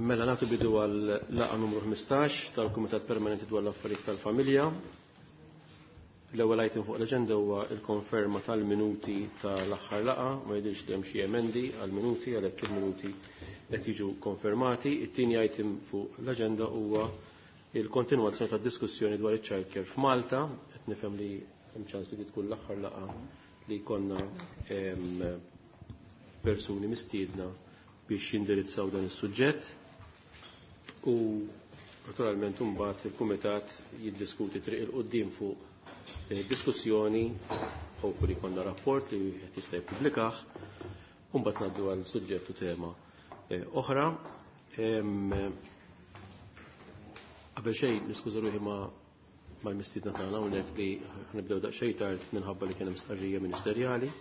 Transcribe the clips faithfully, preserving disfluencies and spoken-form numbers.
Mela nagħtu bidu għal laqgħa numru ħmistax tal-Kumitat Permanenti dwar l-Affarijiet tal-Familja. L-ewwel item fuq l-aġenda huwa l-konferma tal-minuti tal-aħħar laqgħa, ma jidhirx li hemm xi emendi għall-minuti għalhekk il-minuti qed jiġu konfermati. It-tieni item fuq l-aġenda huwa il-kontinwazzjoni tad-diskussjoni dwar iċ-child care f'Malta. Qed nifhem li hemm ċans li tkun l-aħħar laqgħa li jkollna persuni mistiedna biex jindirizzaw dan is-suġġett. U naturalment imbagħad il-kumitat jiddiskuti triq il quddiem fuq din id-diskussjoni, hopefully jkollna rapport li wieħed jista' jippubblikah, u mbagħad ngħaddu għal suġġett u tema oħra. Qabel xejn niskuża ruħi ma' mal-mistiedna tagħna hawnhekk li ħnibdew daqsxejn tard minħabba li kien hemm stqarrija ministerjali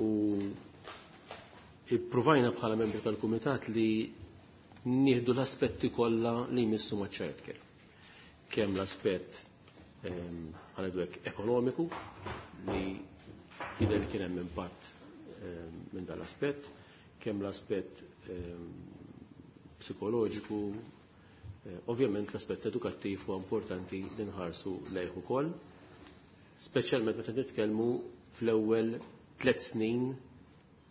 u ippruvajna bħala membri tal-kumitat li nieħdu l-aspetti kollha li jmissu ma' child care. Kemm l-aspett ħanedwek ekonomiku li jidher li kien hemm impatt minn dan l-aspett, kemm l-aspett psikoloġiku, ovvjament l-aspett edukattiv huwa importanti li nħarsu lejh ukoll, speċjalment meta nitkellmu fl-ewwel tliet snin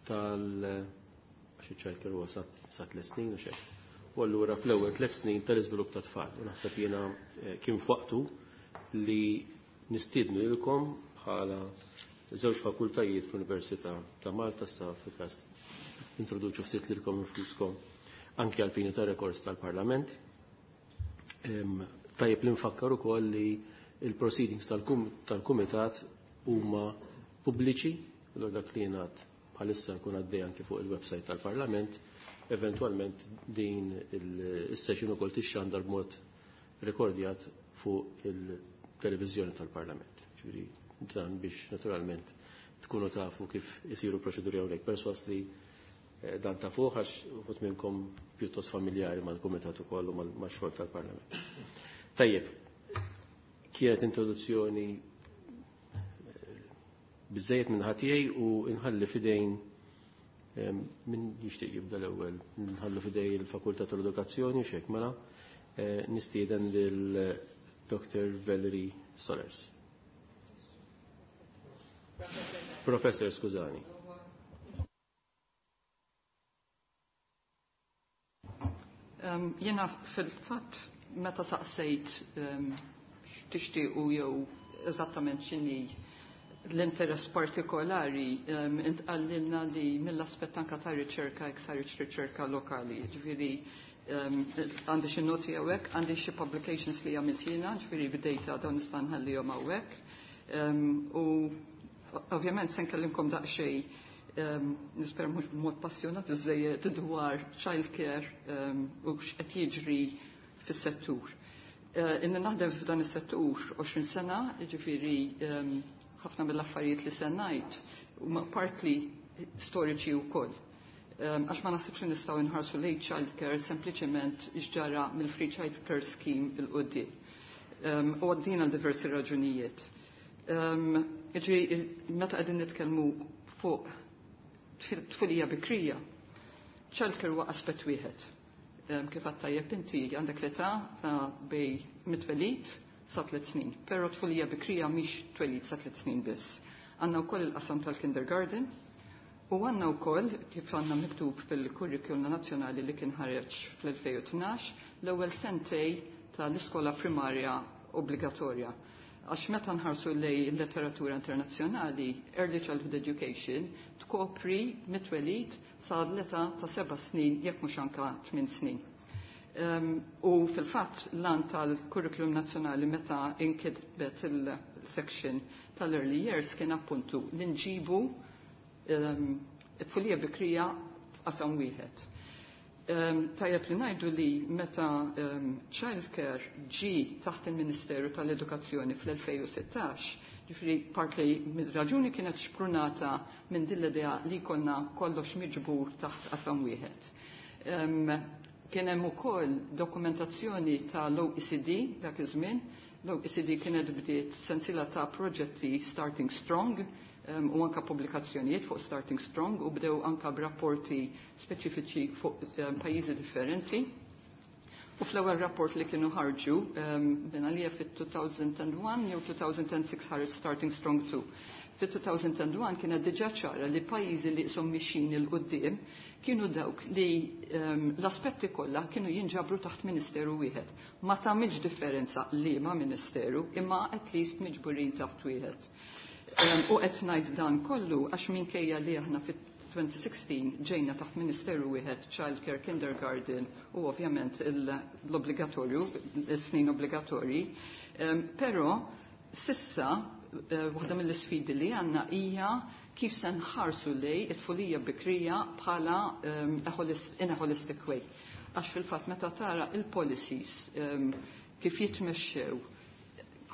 tal għax iċ-child care huwa sa tliet snin u xejn. U allura fl-ewwel tliet snin tal-iżvilupp ta' tfal. U naħseb jiena kien f'waqtu li nistiednu lilkom bħala żewġ fakultajiet fl-Università ta' Malta sa fil-każ introduċu ftit lilkom infuskom anke għal fini ta' rekords tal-Parlament. Tajjeb li nfakkar ukoll li il-proceedings tal-Kumitat huma pubbliċi, allura dak li jingħad bħalissa nkun għaddej anke fuq il-website tal-Parlament, eventwalment din is-session ukoll tixxandar b'mod rekordjat fuq il-televiżjoni tal-Parlament. Ġifieri dan biex naturalment tkunu tafu kif isiru proċeduri hawnhekk. Perswas li dan tafuh għax uħud minnkom pjuttost familjari mal-Kumitat ukoll u max-xogħol tal-Parlament. Tajjeb, kienet introduzzjoni biżejjed minn ħatijaj u nħalli fidejn min jixtieq jibda l-ewwel, nħallu fidej il-Fakultà tal-Edukazzjoni x'hekk mela nistieden lil Doctor Valerie Solers. Professor, skużani. Um, jena fil-fatt meta saqsejt um, x'tixtiequ jew eżattament x'inhi l-interess partikolari, um, intqallilna li mill-aspett anka ta' riċerka jekk saritx riċerka lokali. Ġifieri għandi xi noti hawnhekk, għandi xi publications li għamilt jiena, ġifieri b'data dawn nista' nħallihom hawnhekk. Um, u ovvjament se nkellimkom daqsxejn Um, nispera mhux b'mod passjonat iżejjed dwar child care um, u x'qed jiġri fis-settur. Uh, Inni naħdem f'dan is-settur għoxrin sena, jiġifieri um, ħafna mill-affarijiet li se ngħid huma partly storiċi wkoll. Għax um, ma naħsibx li nistgħu nħarsu lejn child care sempliċement x'ġara mill-free child care scheme il quddiem. Um, u għaddina għal diversi raġunijiet. Um, Jiġifieri meta qegħdin nitkellmu fuq tfulija bikrija, childcare huwa aspett wieħed. Kif għadt tajjeb inti għandek l-età ta' bej mit-twelid sa tliet snin, però tfulija bikrija mhix twelid sa tliet snin biss. Għandna wkoll il-qasam tal-kindergarten u għandna wkoll kif għandna miktub fil-kurrikulum nazzjonali li kien ħareġ fl-elfejn u tnax l-ewwel sentej tal-iskola primarja obbligatorja. Għax meta nħarsu lej letteratura internazzjonali, Early Childhood Education tkopri mit-twelid sa l-età ta' seba' snin, jekk mhux anka tmien snin. Um, u fil-fatt l-an tal-kurrikulum nazzjonali meta inkitbet il-section tal-early years kien appuntu li nġibu um, it-tfulija bikrija f'qasam wieħed. Um, tajjeb li ngħidu li meta um, childcare ġi taħt il-Ministeru tal-Edukazzjoni fl-elfejn u sittax, ġifieri partly mid-raġuni kienet xprunata minn din l-idea li konna kollox miġbur taħt qasam wieħed. Um, kien hemm ukoll dokumentazzjoni tal-O E C D dak iż-żmien. L-O E C D kienet bdiet sensiela ta' proġetti Starting Strong um, u anka pubblikazzjonijiet fuq Starting Strong u bdew anka b'rapporti speċifiċi fuq um, pajjiżi differenti. U fl-ewwel rapport li kienu ħarġu um, minn għalija fit-two thousand and one jew two thousand and six ħareġ Starting Strong two. Fit-two thousand and one kienet diġà ċara li pajjiżi li qishom mixin 'il quddiem kienu dawk li um, l-aspetti kollha kienu jinġabru taħt ministeru wieħed. Ma tagħmilx differenza li ma ministeru, imma at least miġburin taħt wieħed. Um, u qed ngħid dan kollu għax minkejja li aħna fit-twenty sixteen ġejna taħt ministeru wieħed, childcare, kindergarten u ovvjament l-obbligatorju, il-snin obbligatorji, um, però s'issa eh, waħda mill-isfidi li għandna hija kif se nħarsu lejn it-tfulija bikrija bħala um, in a holistic way. Għax fil-fatt meta tara il-policies um, kif jitmexxew,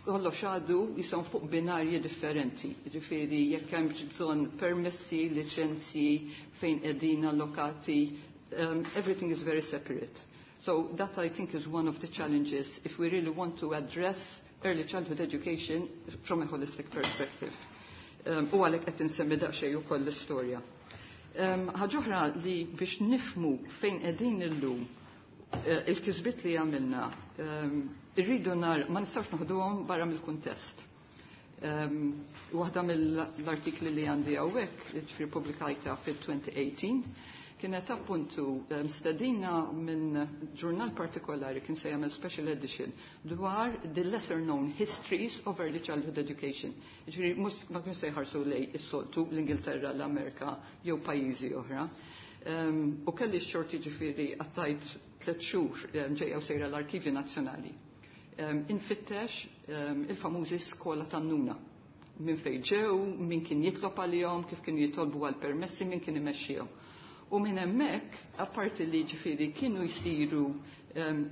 kollox għadu jisom fuq binarji differenti. Ġifieri, jekk hemm bżonn permessi, liċenzji, fejn qegħdin allokati, um, everything is very separate. So that, I think, is one of the challenges if we really want to address early childhood education from a holistic perspective. Um, u għalhekk qed insemmi daqsxejn ukoll l-istorja. Um, Ħaġa oħra li biex nifhmu fejn qegħdin illum, eh, il-kisbiet li għamilna, um, irridu nar, ma nistgħux noħduhom barra mill-kuntest. Um, waħda mill-artikli li għandi hawnhekk, ġifieri pubblikajta fil-twenty eighteen, kienet appuntu um, stedina minn ġurnal partikolari kien se jagħmel special edition dwar the lesser known histories of early childhood education. Ġifieri mhux ma kien se jħarsu lejn is-soltu l-Ingilterra, l-Amerika jew pajjiżi oħra. Um, u kelli x-xorti, ġifieri għaddejt tliet xhur um, ġejja u sejra l-Arkivi Nazzjonali. Um, infittex um, il-famużi skola tan-nuna, minn fejn ġew, min kien jitlob għalihom, kif kienu jitolbu għal permessi, min kien imexxihom. U minn hemmhekk, apparti li ġifieri kienu jsiru um,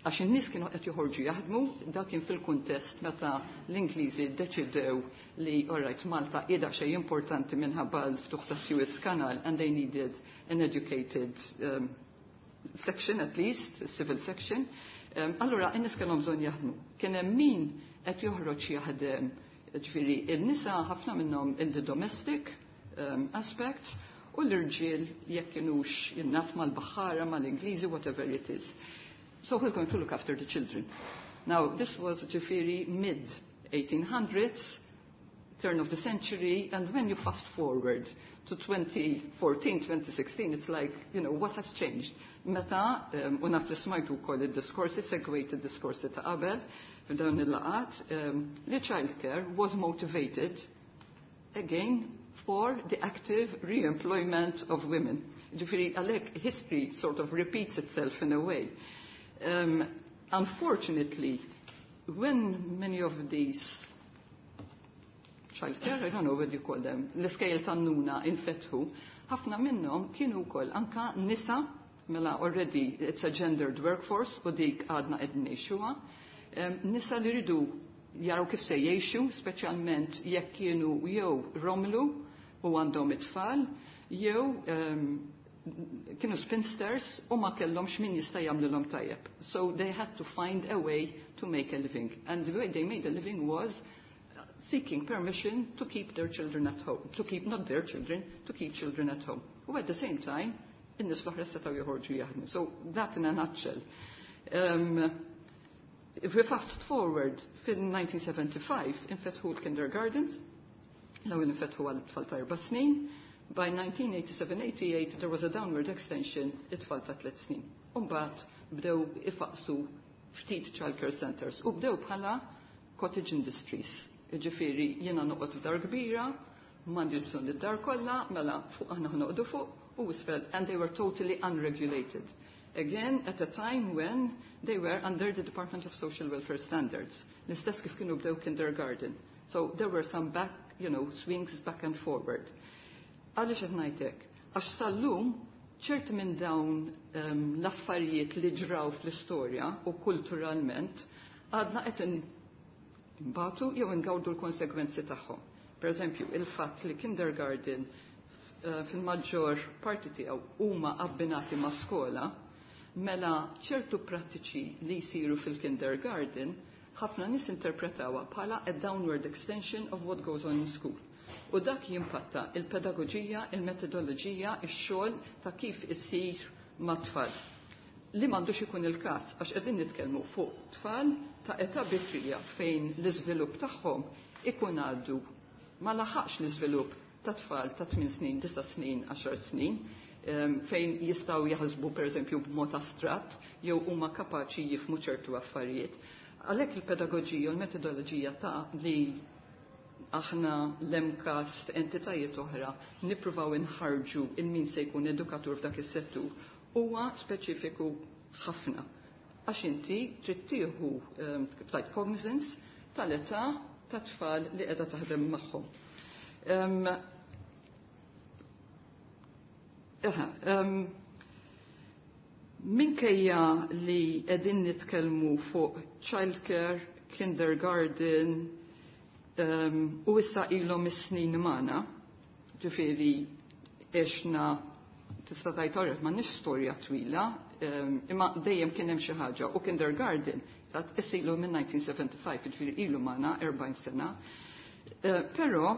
għax in-nies kienu qed joħorġu jaħdmu, dak kien fil-kuntest meta l-Ingliżi ddeċidew li, alright, Malta qiegħda xejn importanti minħabba l-ftuħ ta' Suez Canal and they needed an educated um, section at least, civil section. Um, allura, in-nies kellhom bżonn jaħdmu. Kien hemm min qed joħroġ jaħdem, ġifieri in-nisa ħafna minnhom in the domestic um, aspects, u l-irġiel jekk kienux jinnaf mal-baħħara, mal-Ingliżi, whatever it is. So who's going to look after the children? Now, this was ġifieri mid eighteen hundreds, turn of the century, and when you fast forward to twenty fourteen, twenty sixteen, it's like, you know, what has changed? Meta, um, u naf li smajtu wkoll id-diskorsi, segwejt id-diskorsi ta' qabel, f'dawn il-laqgħat, um, li childcare was motivated, again, for the active re-employment of women. Ġifieri, għalhekk, history sort of repeats itself in a way. Um, unfortunately, when many of these childcare, I don't know what you call them, l-iskejjel tan-nuna infetħu, ħafna minnhom kienu wkoll anka nisa, mela already it's a gendered workforce u dik għadna qed ngħixuha, um, nisa li ridu jaraw kif se jgħixu, speċjalment jekk kienu jew romlu u għandhom it-tfal, jew um, kienu spinsters u ma kellhomx min jista' jagħmlilhom tajjeb. So they had to find a way to make a living. And the way they made a living was seeking permission to keep their children at home, to keep not their children, to keep children at home. U at the same time, in-nies l-oħra setgħu joħorġu jaħdmu. So that in a nutshell. Um, if we fast forward, fin-nineteen seventy-five infetħu l-kindergartens, l-ewwel infetħu għal tfal ta' erba' snin, by nineteen eighty-seven eighty-eight there was a downward extension, it-tfal ta' tliet snin. Umbagħad bdew ifaqsu ftit childcare centers u bdew bħala cottage industries. Ġifieri, jiena noqgħod f'dar kbira, m'għandix bżonn id-dar kollha, mela fuq aħna noqogħdu fuq u isfel, and they were totally unregulated. Again, at a time when they were under the Department of Social Welfare Standards. L-istess kif kienu bdew kindergarten. So there were some back, you know, swings back and forward. Għaliex qed ngħidlek? Għax sal-lum ċerti minn dawn um, l-affarijiet li ġraw fl-istorja u kulturalment għadna qed nbatu jew ingawdu l-konsegwenzi tagħhom. Per eżempju, il-fatt li kindergarten uh, fil-maġġor parti tiegħu huma abbinati ma' skola, mela ċertu prattiċi li jsiru fil-kindergarten ħafna nies interpretawha bħala a downward extension of what goes on in school. U dak jimpatta il-pedagoġija, il-metodoloġija, ix-xogħol ta' kif isir ma' tfal. Li m'għandux ikun il-każ għax qegħdin nitkellmu fuq tfal ta' età bikrija fejn l-iżvilupp tagħhom ikun għaddu ma laħaqx l-iżvilupp ta' tfal ta' tmien snin, disa' snin, għaxar snin, fejn jistgħu jaħsbu pereżempju b'mod astratt jew huma kapaċi jifhmu ċertu affarijiet. Għalhekk il-pedagoġija u l-metodoloġija ta' li aħna l-MCAST, entitajiet oħra, nippruvaw inħarġu il-min se jkun edukatur f'dak is-settur huwa speċifiku ħafna. Għax inti trid tieħu kif tgħid cognizance tal-età ta' tfal li qiegħda taħdem magħhom. Um, um, minkejja li qegħdin nitkellmu fuq childcare, kindergarten, um, u issa ilhom is-snin magħna, ġifieri għexna tista' tgħid orret m'għandniex storja twila, um, imma dejjem kien hemm xi ħaġa u kindergarten tat issilu minn nineteen seventy-five, jiġifieri ilu magħna erbgħin sena. Uh, però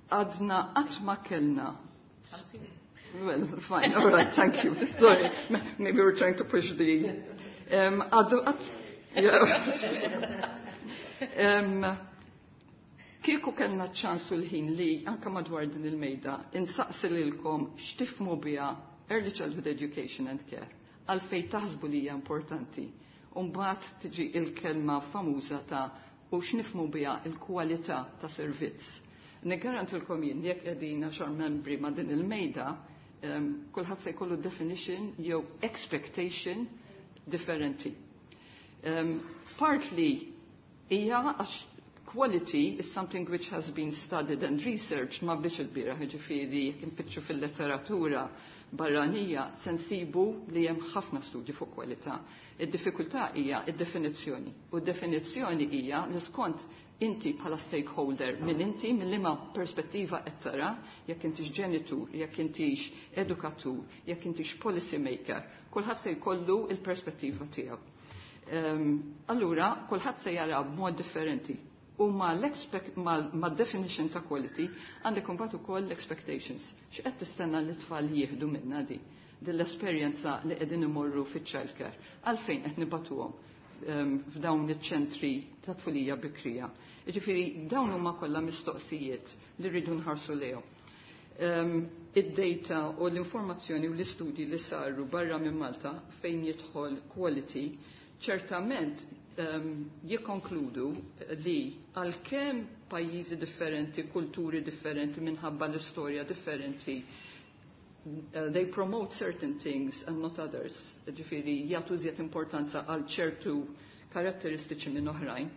għadna qatt ma kellna. Well, fine, all right, thank you. Sorry, maybe we're trying to push the... Um, għaddu, għad, yeah. um, Kieku kellna ċansu l-ħin li anka madwar din il-mejda insaqsi lilkom x'tifhmu biha early childhood education and care, għalfejn taħsbu li hija importanti. U mbagħad tiġi il-kelma famuża ta' u x'nifhmu biha il-kwalità ta' servizz. Niggarantilkom jien jekk qegħdin għaxar membri ma' din il-mejda, um, kulħadd se jkollu definition jew expectation differenti. Um, partly hija għax quality is something which has been studied and researched ma biex il-bira, ġifieri jekk infittxu fil-letteratura barranija se nsibu li hemm ħafna studji fuq kwalità. Id-diffikultà hija id-definizzjoni. U d-definizzjoni hija li skont inti bħala stakeholder minn inti minn liema perspettiva qed tara, jekk intix ġenitur, jekk intix edukatur, jekk intix policy maker, kulħadd se jkollu il-perspettiva tiegħu. Um, allura, kulħadd se jara b'mod differenti. U ma ma definition ta' quality għandek imbagħad ukoll l-expectations. X'qed tistenna li t-tfal jieħdu minna di? Din l-esperjenza li qegħdin imorru fiċ-childcare. Għalfejn qed nibatuhom um, f'dawn iċ-ċentri ta' tfulija bikrija. Jiġifieri dawn huma kollha mistoqsijiet li rridu nħarsu lejhom. Um, id-data u l-informazzjoni u l-istudji li saru barra minn Malta fejn jidħol quality ċertament um, jikkonkludu li għalkemm pajjiżi differenti, kulturi differenti, minħabba l-istorja differenti, uh, they promote certain things and not others. Ġifieri jagħtu żjed importanza għal ċertu karatteristiċi minn oħrajn.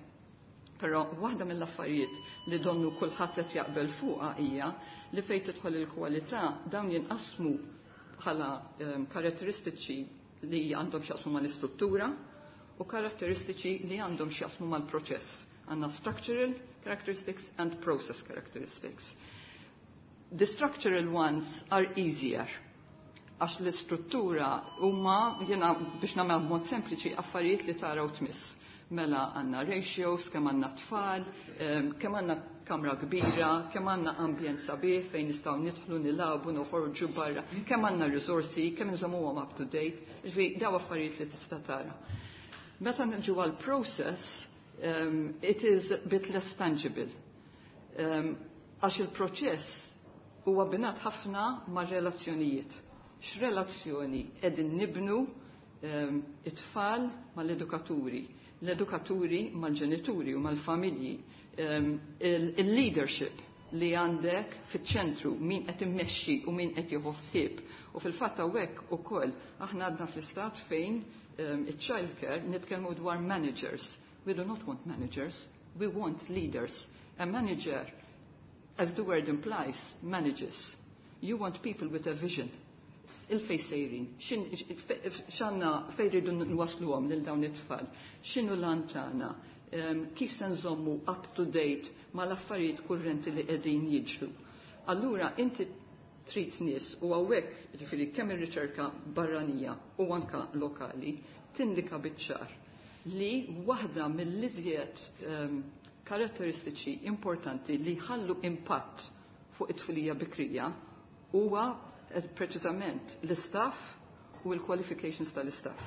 Però waħda mill-affarijiet li donnu kulħadd qed jaqbel fuqha hija li fejn tidħol il-kwalità dawn jinqasmu bħala um, karatteristiċi li għandhom x'jaqsmu mal-istruttura u karatteristiċi li għandhom x'jaqsmu mal-proċess. Għandna structural characteristics and process characteristics. The structural ones are easier għax l-istruttura huma jiena biex nagħmel b'mod sempliċi affarijiet li taraw tmiss. Mela għandna ratios, kemm għandna tfal, kemm għandna kamra kbira, kemm għandna ambjent sabiħ fejn nistgħu nidħlu nilagħbu noħorġu barra, kemm għandna risorsi, kemm nżommuhom up to date, ġifieri daw affarijiet li tista' tara. Meta niġu għal process, um, it is a bit less tangible. Um, għax il-proċess huwa binat ħafna ma' relazzjonijiet. X'relazzjoni qegħdin nibnu um, it-tfal mal-edukaturi, l-edukaturi mal-ġenituri u mal-familji, um, il-leadership li għandek fiċ-ċentru, min qed immexxi u min qed jieħu ħsieb. U fil-fatt hawnhekk ukoll aħna għadna fl-istat fejn um, il-childcare nitkellmu dwar managers. We do not want managers, we want leaders. A manager, as the word implies, manages. You want people with a vision. Il-fej sejrin, x'għandna fej rridu nwasluhom lil dawn it-tfal, x'inhu l-għan tagħna, kif se nżommu up to date mal-affarijiet kurrenti li qegħdin jiġru. Allura inti trid nies u hawnhekk jiġifieri kemm ir-riċerka barranija u anka lokali tindika biċ-ċar li waħda mill-iżjed um, karatteristiċi importanti li ħallu impatt fuq it-tfulija bikrija huwa preċiżament l-istaff u l-qualifications tal-istaff.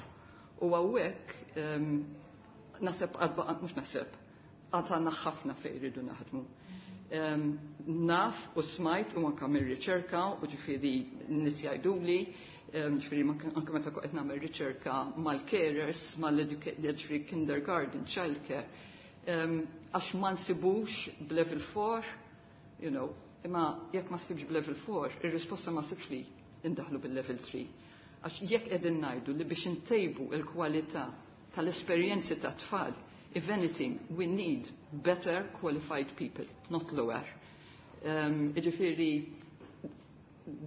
U hawnhekk um, naħseb mhux naħseb, għad għandna ħafna fejn rridu naħdmu. Um, naf u smajt u anka mir-riċerka u ġifieri nies jgħiduli, um, ġifieri anke meta qed nagħmel riċerka mal-carers, mal-ġifieri kindergarten, childcare, um, għax ma nsibux b'level four, you know, imma jekk ma ssibx b'level four, ir-risposta ma ssibx li indaħlu bil-level three. Għax jekk qegħdin ngħidu li biex intejbu il-kwalità tal-esperjenzi ta' tfal, if anything, we need better qualified people, not lower. Um, Iġifieri,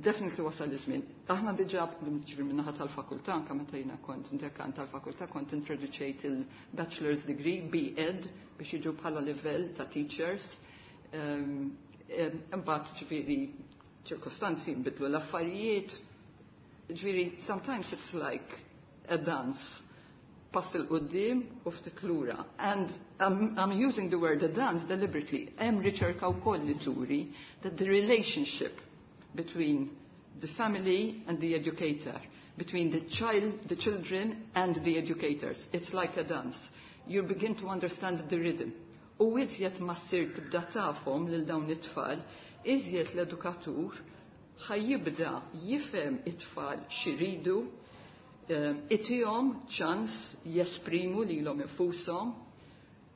definitely wasal iż-żmien. Aħna diġà ġifieri min-naħa tal-fakultà, anke meta jiena kont dekan tal-fakultà, kont introduċejt il-bachelor's degree, B Ed, biex jiġu bħala livell ta' teachers. Um, Imbagħad ġifieri ċirkostanzi nbidlu l-affarijiet. Ġifieri, sometimes it's like a dance, pass 'il quddiem u ftit lura. And I'm, I'm using the word a dance deliberately. Hemm riċerka wkoll li turi that the relationship between the family and the educator, between the child, the children and the educators, it's like a dance. You begin to understand the rhythm. U iżjed ma ssir tibda tafhom lil dawn it-tfal, iżjed l-edukatur ħa jibda jifhem it-tfal x'iridu, itihom ċans jesprimu lilhom infushom.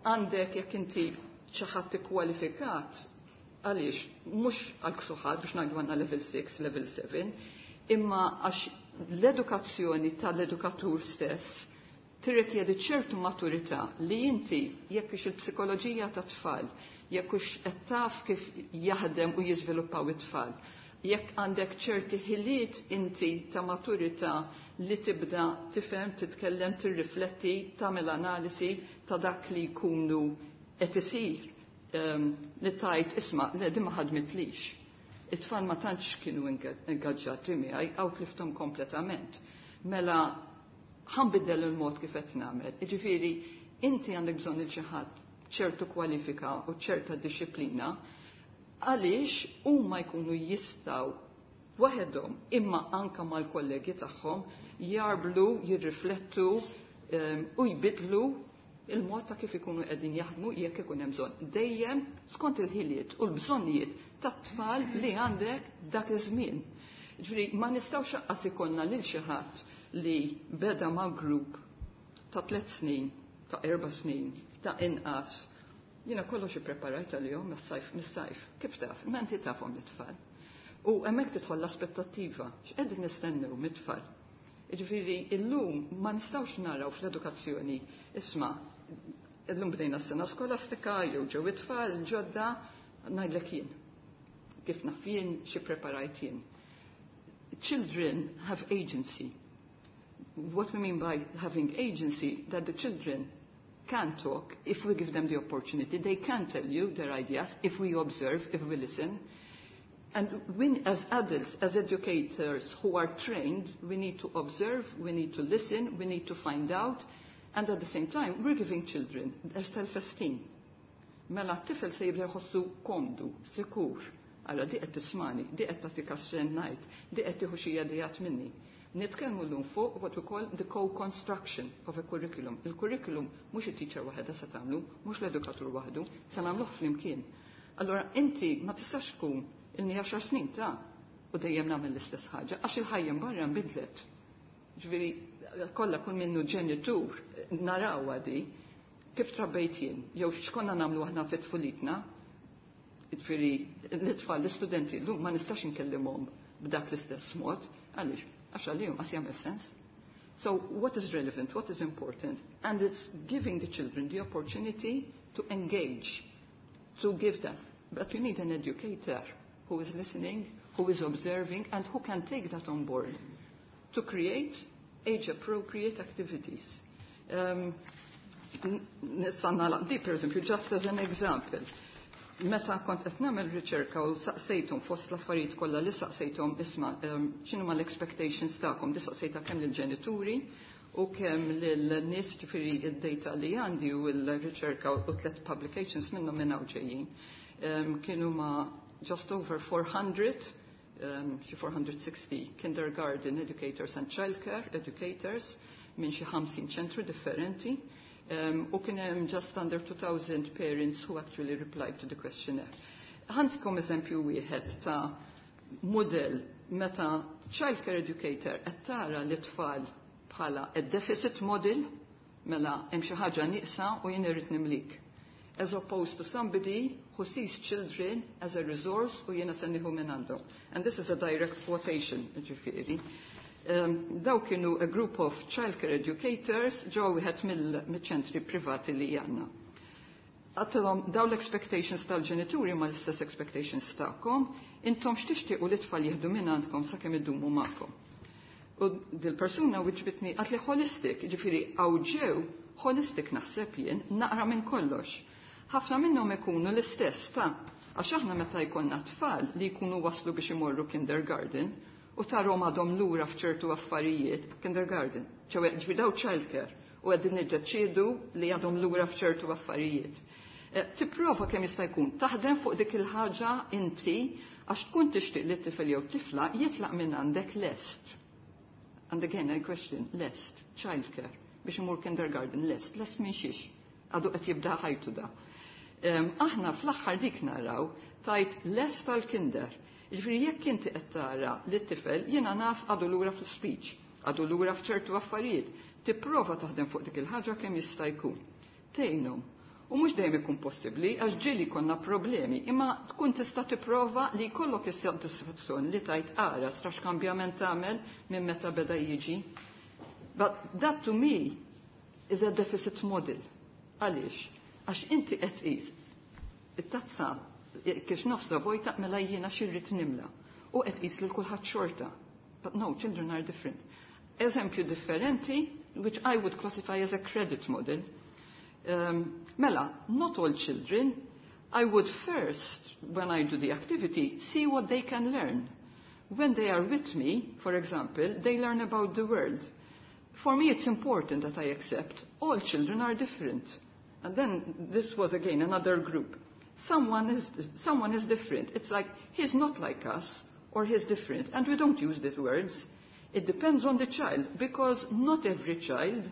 Għandek jekk inti xi ħadd ikkwalifikat, għaliex mhux għal ksuħat biex ngħidu għandna level six, level seven, imma għax l-edukazzjoni tal-edukatur stess tirrikjedi ċertu maturità li inti jekk ix il-psikoloġija ta' tfal, jekk hux qed taf kif jaħdem u jiżviluppaw it-tfal, jekk għandek ċerti ħiliet inti ta' maturità li tibda tifhem, titkellem, tirrifletti, tagħmel analisi ta' dak li jkunu qed isir um, li tajt isma' le din ma ħadmitlix. It-tfal ma tantx kienu ingaġġati miegħi għaw tlifthom kompletament. Mela ħa nbiddel il-mod kif qed nagħmel. Jiġifieri inti għandek bżonn il xi ħadd ċertu kwalifika u ċerta disciplina għaliex huma jkunu jistgħu waħedhom imma anka mal-kollegi tagħhom jarblu, jirriflettu um, u jbidlu il-mod ta' kif ikunu qegħdin jaħdmu jekk ikun hemm bżonn. Dejjem skont il-ħiliet u l-bżonnijiet tat-tfal li għandek dak iż-żmien. Ġifieri ma nistgħux anqas ikollna lil xi ħadd li beda ma' grupp ta' tliet snin, ta' erba' snin, ta' inqas. Jiena kollox ippreparajt għalihom mis-sajf mis-sajf. Kif taf? Ma inti tafhom l-tfal. U hemmhekk tidħol l-aspettattiva, x'qegħdin nistennew mit-tfal. Ġifieri, illum ma nistgħux naraw fl-edukazzjoni, isma', illum bdejna s-sena skolastika, jew ġew it-tfal, ġodda, ngħidlek jien. Kif naf jien, xi preparajt jien. Children have agency. What we mean by having agency, that the children can talk if we give them the opportunity. They can tell you their ideas if we observe, if we listen. And we, as adults, as educators who are trained, we need to observe, we need to listen, we need to find out, and at the same time, we're giving children their self-esteem. Mela t-tifel se jibda jħossu komdu, sikur. Għalla di qed tismani, di qed tagħti ngħid, di qed tieħu xi ideat minni. Nitkellmu llum fuq what we call the co-construction of a curriculum. Il-curriculum mhux it-teacher waħedha se tagħmlu, mhux l-edukatur waħdu, se nagħmluh flimkien. Allora inti ma tistax tkun ilni għaxar snin ta' u dejjem nagħmel l-istess ħaġa għax il-ħajja barra nbidlet. Ġifieri kollha kull minnu ġenitur naraw di kif trabbejt jien, jew x'konna nagħmlu aħna fit tfulitna. Ġifieri l-itfal, l-istudenti llum ma nistax inkellimhom b'dak l-istess mod, għaliex għax għalihom qas jagħmel sens. So what is relevant, what is important? And it's giving the children the opportunity to engage, to give them. But you need an educator who is listening, who is observing, and who can take that on board to create age-appropriate activities. Um, Nista' nagħlaq di, per eżempju, just as an example. Meta kont qed nagħmel riċerka u saqsejthom fost l-affarijiet kollha li saqsejthom isma' um, x'inhuma l-expectations tagħkom, di saqsejta kemm lill-ġenituri u kemm lil-nies, ġifieri id-data li għandi u l-riċerka u tliet publications minnhom minn hawn ġejjin. Um, kienu ma' just over four hundred, um, xi four hundred sixty kindergarten educators and childcare educators minn xi ħamsin ċentru differenti. Um, u kien hemm just under two thousand parents who actually replied to the questionnaire. Ħa ntikom eżempju wieħed ta' model meta childcare educator qed tara li tfal bħala a deficit model, mela hemm xi ħaġa nieqsa u jien irrid nimlik. As opposed to somebody who sees children as a resource u jiena se nieħu minn għandhom. And this is a direct quotation, ġifieri. Um, daw kienu a group of childcare educators ġew wieħed mill-ċentri privati li għandna. Għedtilhom daw l-expectations tal-ġenituri ma l-istess expectations tagħkom, intom x'tixtiequ li tfal jieħdu minn għandkom sakemm idumu magħkom? U dil-persuna wiġbitni, qaltli holistic, ġifieri ġew holistic naħseb jien, naqra minn kollox. Ħafna minnhom ikunu l-istess ta' għax aħna meta jkollna tfal li jkunu waslu biex imorru kindergarten u tarahom għadhom lura f'ċertu affarijiet, kindergarten, ċewwe ġifieri daw childcare, u qegħdin niddeċiedu li għadhom lura f'ċertu affarijiet. Eh, tipprova kemm jista' jkun taħdem fuq dik il-ħaġa inti għax tkun tixtieq li t-tifel jew tifla jitlaq minn għandek lest. And again, I question, lest, childcare, biex imur kindergarten, lest, lest minn xiex, għadu qed jibda ħajtu da. Um, aħna fl-aħħar dik naraw tajt lest tal-kinder. Ġifieri jekk inti qed tara li t-tifel jiena naf għadu lura fl-speech, għadu lura f'ċertu affarijiet, tipprova taħdem fuq dik il-ħaġa kemm jista' jkun. Tgħinhom. U mhux dejjem ikun possibbli, għax ġieli konna problemi, imma tkun tista' tipprova li jkollok is-sodisfazzjoni li tajt ara strax kambjament tagħmel minn meta beda jiġi. But that to me is a deficit model. Għaliex? Għax inti qed tqis it-tazza kiex nofsa vojta, mela jiena x'irrid nimla. U qed tqis lil kulħadd xorta. But no, children are different. Eżempju differenti, which I would classify as a credit model. Um, mela, not all children, I would first, when I do the activity, see what they can learn. When they are with me, for example, they learn about the world. For me, it's important that I accept all children are different. And then this was again another group. Someone is, someone is different. It's like he's not like us or he's different. And we don't use these words. It depends on the child because not every child,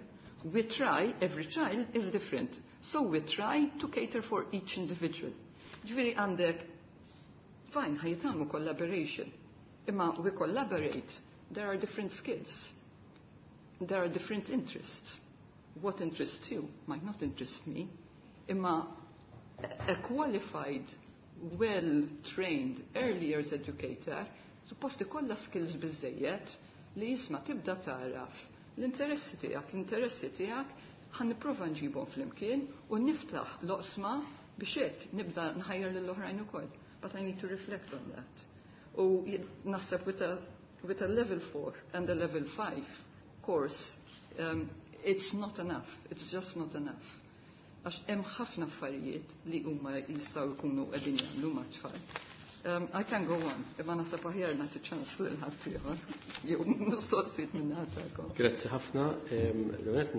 we try, every child is different. So we try to cater for each individual. Ġifieri għandek, fine, ħa jitgħallmu collaboration. Imma we collaborate, there are different skills. There are different interests. What interests you might not interest me. Imma a qualified, well-trained early years educator suppost ikollha skills biżejjed li jisma' tibda taraf l-interessi tiegħek, l-interessi tiegħek ħa nipprova nġibhom flimkien u niftaħ l-oqsma biex hekk nibda nħajjar lill-oħrajn ukoll. But I need to reflect on that. U naħseb with a, with a level four and a level five course, um, it's not enough. It's just not enough. Għax hemm ħafna affarijiet li huma jistgħu jkunu qegħdin jagħmlu mat-tfal. Um, I can go on, imma naħseb aħjar nagħti ċans lil ħadd jew mistoqsijiet minn tagħkom. Grazzi ħafna. L-għonet,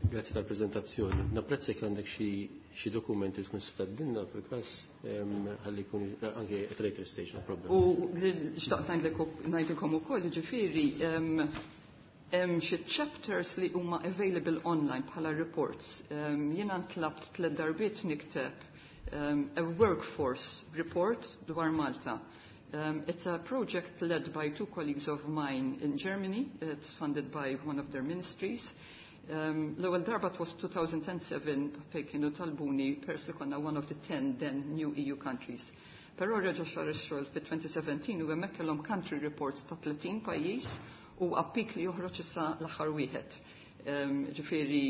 grazzi tal-prezentazzjoni. Napprezza jekk għandek xi dokumenti li tkun tgħaddilna fil-każ ħalli jkun anke at later stage, no problem. U xtaqt ngħidilkom ukoll, ġifieri hemm xi chapters li huma available online bħala reports. Jiena ntlabt tliet darbiet nikteb um, a workforce report dwar Malta. Um, it's a project led by two colleagues of mine in Germany. It's funded by one of their ministries. Um, L-ewwel darba was two thousand seven fejn kienu talbuni pers li konna one of the ten then new E U countries. Però reġa' sar ix-xogħol fi twenty seventeen u hemmhekk kellhom country reports ta' tletin pajjiż u appik li joħroġ issa l-aħħar wieħed. Um, ġifieri,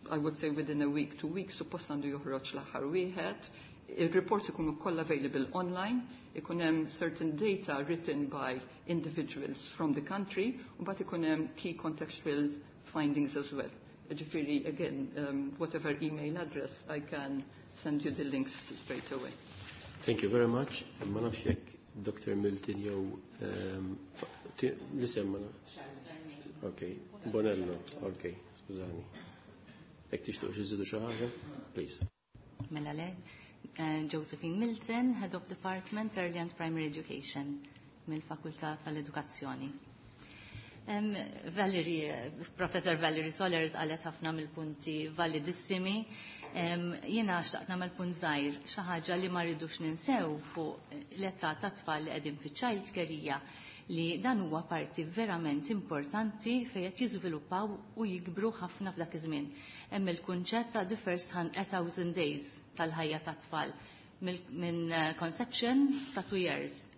I would say within a week, two weeks, suppost għandu joħroġ l-aħħar wieħed. Il-reports ikunu kollha available online, ikun hemm certain data written by individuals from the country, u mbagħad ikun hemm key contextual findings as well. Ġifieri, again, um, whatever email address, I can send you the links straight away. Thank you very much. Ma nafx jekk Doctor Milton jew um, l-isem ma nafx. Ok, Bonello, ok, skużani. Jekk tixtuq xi żidu xi ħaġa, please. Mela le, eh, Josephine Milton, Head of Department Early and Primary Education mill-Fakultà tal-Edukazzjoni. Um, Valerie, Professor Valerie Solers qalet ħafna mill-punti validissimi. Um, jiena xtaqt nagħmel punt żgħir, xi ħaġa li ma rridux ninsew fuq l-età ta' tfal li qegħdin fiċ-child care hija li dan huwa parti verament importanti fejn qed jiżviluppaw u jikbru ħafna f'dak iż-żmien. Hemm il-kunċett ta' the first thousand days tal-ħajja ta' tfal minn eh, conception sa' two years.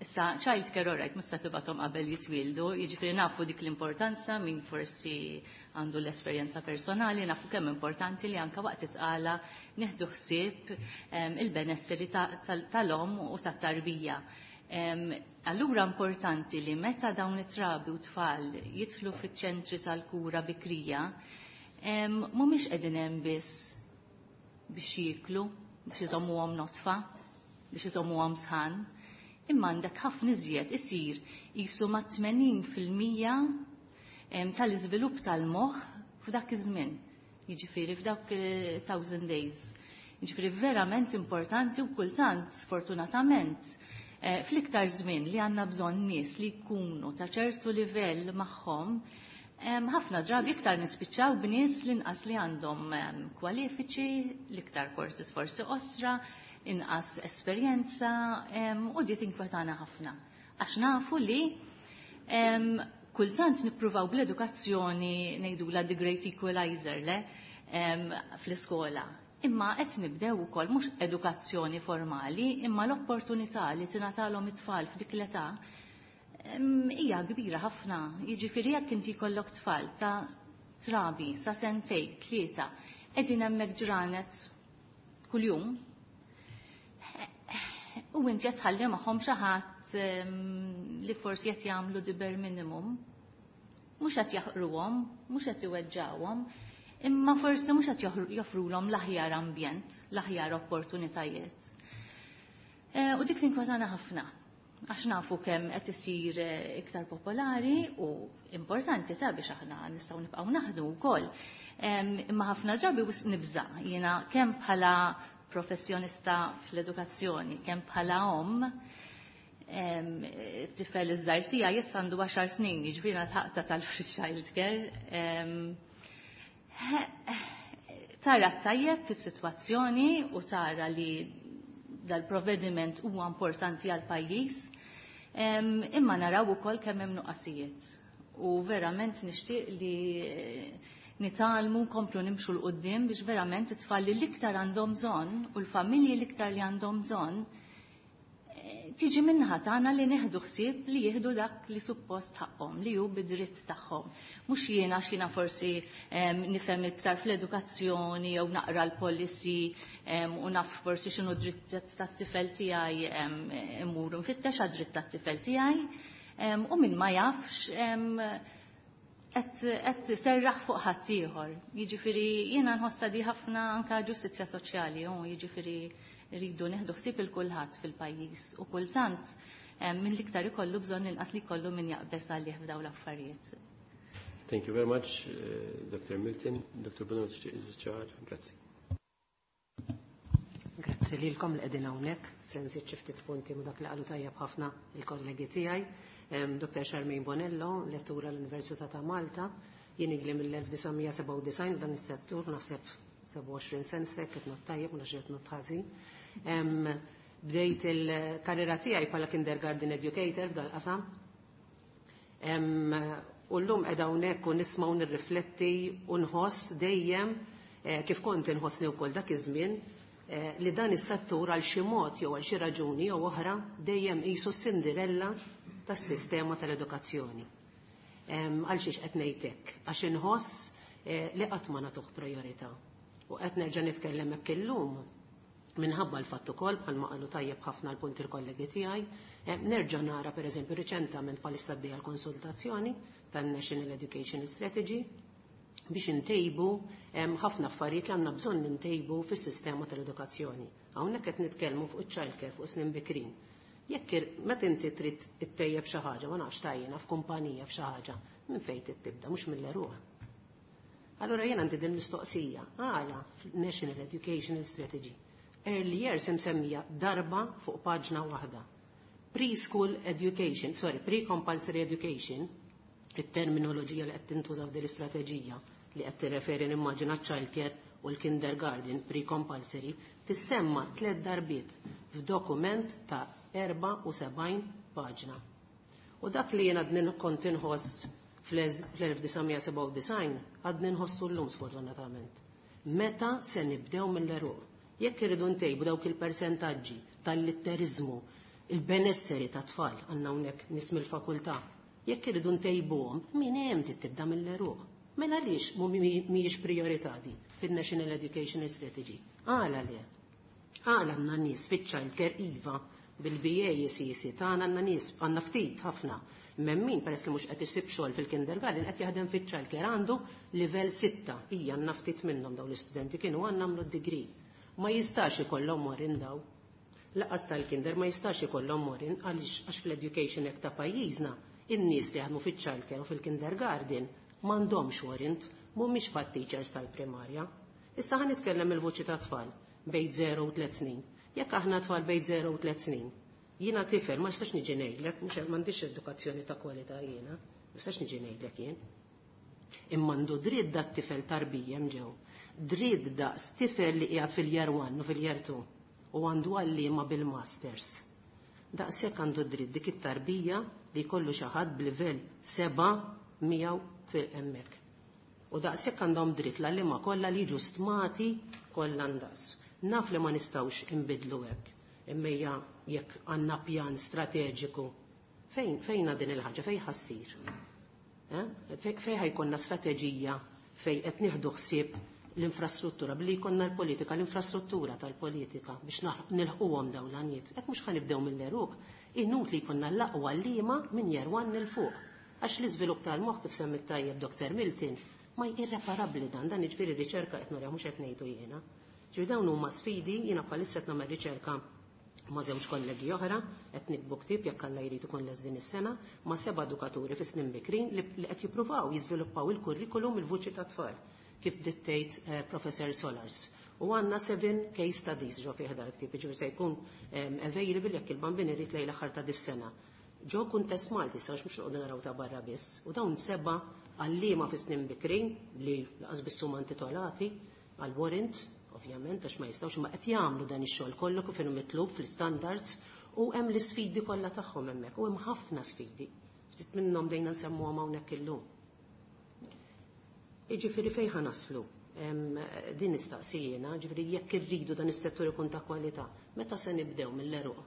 Issa, child care, alright, mhux se tibgħathom qabel jitwildu, jiġifieri nafu dik l-importanza, min forsi għandu l-esperjenza personali, nafu kemm importanti li anka waqt it-tqala nieħdu ħsieb il-benesseri tal-om u tat-tarbija. Allura importanti li meta dawn it-trabi u tfal jidħlu fiċ-ċentri tal-kura bikrija, mhumiex qegħdin hemm biss biex jieklu, biex iżommuhom notfa, biex iżommuhom sħan, imma għandek ħafna iżjed isir qisu ma' tmenin fil-mija tal-iżvilupp tal-moħħ f'dak iż-żmien. Jiġifieri f'dawk thousand days. Jiġifieri verament importanti u kultant, sfortunatament, eh, fl-iktar żmien li għandna bżonn nies li jkunu ta' ċertu livell magħhom, ħafna drabi iktar nispiċċaw b'nies li inqas li għandhom kwalifiċi, l-iktar courses forsi qosra, inqas esperjenza, u di tinkwetana ħafna. Għax nafu li kultant nippruvaw bl-edukazzjoni ngħidula the great equalizer le fl-iskola. Imma qed nibdew ukoll mhux edukazzjoni formali, imma l-opportunità li tingħatalhom it-tfal f'dik l-età hija kbira ħafna. Jiġifieri jekk inti jkollok tfal ta' trabi sa' sentejn, tlieta, qegħdin hemmhekk ġranet kuljum, u inti qed tħalli magħhom xi ħadd li forsi qed jagħmlu the bare minimum. Mhux qed jaħqruhom, mhux qed iweġġawhom, imma forsi mhux qed joffrulhom l-aħjar ambjent, l-aħjar opportunitajiet. E, u dik tinkwetana ħafna, għax nafu kemm qed isir eh, iktar popolari u importanti ta' biex aħna nistgħu nibqgħu naħdu wkoll. Imma ħafna drabi nibża' jiena kemm bħala professjonista fl-edukazzjoni, kemm bħala om, tifel iż-żgħir tiegħi issa għandu għaxar snin, jiġifieri l-ħaqta tal-free child care. Tara tajjeb fis-sitwazzjoni u tara li dal-provvediment huwa importanti għal pajjiż, imma naraw ukoll kemm hemm nuqqasijiet. U verament nixtieq li nitgħallmu nkomplu nimxu 'l quddiem biex verament it-tfal li l-iktar għandhom bżonn u l-familji l-iktar li għandhom bżonn eh, tiġi min-naħa tagħna li neħdu ħsieb li jieħdu dak li suppost ħaqhom, li hu bidritt tagħhom. Mhux jiena għax jiena forsi nifhem iktar fl-edukazzjoni jew naqra l-policy u naf forsi x'inhu dritt tat-tifel tiegħi, immur nfittex għad-dritt tat-tifel tiegħi, u min ma jafx qed serraħ fuq ħaddieħor. Jiġifieri jiena nħossa di ħafna anka ġustizzja soċjali, u jiġifieri rridu nieħdu ħsieb il kulħadd fil-pajjiż u kultant minn l-iktar ikollu bżonn inqas li jkollu min jaqbeż għalih f'dawn l-affarijiet. Thank you very much, uh, Doctor Milton. Doctor Bonello, tixtieq? Grazzi. Grazzi lilkom li qegħdin hawnhekk, se nżid xi ftit punti ma' dak li qalu tajjeb ħafna il-kollegi tiegħi. Doctor Charmaine Bonello, lettura l-Università ta' Malta, jien ili mill-elf disa' mija sebgħa u disgħin f'dan is-settur, naħseb sebgħa u għoxrin sen sek, qed ngħodd tajjeb, ma nafx qed ngħodd ħażin. Bdejt il-karriera tiegħi bħala kindergarten educator f'dal qasam. U llum qiegħda hawnhekk u nisma' u nirrifletti u nħoss dejjem eh, kif kont inħossni wkoll dak iż-żmien eh, li dan is-settur għal xi mod jew għal xi raġuni jew oħra dejjem qisu Cinderella tas-sistema tal-edukazzjoni. Għal xiex qed ngħidlek? Għax inħoss eh, li qatt ma nagħtuh priorità. U qed nerġa' nitkellem hekk illum minħabba l-fatt ukoll, bħalma qalu tajjeb ħafna l-punti l-kollegi tiegħi, nerġa' nara, pereżempju, riċentament bħalissa għaddejja l-konsultazzjoni tan-National Education Strategy biex intejbu ħafna affarijiet li għandna bżonn intejbu fis-sistema tal-edukazzjoni. Hawnhekk qed nitkellmu fuq iċ-child care, fuq snin bikrin. Jekk meta inti trid ittejjeb xi ħaġa, ma nafx tajjina f'kumpanija f'xi ħaġa, minn fejn tibda? Mhux mill-għeruq. Allura jien għandi din mistoqsija, għala National Educational Strategy Early years imsemmija darba fuq paġna waħda. Preschool education, sorry, pre-compulsory education, it-terminoloġija li qed tintuża f'din l-istrateġija li qed tirreferi nimmaġina childcare u l-kindergarten pre-compulsory, tissemma tliet darbiet f'dokument ta' erbgħa u sebgħin paġna. U dak li jien għadni kont inħoss fl-elf disa' mija sebgħa u disgħin għadni nħossu llum, sfortunatament. Meta se nibdew mill-għeruq? Jekk irridu ntejbu dawk il-persentaġġi tal-litterizmu, il-benesseri ta' tfal, għandna hawnhekk nies mill-fakultà, jekk irridu ntejbuhom, min hemm tibda mill-għeruq. Mela għaliex mhijiex priorità di fin-National Education Strategy? Għala le? Għala għandna nies fiċ-childcare iva bil-B A C C tagħna, għandna nies, għandna ftit ħafna. Memmin peress li mhux qed isib xogħol fil-kindergarten qed jaħdem fiċ-childcare, għandu livell sitta. Hija għandna ftit minnhom dawn l-istudenti kienu għandna għamlu d-degree. Ma jistax ikollhom warrant daw. Lanqas tal-kinder ma jistax ikollhom warrant. Għaliex? Għax fl-Education Act ta' pajjiżna in-nies li jaħdmu fiċ-childcare u fil-kindergarten m'għandhomx warrant, mhumiex fat teachers tal-primarja. Issa ħa nitkellem il-vuċi ta' tfal bejn zero u tliet snin. Jekk aħna tfal bejn zero u tliet snin, jiena tifel ma nistax niġi ngħidlek, mhux m'għandix edukazzjoni ta' kwalità jiena, ma nistax niġi ngħidlek jien. Imma għandu dritt dat tifel tarbija ġew. Dritt daqs tifel li qiegħed fil-year one u fil-year two u għandu għalliema bil-masters. Daqshekk għandu dritt dik it-tarbija li jkollu xi ħadd b'livell seba' miegħu fil-hemmhekk. U daqshekk għandhom dritt l-għalliema kollha li jiġu stmati kollha ndaqs. Naf li ma nistgħux inbidlu hekk. Imma jekk għandna pjan strateġiku, fejn fejna din il-ħaġa, fejn ħa ssir? Eh? Fejn ħa jkollna strateġija fejn qed nieħdu ħsieb l-infrastruttura, billi jkollna l-politika, l-infrastruttura tal-politika biex nilħquhom dawn l-għanijiet? Hekk mhux ħa nibdew mill-għeruq. Inutli jkollna l-aqwa għalliema minn year one 'il fuq. Għax l-iżvilupp tal-moħħ, kif semmit tajjeb Doktor Milton, ma irreparabbli dan, dan jiġifieri riċerka qed nurja, mhux qed ngħidu jiena. Ġifieri dawn huma sfidi. Jiena bħalissa qed nagħmel riċerka ma' żewġ kollegi oħra, qed nikbu ktieb, jekk Alla jrid ikun les din is-sena, ma' seba' edukaturi fi snin bikrin li qed jippruvaw jiżviluppaw il-kurrikulum il-vuċi ta' tfal kif dittejt eh, Professor Solars. U għandna seven case studies ġo fih dal ktieb, ġifieri se jkun available jekk il-Bambin irid lejn l-aħħar ta' dis-sena. Ġo kuntest Malti, sa mhux noqogħdu naraw ta' barra biss. U dawn seba' għalliema fi snin bikrin li lanqas biss huma intitolati għal warrant, ovvjament, għax ma jistgħux, ma qed jagħmlu dan ix-xogħol kollu kif inhu mitlub fl-standards u hemm l-isfidi kollha tagħhom hemmhekk u hemm ħafna sfidi. Ftit minnhom dejna nsemmuhom hawnhekk illum. Jiġifieri fejn ħa naslu? Din nistaqsijena, ġifieri jekk irridu dan is-settur ikun ta' kwalità, meta se nibdew mill-għeruq?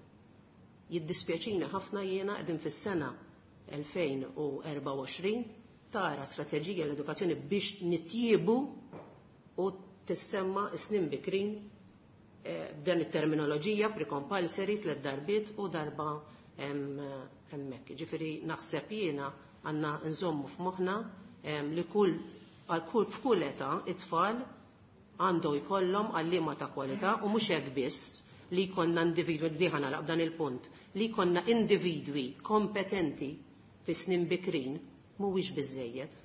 Jiddispjaċina ħafna jiena, qegħdin fis-sena elfejn u erbgħa u għoxrin, tara strateġija l-edukazzjoni biex nitjiebu u tissemma snin bikrin eh, b'dan it-terminoloġija pre-compulsory tliet darbiet u darba hemmhekk. Ġifieri naħseb jiena għandna nżommu f'moħħna li kull għal kull f'kull età it-tfal għandu jkollhom għalliema ta' kwalità u mhux hekk biss, li jkollna individwi, di ħa nagħlaq dan il-punt, li jkollna individwi kompetenti fi snin bikrin mhuwiex biżejjed.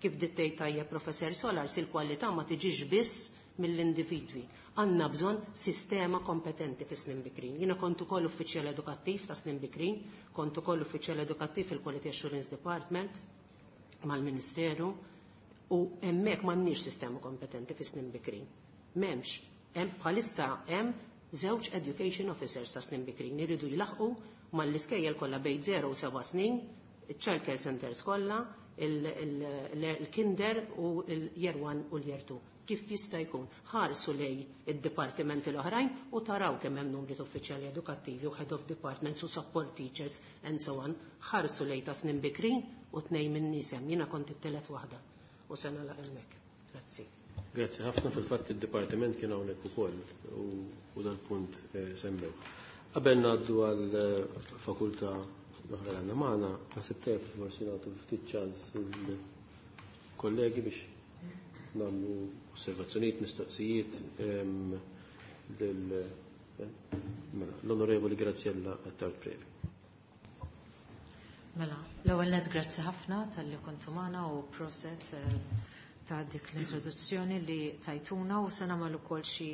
Kif dittej tajja Professor Solars, il-kwalità ma tiġix biss mill-individwi. Għandna bżonn sistema kompetenti fi snin bikrin. Jiena kont ukoll uffiċjal edukattiv ta' snin bikrin, kont ukoll uffiċjal edukattiv fil-Quality Assurance Department mal-Ministeru u hemmhekk m'għandniex sistema kompetenti fi snin bikrin. M'hemmx, hemm bħalissa hemm żewġ education officers ta' snin bikrin iridu jlaħqu mal-iskejjel kollha bejn zero u seba' snin, il-child care centers kollha, il-kinder u l-year one u l-year two. Kif jista' jkun? Ħarsu lejn id-dipartimenti l-oħrajn u taraw kemm hemm numri ta' uffiċjali edukattivi u head of departments u support teachers and so on. Ħarsu lejn ta' snin bikrin u tnejn minn nies hemm. Jiena kont it-telet waħda u se nagħlaq hemmhekk. Grazzi. Grazzi ħafna. Fil-fatt id-dipartiment kien hawnhekk ukoll u dal-punt eh, semmew. Qabel ngħaddu għal eh, fakultà l-oħra li għandna magħna, naħseb tajjeb forsi nagħtu ftit ċans il-kollegi biex nagħmlu osservazzjonijiet, mistoqsijiet ehm, lil eh, mela, l-Onorevoli Graziella Attard Previ. Mela, l-ewwel net grazzi ħafna talli kontu magħna u proset eh, ta' dik l-introduzzjoni li tajtuna u se nagħmel ukoll xi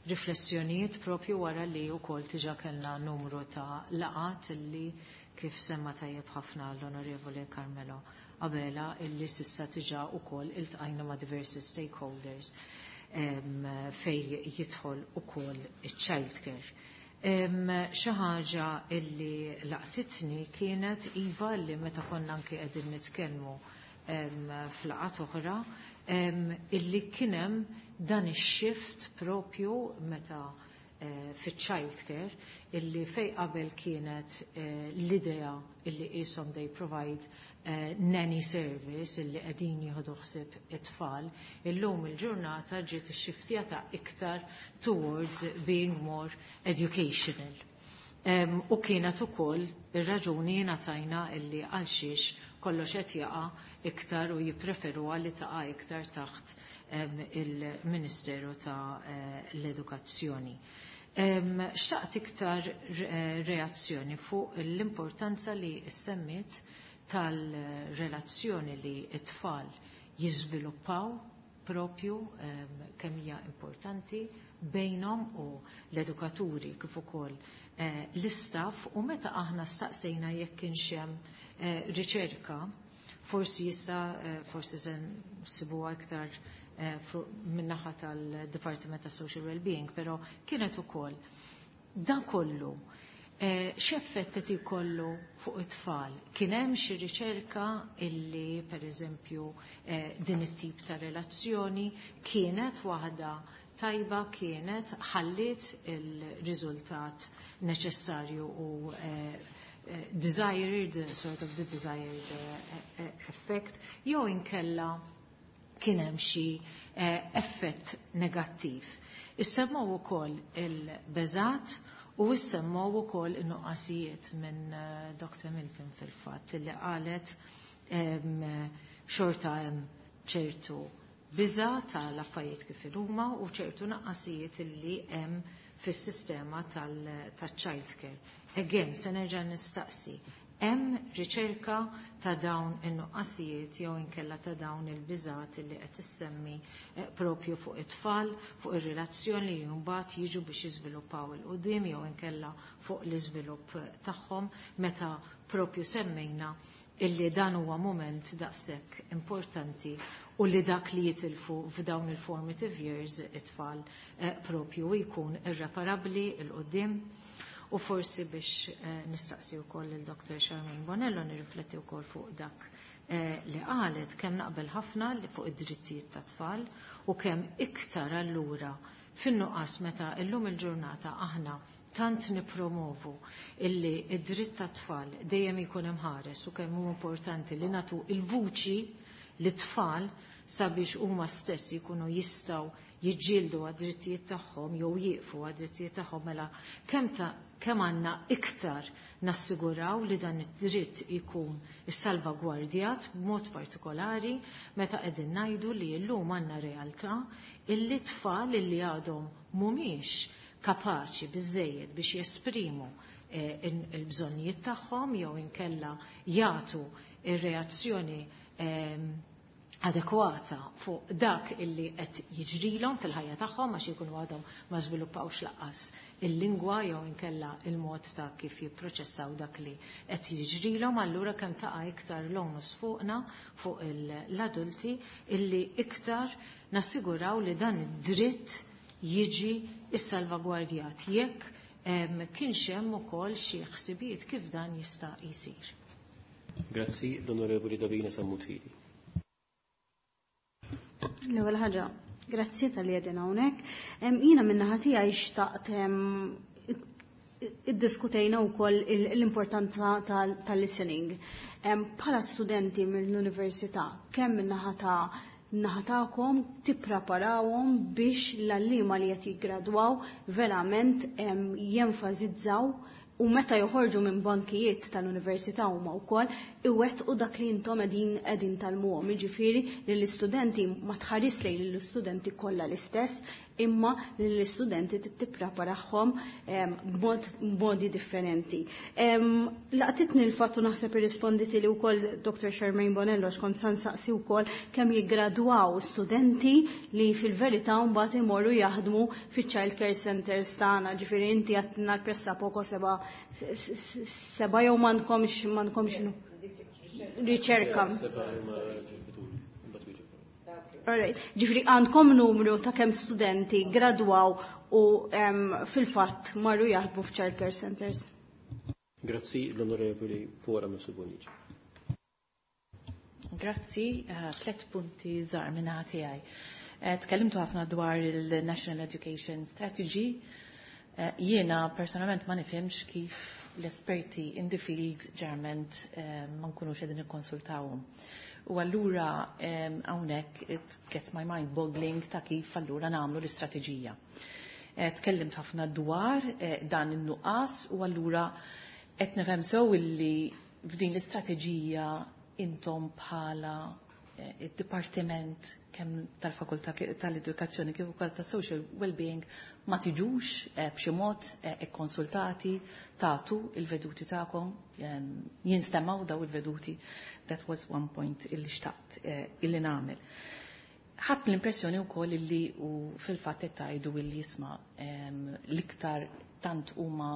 riflessjonijiet propju wara li wkoll diġà kellna numru ta' laqgħat illi kif semma tajjeb ħafna l-Onorevoli Carmelo Abela illi s'issa diġà ukoll iltqajna ma' diversi stakeholders fej jidħol ukoll iċ-childcare. Xi ħaġa illi laqtitni kienet iva li meta konna anki qegħdin nitkellmu f'laqgħat oħra illi kien hemm dan ix-shift propju meta eh, fiċ-childcare illi fej qabel kienet eh, l-idea illi qishom they provide eh, nanny service illi qegħdin jieħdu ħsieb it-tfal, illum il-ġurnata ġiet ixxiftjata iktar towards being more educational. Um, u kienet ukoll ir-raġuni ngħatajna illi għal xiex kollox qed jaqa' iktar u jippreferu li taqa' iktar taħt um, il-Ministeru ta' uh, l-Edukazzjoni. Um, xtaqt iktar reazzjoni fuq l-importanza li semmit tal-relazzjoni li t-tfal jiżviluppaw propju um, kemm hija importanti bejnhom u l-edukaturi kif ukoll eh, l-istaff u meta aħna staqsejna jekk kienx hemm eh, riċerka forsi issa eh, forsi se nsibuha iktar eh, min-naħa tal-Departiment ta' Social Wellbeing, però kienet ukoll dan kollu eh, x'effett qed ikollu fuq it-tfal? Kien hemm xi riċerka illi pereżempju eh, din it-tip ta' relazzjoni kienet waħda tajba kienet ħalliet il-riżultat neċessarju u eh, desired, sort of the desired effect, jew inkella kien hemm xi effett negattiv. Issemmaw ukoll il-beżat u issemmaw ukoll in-nuqqasijiet minn Dr. Milton fil-fatt li qalet xorta hemm ċertu biża tal-affarijiet kif huma u ċertu naqqasijiet li hemm fis-sistema tal-childcare. Again, se nerġa' nistaqsi, hemm riċerka ta' dawn in-nuqqasijiet jew inkella ta' dawn il-biżat li qed issemmi propju fuq it-tfal, fuq ir-relazzjoni li mbagħad jiġu biex jiżviluppaw 'il quddiem jew inkella fuq l-iżvilupp tagħhom meta propju semmejna illi dan huwa moment daqshekk importanti u li dak li jitilfu f'dawn il-formative years it-tfal eh, propju jkun irreparabbli 'il quddiem. U forsi biex eh, nistaqsi wkoll il-Dr. Charmaine Bonello nirrifletti wkoll fuq dak eh, li qalet kemm naqbel ħafna li fuq id-drittijiet ta' tfal u kemm iktar allura fin-nuqqas meta illum il-ġurnata aħna tant nipromovu illi id-dritt ta' tfal dejjem ikun imħares u kemm hu importanti li natu il-vuċi lit-tfal sabiex huma stess jkunu jistgħu jiġġieldu għad-drittijiet tagħhom jew jieqfu għad-drittijiet tagħhom mela kemm ta' kemm għandna iktar nassiguraw li dan id-dritt ikun issalvagwardjat b'mod partikolari meta qegħdin ngħidu li llum għandna realtà illi tfal illi għadhom mhumiex kapaċi biżejjed biex jesprimu eh, il-bżonnijiet tagħhom jew inkella jagħtu ir-reazzjoni eh, adekwata fuq dak illi qed jiġrilhom fil-ħajja tagħhom għax ikunu għadhom ma żviluppawx lanqas il-lingwa jew inkella il-mod ta' kif jipproċessaw dak li qed jiġrilhom, allura kemm taqa' iktar l-onus fuqna fuq l-adulti illi iktar nassiguraw li dan id-dritt jiġi issalvagwardjat jekk kienx hemm ukoll xi ħsibijiet kif dan jista' jsir. Grazzi l-Onorevoli Davina Sammut Hili. L-ewwel ħaġa, grazzi talli qegħdin hawnhekk. Jiena min-naħa tiegħi xtaqt iddiskutejna wkoll l-importanza tal-listening. Bħala studenti mill-università, kemm min-naħa ta' naħa tagħkom tippreparawhom biex l-għalliema li qed jiggradwaw verament jenfasizzaw u meta joħorġu minn bankijiet tal-università huma wkoll iwettqu dak li intom qegħdin qegħdin tgħallmuhom. Jiġifieri li l-istudenti ma tħares lejn l-istudenti kollha l-istess, imma li l-istudenti tippreparahom b'modi differenti. Laqtitni l-fatt u naħseb irrisponditi li wkoll Doctor Charmaine Bonello, x'kont sa nsaqsi wkoll kemm jiggradwaw studenti li fil-verità mbagħad imorru jaħdmu fiċ-child care centers tagħna, ġifieri inti għedtilna l-pressappoco seba' seba' jew m'għandkomx m'għandkomx riċerka. Alright. Ġifieri għandkom numru ta' kemm studenti gradwaw u fil-fatt marru jaħdmu f'child care centers. Grazzi, l-Onorevoli Pora Mifsud. Grazzi, uh, tlet punti żgħar minn tiegħi. Uh, tkellimtu ħafna dwar il-National Education Strategy. Uh, jiena personalment ma nifhimx kif l-esperti in the field ġeneralment ma nkunux qegħdin nikkonsultawhom. U allura hawnhekk it gets my mind boggling ta' kif allura nagħmlu l-istrateġija. Tkellimt ħafna dwar dan in-nuqqas u allura qed nifhem sew illi f'din l-istrateġija intom bħala id-dipartiment kemm tal-Fakultà tal-Edukazzjoni kif ukoll ta' Social Wellbeing ma tiġux b'xi mod ikkonsultati, tagħtu il-veduti tagħkom, jinstemaw daw il-veduti. That was one point illi xtaqt illi nagħmel. Ħadt l-impressjoni wkoll illi u fil-fatt qed tgħidu illi jisma' l-iktar tant huma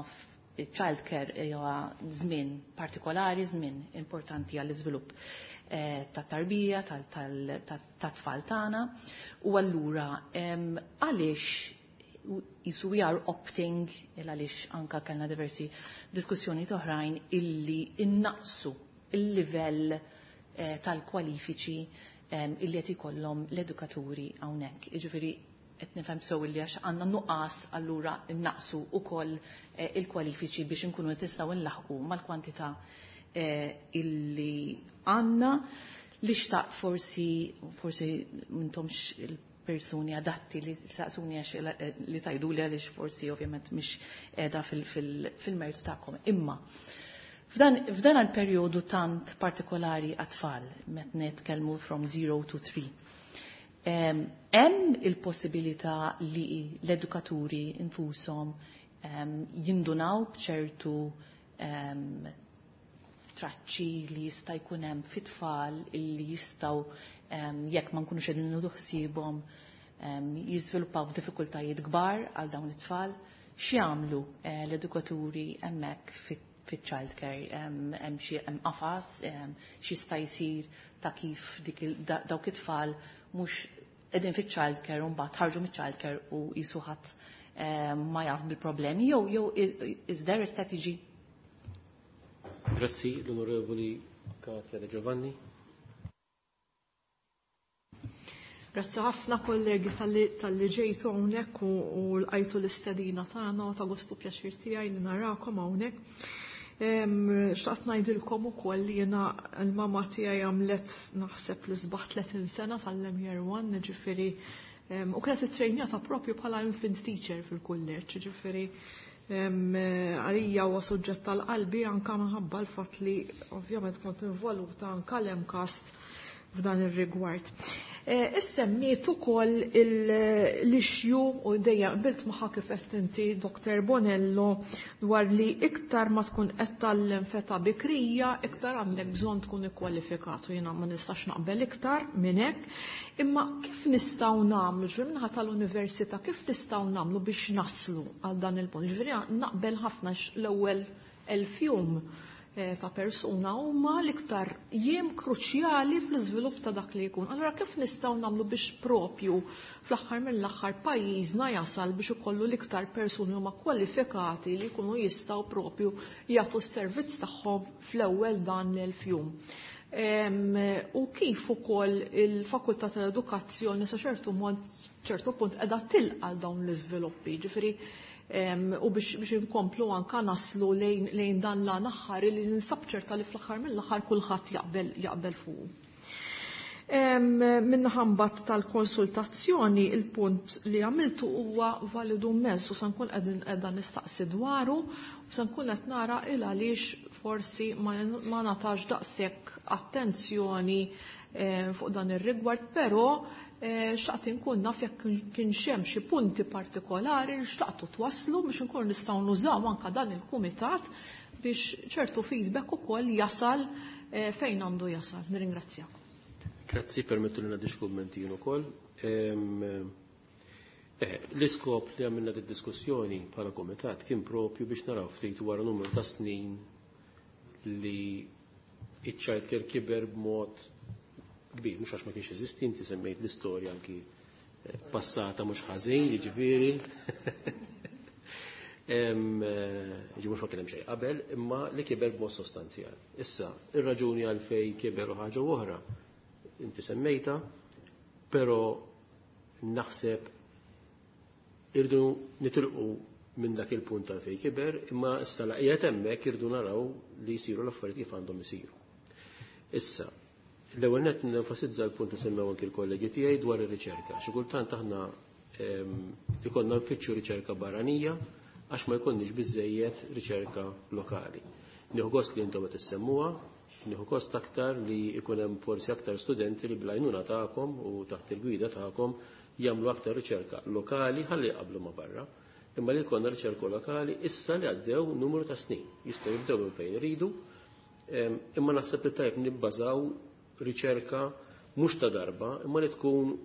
child care huwa żmien partikolari, żmien importanti għall-iżvilupp ta' tarbija, tat-tfal tagħna. U allura għaliex jisu we are opting, għaliex anka kellna diversi diskussjoni oħrajn illi innaqsu il-livell tal-kwalifiċi illi qed ikollhom l-edukaturi hawnhekk. Jiġifieri qed nifhem sew illi għax għandna nuqqas allura innaqsu wkoll il-kwalifiċi biex inkunu nistgħu nlaħqu mal-kwantità illi għandna. Li xtaqt forsi forsi m'intomx il-persuni adatti li saqsuni għax li tajdu li għaliex forsi ovvjament mhix qiegħda fil-mertu tagħkom. Imma f'dan għal-perjodu tant partikolari għat-tfal, meta nitkellmu from zero to three, hemm il-possibilità li l-edukaturi infushom jindunaw b'ċertu traċċi li jista' jkun hemm fit-tfal illi jistgħu, jekk ma nkunux qegħdin nieħdu ħsiebhom, jiżviluppaw diffikultajiet kbar għal dawn it-tfal. X'jagħmlu l-edukaturi hemmhekk fit-child care? Hemm xi hemm qafas x'jista' jsir ta' kif dik dawk it-tfal mhux qegħdin fit-child care u mbagħad ħarġu miċ-child care u jisu ħadd ma jaf bil-problemi, jew jew is there a strategy? Grazzi, l-Onorevoli Katia De Giovanni. Grazzi ħafna, kollegi, talli ġejtu hawnhekk u lqajtu l-istedina tagħna. Ta' gostu pjaċir tiegħi li narakom hawnhekk. Xtaqt ngħidilkom ukoll li jiena l-mama tiegħi għamlet naħseb l-isbaħ tletin sena tal-Year One, ġifieri u kienet ittrejnjata propju bħala infant teacher fil-kulleġġ, ġifieri għalija huwa suġġett tal-qalbi anka minħabba l-fatt li ovvjament kont involuta anka l-MCAST f'dan ir-rigward. Issemmiet ukoll l-issue u dejjem qbilt magħha kif qed inti, Doctor Bonello, dwar li iktar ma tkun qed tgħallem f'età bikrija, iktar għandek bżonn tkun ikkwalifikat, u jiena ma nistax naqbel iktar minn hekk. Imma kif nistgħu nagħmlu, ġifieri minħa tal-università, kif nistgħu nagħmlu biex naslu għal dan il-punt? Ġifieri naqbel ħafna l-ewwel elf jum ta' persuna huma l-iktar jiem kruċjali fl-iżvilupp ta' dak li jkun. Allora kif nistgħu nagħmlu biex propju fl-aħħar mill-aħħar pajjiżna jasal biex ikollu l-iktar persuni huma kwalifikati li jkunu jistgħu propju jagħtu s-servizz tagħhom fl-ewwel dan l-elf jum? U kif ukoll il-Fakultà tal-Edukazzjoni sa ċertu mod, ċertu punt qiegħda tilqa' dawn l-iżviluppi, ġifieri u biex biex inkomplu anka naslu lejn lejn dan l-aħħar li ninsab ċerta li fl-aħħar mill-aħħar kulħadd jaqbel jaqbel fuq. Min-naħa mbagħad tal-konsultazzjoni, il-punt li għamiltu huwa validu immens u se nkun qegħdin qiegħda nistaqsi dwaru u se nkun qed nara il għaliex forsi ma ngħatax daqshekk attenzjoni fuq dan ir-rigward, però xtaqt inkun naf jekk kienx hemm xi punti partikolari li xtaqtu twaslu biex inkun nistgħu nużaw anke dan il-kumitat biex ċertu feedback ukoll jasal fejn għandu jasal. Nirringrazzjakom. Grazzi, permettu li ngħaddi xi kummenti jien ukoll. L-iskop li għamilna di diskussjoni bħala kumitat kien propju biex naraw ftit wara numru ta' snin li iċ-child care kiber b'mod kbir, mhux għax ma kienx eżisti, inti semmejt l-istorja anki passata mhux ħażin, jiġifieri. Ġi mhux ma kien hemm xejn qabel, imma li kiber b'mod sostanzjali. Issa, ir-raġuni għalfejn kiber u ħaġa oħra inti semmejta, però naħseb irdu nitilqu minn dak il-punt tal fejn kiber, imma issa laqija hemmhekk irdu naraw li jsiru l-affarijiet kif għandhom isiru. Issa, l-ewwel nett nenfasizza l-punt li semmew anki l-kollegi tiegħi dwar ir-riċerka. Xi kultant aħna ikollna nfittxu riċerka barranija għax ma jkollniex biżejjed riċerka lokali. Nieħu gost li intom qed issemmuha, nieħu gost aktar li jkun hemm forsi aktar studenti li bl-għajnuna tagħkom u taħt il-gwida tagħkom jagħmlu aktar riċerka lokali ħalli jqablu ma' barra. Imma li jkollna riċerka lokali issa li għaddew numru ta' snin. Jistgħu jibdew minn fejn iridu, imma naħseb li tajb nibbażaw riċerka mhux ta' darba, imma li tkun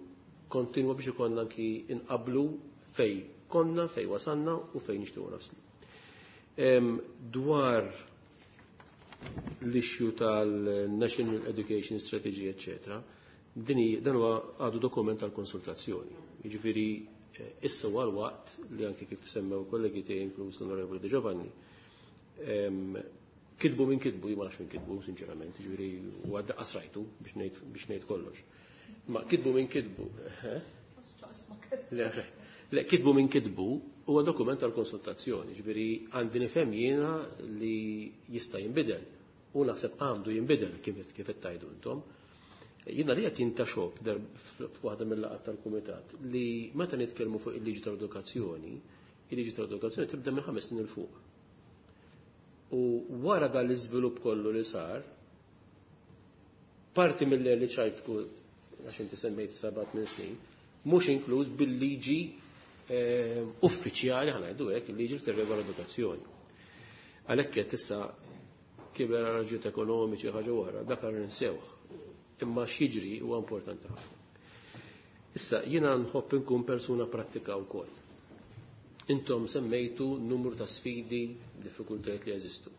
kontinwa biex ikollna anki inqablu fej konna, fej wasanna u fej nixtiequ naslu. Dwar l-issue tal-National Education Strategy, eccetera, dini dan huwa għadu dokument tal-konsultazzjoni. Jiġifieri issa huwa l-waqt li anki kif semmew kollegi tiegħi inkluż l-Onorevoli De Giovanni, kitbu minn kitbu, jien ma nafx minn kitbu, sinċerament, jiġifieri huwa daqqas rajtu biex ngħid biex ngħid kollox. Ma kitbu minn kitbu. Le, le, kitbu minn kitbu huwa dokument tal-konsultazzjoni, jiġifieri għandi nifhem jiena li jista' jinbidel u naħseb għandu jinbidel kif kif qed tgħidu intom. Jiena li qed jintaxok f'waħda mill-laqgħat tal-kumitat li meta nitkellmu fuq il-liġi tal-edukazzjoni, il-liġi tal-edukazzjoni tibda minn ħames snin il fuq. U wara dan l-iżvilupp kollu li sar, parti mill-early childhood, għax inti semmejt seba' tmien snin, mhux inkluż bil-liġi uffiċjali ħa ngħidu hekk, il-liġi li tirregola l-edukazzjoni. Għalhekk qed issa kiber raġunijiet ekonomiċi ħaġa oħra, dak għar ninsewh. Imma x'jiġri huwa importanti ħafna. Issa jiena nħobb inkun persuna prattika wkoll. Intom semmejtu numru ta' sfidi, diffikultajiet li jeżistu.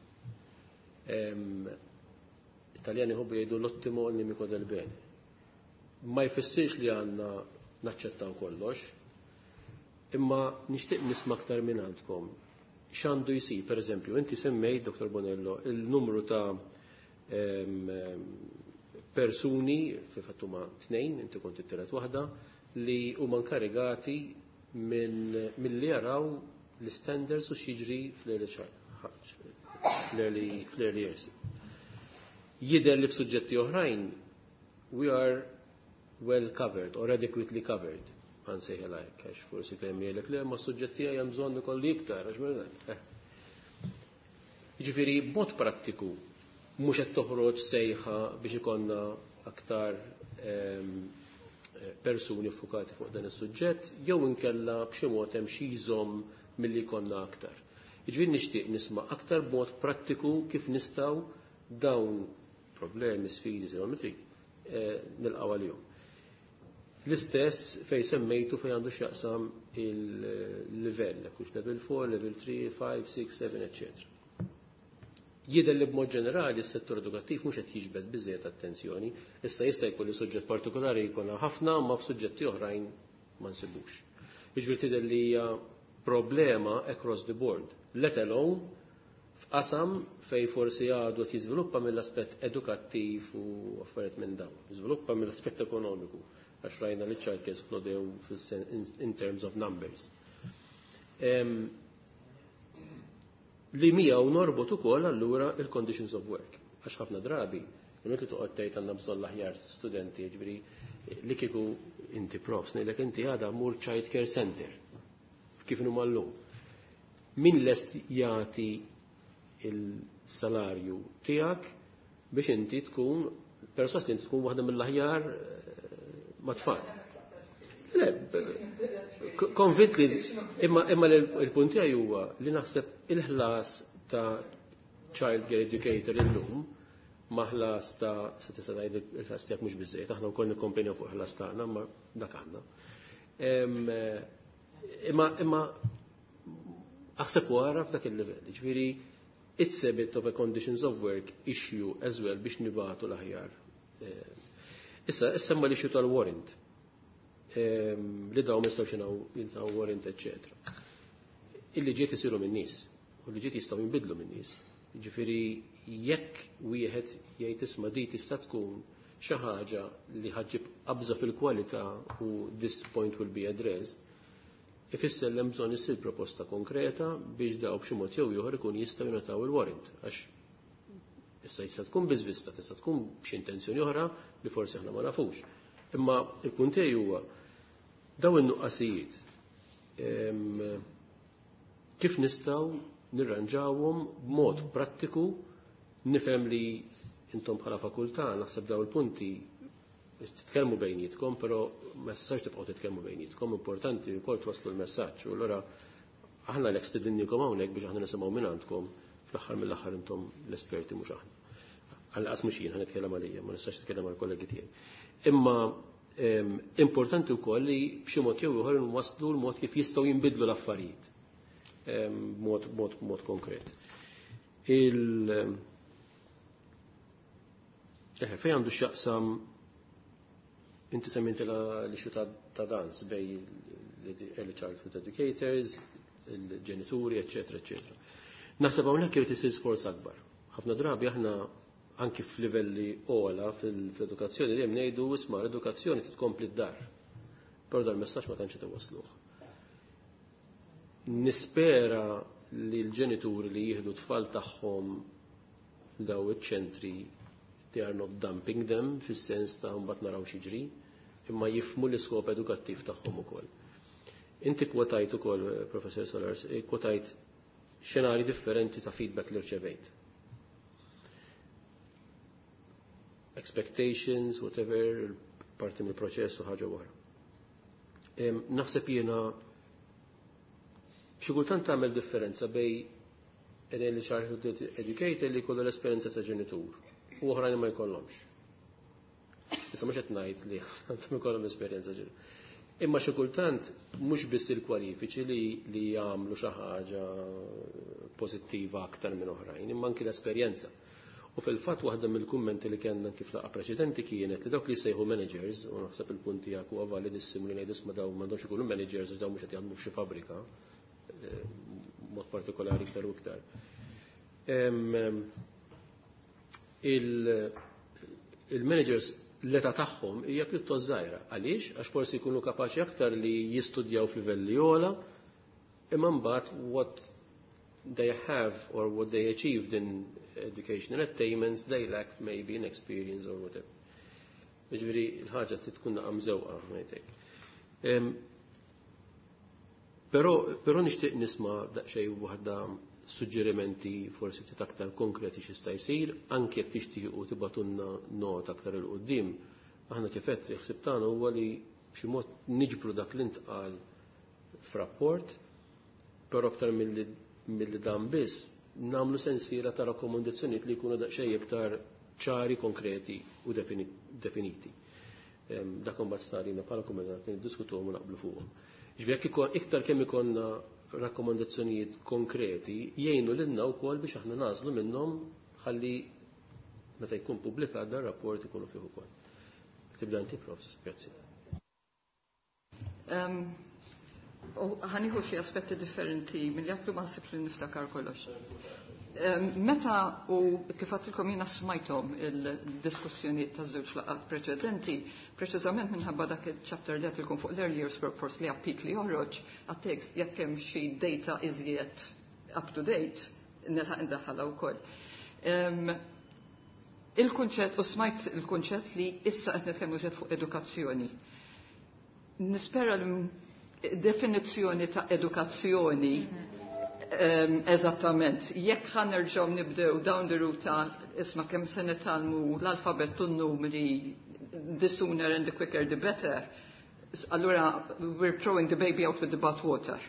Italjani ħobbu jgħidu l-ottimo nemico del bene. Ma jfissirx li għandna naċċettaw kollox, imma nixtieq nisma' aktar minn għandkom. X'għandu jsir, per eżempju, inti semmejt, Doktor Bonello, il-numru ta' persuni, fil-fatt huma tnejn, inti kont it-tielet waħda, li huma inkarigati milli jaraw l-standards u x'jiġri fl-early fl-early years. Jidher li f'suġġetti oħrajn we are well covered or adequately covered. Għansejħela hekk, għax forsi kemm jgħidlek le ma suġġetti hemm bżonn ikolli iktar, għax minn Jiġifieri b'mod prattiku mhux qed toħroġ sejħa biex ikollna aktar persuni ffukati fuq dan is-suġġett, jew inkella b'xi mod hemm xi jżomm milli jkollna aktar. Jiġifieri nixtieq nisma' aktar b'mod prattiku kif nistgħu dawn problemi, sfidi, se trid, nilqgħu għalihom. L-istess fej semmejtu fej għandu x'jaqsam il-livell, hux level four, level three, five, six, seven, eccetera. Jidher li b'mod ġenerali s-settur edukattiv mhux qed jiġbed biżejjed attenzjoni, issa jista' jkun li suġġett partikolari jkollna ħafna ma f'suġġetti oħrajn ma nsibux. Jiġifieri tidher li hija problema across the board, let alone f'qasam fej forsi għadu qed jiżviluppa mill-aspett edukattiv u affarijiet minn dawn, jiżviluppa mill-aspett ekonomiku, għax rajna li child care esplodew in terms of numbers. Li miegħu norbot ukoll allura il-conditions of work, għax ħafna drabi Inutli toqgħod tgħid għandna bżonn l-aħjar studenti, jiġifieri li kieku inti profs, ngħidlek inti għada mur child care center. Kif inhuma llum. Min lest jagħti il-salarju tiegħek biex inti tkun perswas li inti tkun waħda mill-aħjar mat-tfal. Le, konvint li imma imma il-punt tiegħi huwa li naħseb il-ħlas ta' child care educator illum ma ħlas ta' se tista' tgħid il-ħlas tiegħek mhux biżejjed, aħna wkoll nikkomplejnaw fuq ħlas tagħna, imma dak għandna. Imma imma aħseb wara f'dak il-livell, ġifieri it's a bit of a conditions of work issue as well biex nibatu l-aħjar. Issa, issa ma l-issue tal-warrant. Li daw mistgħu xinaw jintaw warrant, eccetera. Il-liġijiet isiru minn nies, u l-liġijiet jistgħu jinbidlu minn nies. Ġifieri jekk wieħed jgħid isma' di tista' tkun xi ħaġa li ħaġġib qabża fil-kwalità u this point will be addressed, ifisser li hemm bżonn issir proposta konkreta biex daw b'xi mod jew ieħor ikun jistgħu jingħataw il-warrant. Għax issa jista' tkun biżvista, tista' tkun b'xi intenzjoni oħra li forsi aħna ma nafux. Imma il-punt tiegħi huwa daw in-nuqqasijiet kif nistgħu nirranġawhom b'mod prattiku. Nifhem li intom bħala fakultà naħseb daw il-punti titkellmu bejnietkom, però ma tistax tibqgħu titkellmu bejnietkom, importanti wkoll twasslu l-messaġġ. U allura aħna lek stidinnikom hawnhekk biex aħna nisimgħu minn għandkom, fl-aħħar mill-aħħar intom l-esperti mhux aħna. Għal-qas mhux jien ħa nitkellem għalija, ma nistax nitkellem għall-kollegi tiegħi. Imma importanti wkoll li b'xi mod jew ieħor nwasslu l-mod kif jistgħu jinbidlu l-affarijiet b'mod mod mod konkret. Il Eħe, fejn għandu x'jaqsam inti semmejt l-issue ta' dans bej l-early childhood educators, il-ġenituri, eccetera, eccetera. Naħseb hawnhekk irid isir sforz akbar. Ħafna drabi aħna anki f'livelli ogħla fil-edukazzjoni dejjem ngħidu isma' l-edukazzjoni titkompli d-dar. Però dal-messaġġ ma tantx iwasluh. Nispera li l-ġenituri li jieħdu tfal tagħhom f'daw iċ-ċentri they are not dumping them fis-sens ta' mbagħad naraw x'jiġri, imma jifhmu l-iskop edukattiv tagħhom ukoll. Inti kwotajt ukoll, Professor Solars, kwotajt xenari differenti ta' feedback li rċevejt. Expectations, whatever, parti mill-proċess u ħaġa wara. Naħseb jiena xi kultant tagħmel differenza bej early childhood educator li jkollu l-esperjenza ta' ġenitur u oħrajn ma jkollhomx. Issa mhux qed ngħid li għandhom ikollhom esperjenza ġenitur. Imma xi kultant mhux biss il-kwalifiċi li, li jagħmlu xi ħaġa pożittiva aktar minn oħrajn, imma anki l-esperjenza. U fil-fatt waħda mill-kummenti li kellna kif laqgħa preċedenti kienet li dawk li jsejħu managers, u naħseb il-punt tiegħek huwa validissimu li ngħidu isma' dawn m'għandhomx ikunu managers għax dawn mhux qed jaħdmu f'xi fabbrika, mod partikolari iktar u iktar. Il-managers l-età tagħhom hija pjuttost żgħira. Għaliex? Għax forsi jkunu kapaċi aktar li jistudjaw f'livelli ogħla, imma mbagħad what they have or what they achieved in educational attainments, they lack maybe in experience or whatever. Jiġifieri l-ħaġa tkun naqam żewqa ngħidlek. Però però nixtieq nisma' daqsxejn waħda suġġerimenti forsi ftit aktar konkreti x'jista' jsir, anke jekk tixtiequ tibgħatulna nota aktar 'il quddiem. Aħna kif qed il-ħsieb tagħna huwa li b'xi mod niġbru dak li ntqal f'rapport, però aktar milli milli dan biss nagħmlu sensiela ta' rakkomandazzjonijiet li jkunu daqsxejn iktar ċari, konkreti u definiti. Dak imbagħad starina bħala kumitat niddiskutuhom u naqblu fuqhom. Ġifieri jekk iktar kemm ikollna rakkomandazzjonijiet konkreti jgħinu lilna wkoll biex aħna nażlu minnhom ħalli meta jkun pubblikat dan rapport ikunu fih ukoll. Tibda inti, Profs, grazzi. Ħa nieħu xi aspetti differenti milli għattu ma nsibx li niftakar kollox. Meta u kif għattilkom jiena smajthom il-diskussjoni ta' żewġ laqgħat preċedenti, preċiżament minħabba dak il-chapter li għattilkom fuq l-early years workforce li għappik li joħroġ, għat-tekst jekk hemm xi data iżjed up to date, nilħaq indaħħalha wkoll. Il-kunċett, u smajt il-kunċett li issa qed nitkellmu żed fuq edukazzjoni. Nispera li definizzjoni ta' edukazzjoni um, eżattament. Jekk ħa nerġgħu nibdew down the route ta' isma' kemm se nitgħallmu l-alfabett u n-numri the sooner and the quicker the better, allura we're throwing the baby out with the bathwater.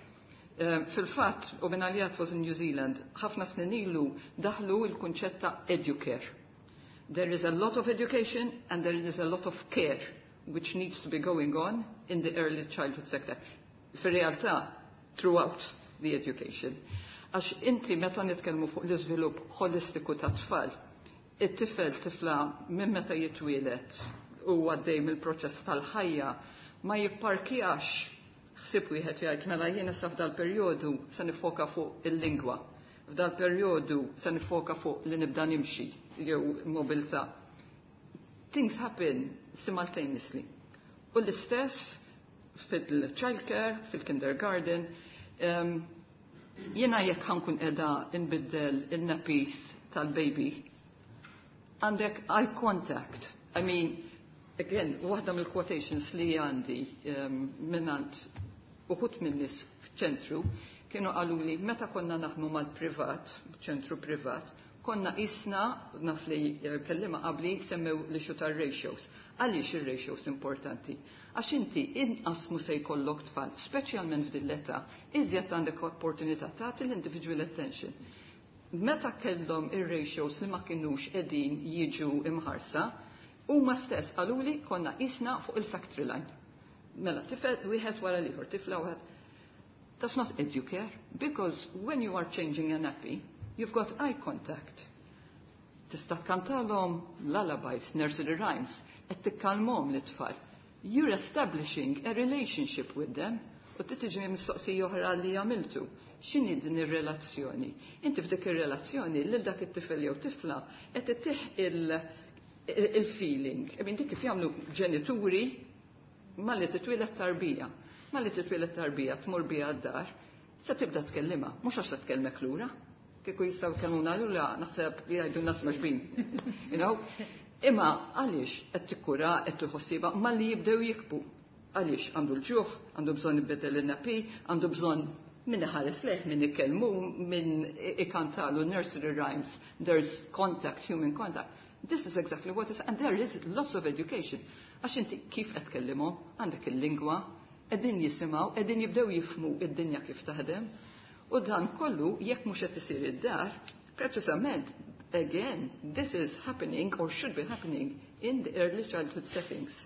Um, Fil-fatt, u minn għalijat was in New Zealand, ħafna snin ilu daħlu il-kunċett ta' educare. There is a lot of education and there is a lot of care which needs to be going on in the early childhood sector. Fir-realtà, throughout the education. Għax inti meta nitkellmu fuq l-iżvilupp holistiku ta' tfal, it-tifel tifla minn meta jitwielet u għaddej mill-proċess tal-ħajja ma jipparkjax ħsieb wieħed jgħid mela jiena sa f'dal perjodu se nifoka fuq il-lingwa. F'dal perjodu se nifoka fuq li nibda nimxi jew mobilità. Things happen simultaneously. U l-istess fil-childcare, fil-kindergarten, um, jiena jekk ħa nkun qiegħda nbiddel il-nappies tal-baby, għandek eye contact. I mean, again, waħda mill-quotations li għandi um, minnant uħut minn nies f'ċentru kienu qalu li meta konna naħdmu mal-privat, ċentru privat, konna isna, naf li kellima qabli, semmew li tar-ratios. Għaliex ir-ratios importanti? Għax inti inqas mu se jkollok tfal, speċjalment f'din l-età, iżjed għandek opportunità tagħti l-individual attention. Meta kellhom ir-ratios li ma kinux qegħdin jiġu imħarsa, huma stess qaluli konna isna fuq il-factory line. Mela, tifel wieħed wara l-ieħor, tifla wieħed. That's not educare, because when you are changing a nappy, you've got eye contact. Tista' tkantalhom lullabies, nursery rhymes, qed tikkalmhom l-itfal. You're establishing a relationship with them. U tiġi mistoqsija oħra li għamiltu. X'inhi din ir-relazzjoni? Inti f'dik ir-relazzjoni lil dak it-tifel jew tifla qed ittih il-feeling. I mean, dik kif jagħmlu ġenituri malli titwieled tarbija. Malli titwieled tarbija tmur biha d-dar, se tibda tkellimha, mhux għax se tkellmek lura. Kieku jistgħu jkellmuna lura naħseb jgħidu nas maġbin. You know? Imma għaliex qed tikkura qed tħossiba malli jibdew jikbu. Għaliex għandu l-ġuħ, għandu bżonn ibedel il-nappy, għandu bżonn min iħares lejh, min ikellmu, min ikantalu nursery rhymes, there's contact, human contact. This is exactly what is, and there is lots of education. Għax inti kif qed tkellimhom, għandek il-lingwa, qegħdin jisimgħu, qegħdin jibdew jifhmu id-dinja kif taħdem. U dan kollu jekk mhux qed isir id-dar, preċisament, again, this is happening or should be happening in the early childhood settings.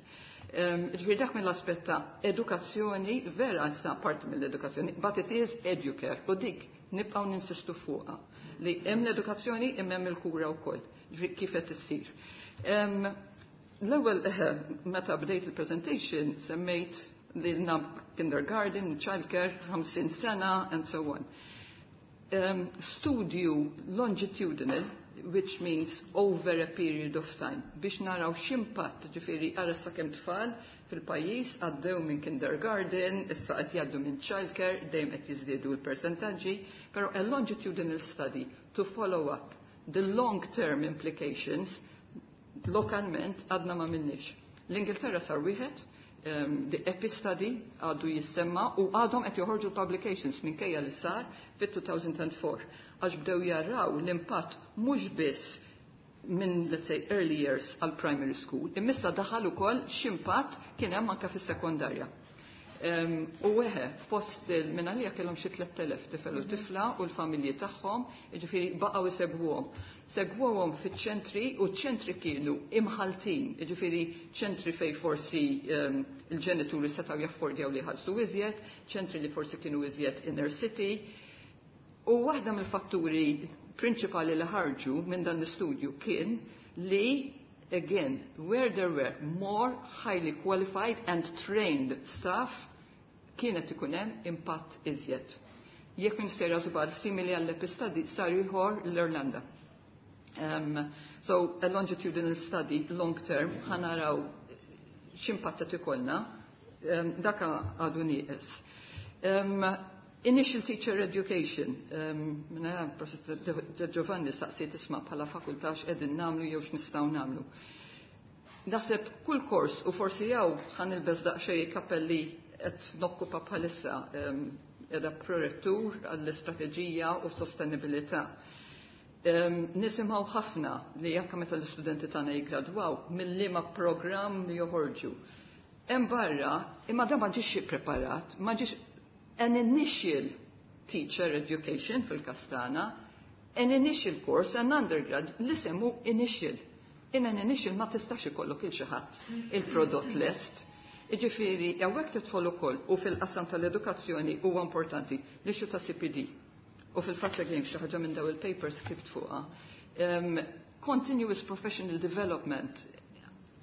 Um, Ġifieri dak mill-aspett ta' edukazzjoni, vera sa parti mill-edukazzjoni, but it is educare, u dik nibqgħu ninsistu fuqha li hemm l-edukazzjoni imma hemm il-kura wkoll, ġifieri kif qed issir. Um, L-ewwel meta bdejt il-presentation semmejt li nab kindergarten, childcare, ħamsin sena, and so on. Um, studju longitudinal, which means over a period of time, biex naraw x'impatt, ġifieri ara sa kemm tfal fil-pajjiż għaddew minn kindergarten, issa qed jgħaddu minn childcare, dejjem qed jiżdiedu l-persentaġġi, però a longitudinal study to follow up the long-term implications lokalment għadna ma minnix. L-Ingilterra sar wieħed, um, the EPI study għadu jissemma u għadhom qed joħorġu publications minkejja li sar fit-two thousand four għax bdew jaraw l-impatt mhux biss minn, let's say, early years għal primary school, imma daħal ukoll x'impatt kien hemm anke fis-sekondarja. Um, u weħe, fost minn għalija kellhom xi tlett elef tifel u tifla u l-familji tagħhom, jiġifieri baqgħu isegwuhom. Segwuhom fiċ-ċentri u ċ-ċentri kienu imħaltin, jiġifieri ċentri fej forsi um, il-ġenituri setgħu jaffordjaw li ħallsu iżjed, ċentri li forsi kienu iżjed inner city. U waħda mill-fatturi prinċipali li ħarġu minn dan l-istudju kien li, again, where there were more highly qualified and trained staff, kienet ikun hemm impatt iżjed. Jekk minn sejra żball simili għall-EPI study sar ieħor l-Irlanda. Um, so a longitudinal study long term ħa naraw x'impatt qed ikollna, um, daka għadu nieqes. Um, Initial Teacher Education, um, minna Professor De Giovanni saqsiet isma' bħala fakultà x'qegħdin nagħmlu jew x'nistgħu nagħmlu. Naħseb kull kors u forsi jew ħa nilbes daqsxejn kappelli qed nokkupa bħalissa um, qiegħda prorettur għall-istrateġija u sostenibilità. Um, nisimgħu ħafna li anke meta l-istudenti tagħna jiggradwaw mill-liema programm joħorġu. Hemm barra, imma dan ma ġiex ippreparat, ma ġiex an initial teacher education fil-Kastana, an initial course, an undergrad, l-isem hu initial. In an initial ma tistax ikollok il xi ħadd il-prodott lest. Iġifieri, hawnhekk tidħol ukoll u fil-qasam tal-edukazzjoni huwa importanti l-issue ta' C P D. U fil-fatt again xi ħaġa minn daw il-papers ktibt fuqha. Um, continuous professional development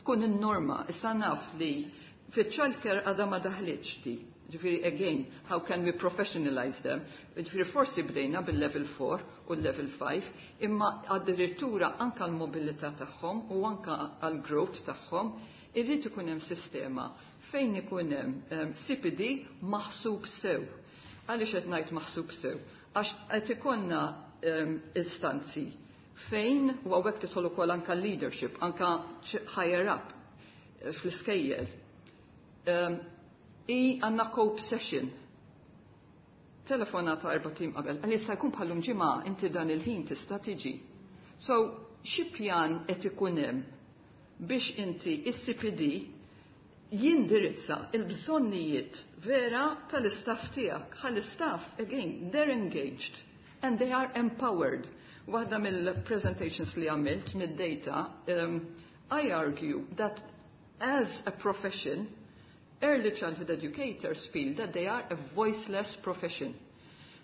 tkun in-norma. Issa naf li fit-childcare għadha ma daħlitx di. Ġifieri, again, how can we professionalize them? Ġifieri, forsi bdejna bil-level four u l-level five, imma addirittura anka l-mobilità tagħhom u anka għal-growth tagħhom, irrid ikun hemm sistema fejn ikun hemm um, C P D maħsub sew. Għaliex qed ngħid maħsub sew? Għax qed ikollna um, istanzi fejn u hawnhekk tidħol ukoll anka leadership, anka higher up eh, fl-iskejjel. Um, I għandna cope session. Telefonata erbat ijiem qabel, għal jista' jkun bħallum ġimgħa inti dan il-ħin tista' tiġi. So, xi pjan qed ikun hemm biex inti is-C P D jindirizza il-bżonnijiet vera tal-istaff tiegħek? Ħal-istaff, again, they're engaged and they are empowered. Waħda mill-presentations li għamilt mid-data, um, I argue that as a profession, early childhood educators feel that they are a voiceless profession.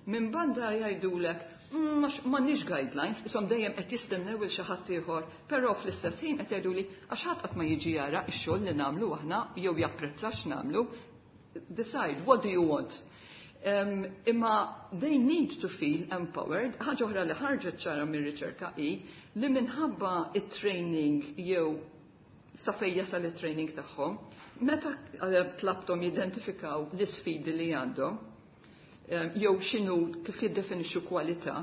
Minn banda jgħidulek, mm, m'għandniex guidelines, isom dejjem qed jistennew il xi ħadd ieħor, però fl-istess ħin qed jgħiduli għax ħadd qatt ma jiġi jara x-xogħol li nagħmlu aħna jew japprezza x'nagħmlu. Decide, what do you want? Um, imma they need to feel empowered. Ħaġa oħra li ħarġet ċara mir-riċerka hi li minħabba it-training jew sa fejn jasal it-training tagħhom, meta eh, tlabthom jidentifikaw l-isfidi li għandhom, eh, jew x'inhu kif jiddefinixxu kwalità,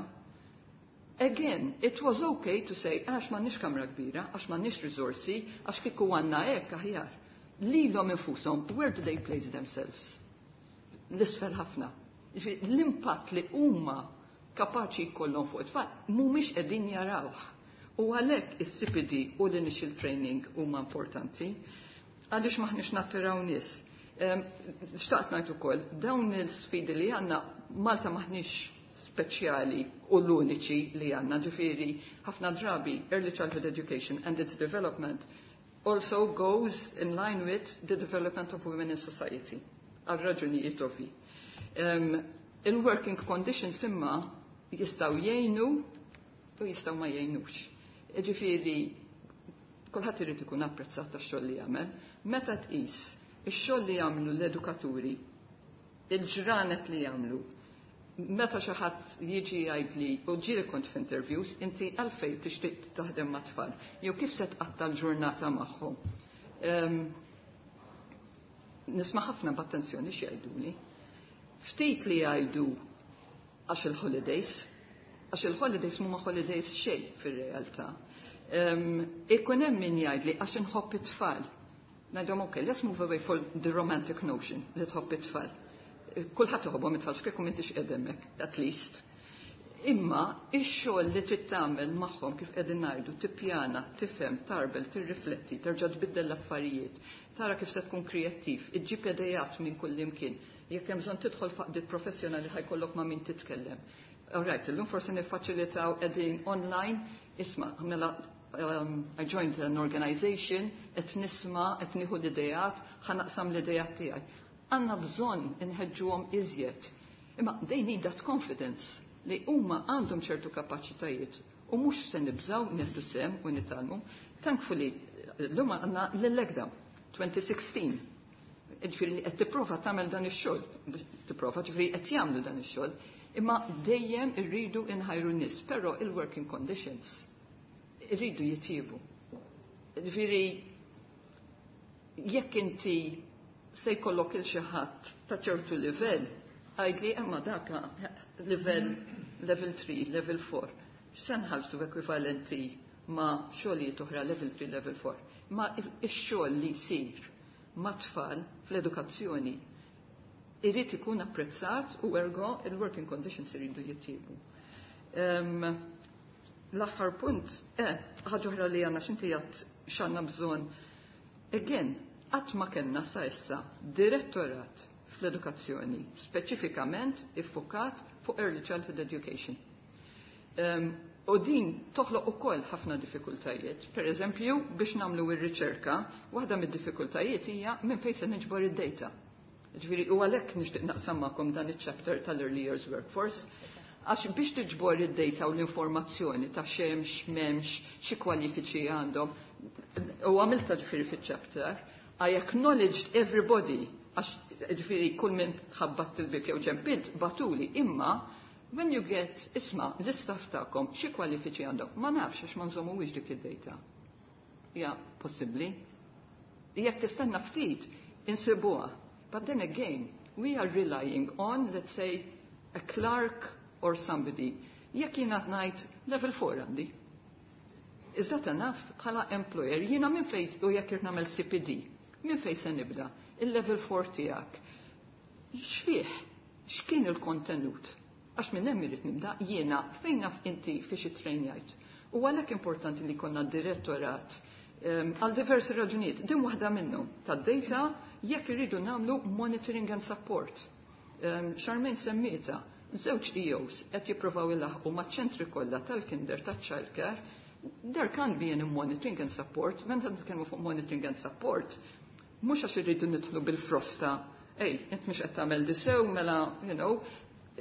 again, it was okay to say, għax m'għandniex kamra kbira, għax m'għandniex risorsi, għax kieku għandna hekk aħjar. Lilhom infushom, where do they place themselves? L-isfel ħafna. Ġifieri, l-impatt li huma kapaċi jkollhom fuq it-tfal mhumiex qegħdin jarawh. U għalhekk is-C P D u l-initial training huma importanti għaliex maħniex nattiraw nies. Em, Xtaqt ngħid ukoll, dawn il-sfidi li għandna Malta maħniex speċjali u l-uniċi li għandna, ġifieri ħafna drabi early childhood education and its development also goes in line with the development of women in society, għal raġunijiet ovvi. Um, il-working conditions imma jistgħu jgħinu u jistgħu ma jgħinux. Ġifieri, kulħadd irid ikun apprezzat tax-xogħol li jagħmel. Meta tqis ix-xogħol li jagħmlu l-edukaturi, il-ġranet li jagħmlu, meta xi ħadd jiġi jgħidli u ġieli kont f'interviews, inti għalfejn tixtieq taħdem ma' tfal, jew kif se tqatta l-ġurnata magħhom. Um, nisma' ħafna b'attenzjoni x'jgħiduli. Ftit li jgħidu għax il-holidays, għax il-holidays mhuma holidays xejn fir-realtà. Um, ikun hemm min jgħidli għax inħobb it-tfal. Ngħidhom, okay, let's move away from the romantic notion li tħobb it-tfal. Kulħadd iħobbhom it-tfal, x'kieku m'intix qegħdemmek, at least. Imma ix-xogħol li trid tagħmel magħhom kif qegħdin ngħidu, tippjana, tifhem, tarbel, tirrifletti, terġa' tbiddel l-affarijiet, tara kif se tkun kreattiv, iġġib idejat minn kull imkien. Jekk hemm bżonn tidħol f'għaqdiet professjonali ħa jkollok ma' min titkellem. All right, illum forsi niffaċilitaw qegħdin online, isma' mela um, I joined an organization, qed nisma', qed nieħu l-idejat, ħa naqsam l-idejat tiegħi. Għandna bżonn inħeġġuhom iżjed. Imma they need that confidence li huma għandhom ċertu kapaċitajiet u mhux se nibżaw nieħdu sehem u nitgħallmu. Thankfully, l-lum għandna l-ECDA twenty sixteen. Ġifieri qed tipprova tagħmel dan ix-xogħol, tipprova ġifieri qed jagħmlu dan ix-xogħol, imma dejjem irridu inħajru n-nies, però il-working conditions irridu jitjiebu. Ġifieri jekk inti se jkollok il xi ħadd ta' ċertu livell, Għidli, imma daka level, level three, level four. X'se nħallsu ekwivalenti ma' xogħlijiet oħra level three, level four. Ma ix-xogħol li jsir ma' tfal fl-edukazzjoni irid ikun apprezzat u ergo il-working conditions iridu jittiebu. Um, L-aħħar punt, eh, ħaġa oħra li għandna x'inti għedt x'għandna bżonn. Again, qatt ma kellna sa issa direttorat fl-edukazzjoni speċifikament iffukat fuq early childhood education. Um, u din toħloq ukoll ħafna diffikultajiet. Per eżempju, biex nagħmlu ir-riċerka, waħda mid-diffikultajiet hija minn fejn se niġbor id-data. Ġifieri u għalhekk nixtieq naqsam magħkom dan iċ-chapter tal-Early Years Workforce, għax biex tiġbor id-data u l-informazzjoni ta' x'hemmx, m'hemmx, xi kwalifiċi għandhom, u għamilta ġifieri fiċ-chapter, I acknowledged everybody, għax ġifieri kull minn ħabbat il-bib jew ċempilt bagħtuli, imma when you get, isma', l-istaff tagħkom xi kwalifiċi għandhom, ma nafx għax ma nżommuwiex dik id-data. Ja, possibbli. Jekk tistenna ftit, insibuha. But then again, we are relying on, let's say, a clerk or somebody. Jekk jiena ngħid level four għandi. Is that enough bħala employer? Jiena minn fejn u jekk irrid nagħmel C P D, minn fejn se nibda? Il-level four tiegħek. X'fih? X'kien il-kontenut? Għax minn hemm irid nibda jiena fejn naf inti fiex ittrejnjajt. U għalhekk importanti li jkollna direttorat għal diversi raġunijiet. Din waħda minnhom tad-data jekk irridu nagħmlu monitoring and support. Um, Charmaine semmietha, żewġ E Os qed jippruvaw ilaħqu maċ-ċentri kollha tal-kinder, tal-childcare. There can be any monitoring and support. Meta nitkellmu fuq monitoring and support, mhux għax irridu nidħlu bil-frosta, "Ej, int mhux qed tagħmel di sew, mela," you know,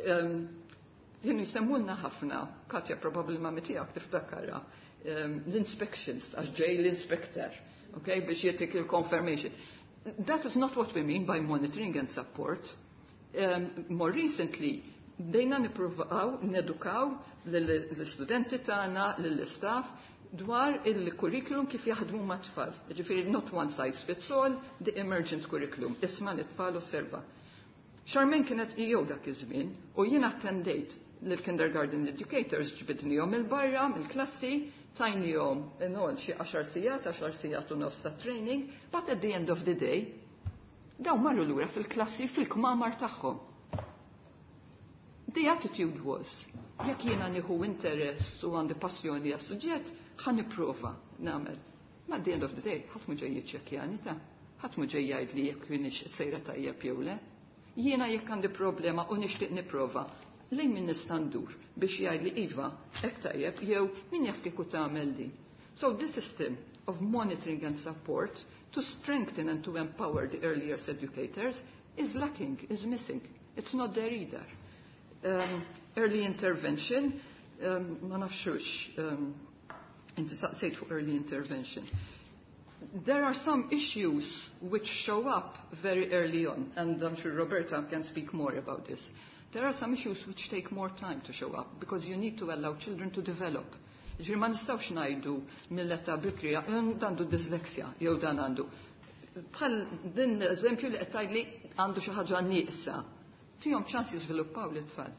um, jien jisemmulna ħafna, Katja probably ma tiegħek tiftakarha, um, l-inspections, għax ġej l-inspector, okay, biex jagħtik il-confirmation. That is not what we mean by monitoring and support. Um, more recently, bdejna nippruvaw nedukaw l-studenti tagħna, lill-istaff dwar il-curriculum kif jaħdmu ma' tfal. Ġifieri not one size fits all, the emergent curriculum. Isma' l-tfal osserva. Charmaine kienet E O dak iż-żmien u jien attendejt lill-kindergarten educators, ġbidnihom il-barra mill-klassi, tajnihom inol xi għaxar sigħat, għaxar sigħat u nofs ta' training, but at the end of the day, daw marru lura fil-klassi fil-kmamar tagħhom. The attitude was, jekk jiena nieħu interess u għandi passjoni għas suġġett, ħa nipprova nagħmel. Ma at the end of the day, ħadd mhu ġej jiċċekkjani ta' ħadd mhu ġej jgħid li jekk kienx sejra tajjeb jew le. Jiena jekk għandi problema u nixtieq nipprova, lejn min nista' ndur biex jgħid li iva, hekk tajjeb, jew min jaf kieku tagħmel din? So this system of monitoring and support to strengthen and to empower the early years educators is lacking, is missing. It's not there either. Um, early intervention, um, ma nafxux, um, inti saqsejt fuq early intervention. There are some issues which show up very early on, and I'm sure Roberta can speak more about this. There are some issues which take more time to show up because you need to allow children to develop. Ġifieri ma nistgħux ngħidu mill-età bikrija, dan għandu dyslexia, jew dan għandu. Bħal din l-eżempju li qed tgħidli għandu xi ħaġa nieqsa. Tihom ċans jiżviluppaw l-tfal.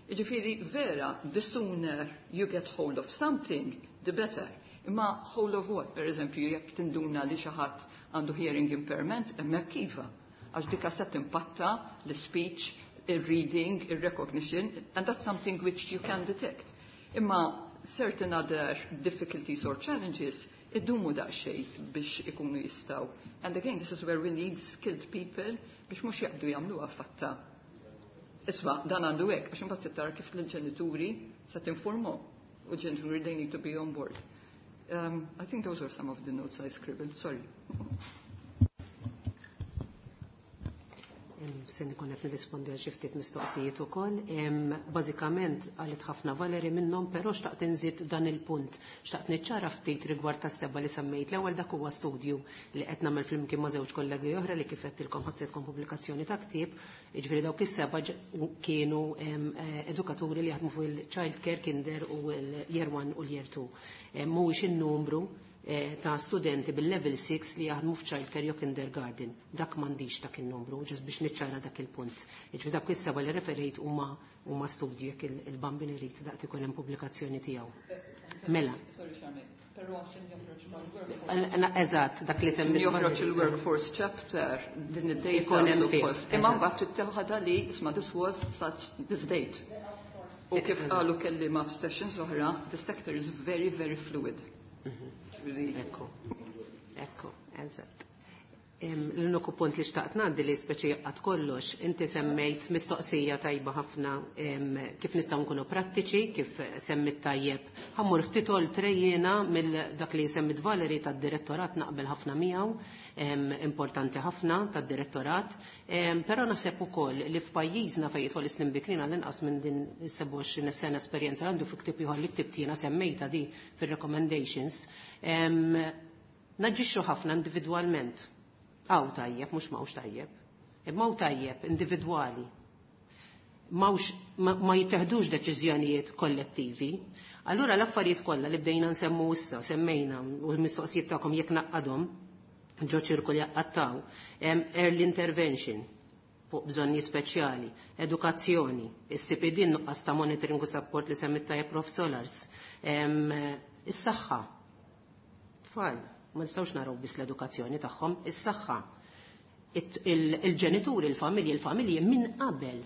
Ġifieri vera, the sooner you get hold of something, the better. Imma hold of what? Per eżempju, jekk tinduna li xi ħadd għandu hearing impairment, hemmhekk iva. Għax dika se timpatta l-speech, il-reading, il-recognition, and that's something which you can detect. Imma certain other difficulties or challenges idumu daqsxejn biex ikunu jistgħu. And again, this is where we need skilled people biex mhux jaqbdu jagħmluha fatta. Isma', dan għandu hekk, għax imbagħad tara kif l-ġenituri se tinformu u l-ġenituri, they need to be on board. Um, I think those are some of the notes I scribbled, sorry. Se nkun qed nirrispondi għal xi ftit mistoqsijiet ukoll. Bażikament qalet ħafna Valerie minnhom, però xtaqt inżid dan il-punt. Xtaqt niċċara ftit rigward tas-seba li semmejt. L-ewwel, dak huwa studju li qed nagħmel flimkien ma' żewġ kollegi oħra li kif qedtilkom ħadd pubblikazzjoni ta' ktieb. Jiġifieri dawk is-seba kienu edukaturi li jaħdmu fuq il-child care, kinder u l-year one u l-year two. Mhuwiex in-numru eh, ta' studenti bil-level six li jaħdmu f'childcare jew kindergarten. Dak m'għandix dak in-numru, just biex niċċara dak il-punt. Jiġifieri dak is-seba li referejt huma huma studji jekk il-Bambin irid daqt ikun hemm pubblikazzjoni tiegħu. Mela. Sorry, Charmaine. Però għaxin joħroġ mal-workforce. Eżatt, dak li semmi. Joħroġ il-workforce chapter din id-data. Ikun hemm fih. Imma mbagħad tittieħadha li isma' this was such this date. U kif qalu kelliema f'sessions oħra, the sector is very, very fluid. Ekku, ekku, eżatt. L-uniku punt li xtaqt ngħaddi li speċi jaqgħad kollox, inti semmejt mistoqsija tajba ħafna kif nistgħu nkunu prattiċi, kif semmit tajjeb. Ħa mmur ftit oltre jiena mill dak li semmit Valerie tad-direttorat naqbel ħafna miegħu, importanti ħafna tad-direttorat, però naħseb ukoll li f'pajjiżna fejn jidħol is-snin bikrin għall-inqas minn din is-sebgħa u għoxrin sena esperjenza għandu fi ktieb ieħor li ktibt jiena semmejta di fir-recommendations, naġixxu ħafna individwalment. Hawn tajjeb, mhux m'hawnx tajjeb. Imma hawn tajjeb individwali. M'hawnx ma jitteħdux deċiżjonijiet kollettivi. Allura l-affarijiet kollha li bdejna nsemmu issa, semmejna u l-mistoqsijiet tagħkom jekk naqqadhom ġo ċirku li jaqqattaw, early intervention, fuq bżonnijiet speċjali, edukazzjoni, is-C P D, nuqqas ta' monitoring u support li semmit tajjeb Prof Solars, is-saħħa. Tfal, ma nistgħux naraw biss l-edukazzjoni tagħhom, is-saħħa. Il-ġenituri, il-familji, il-familji minn qabel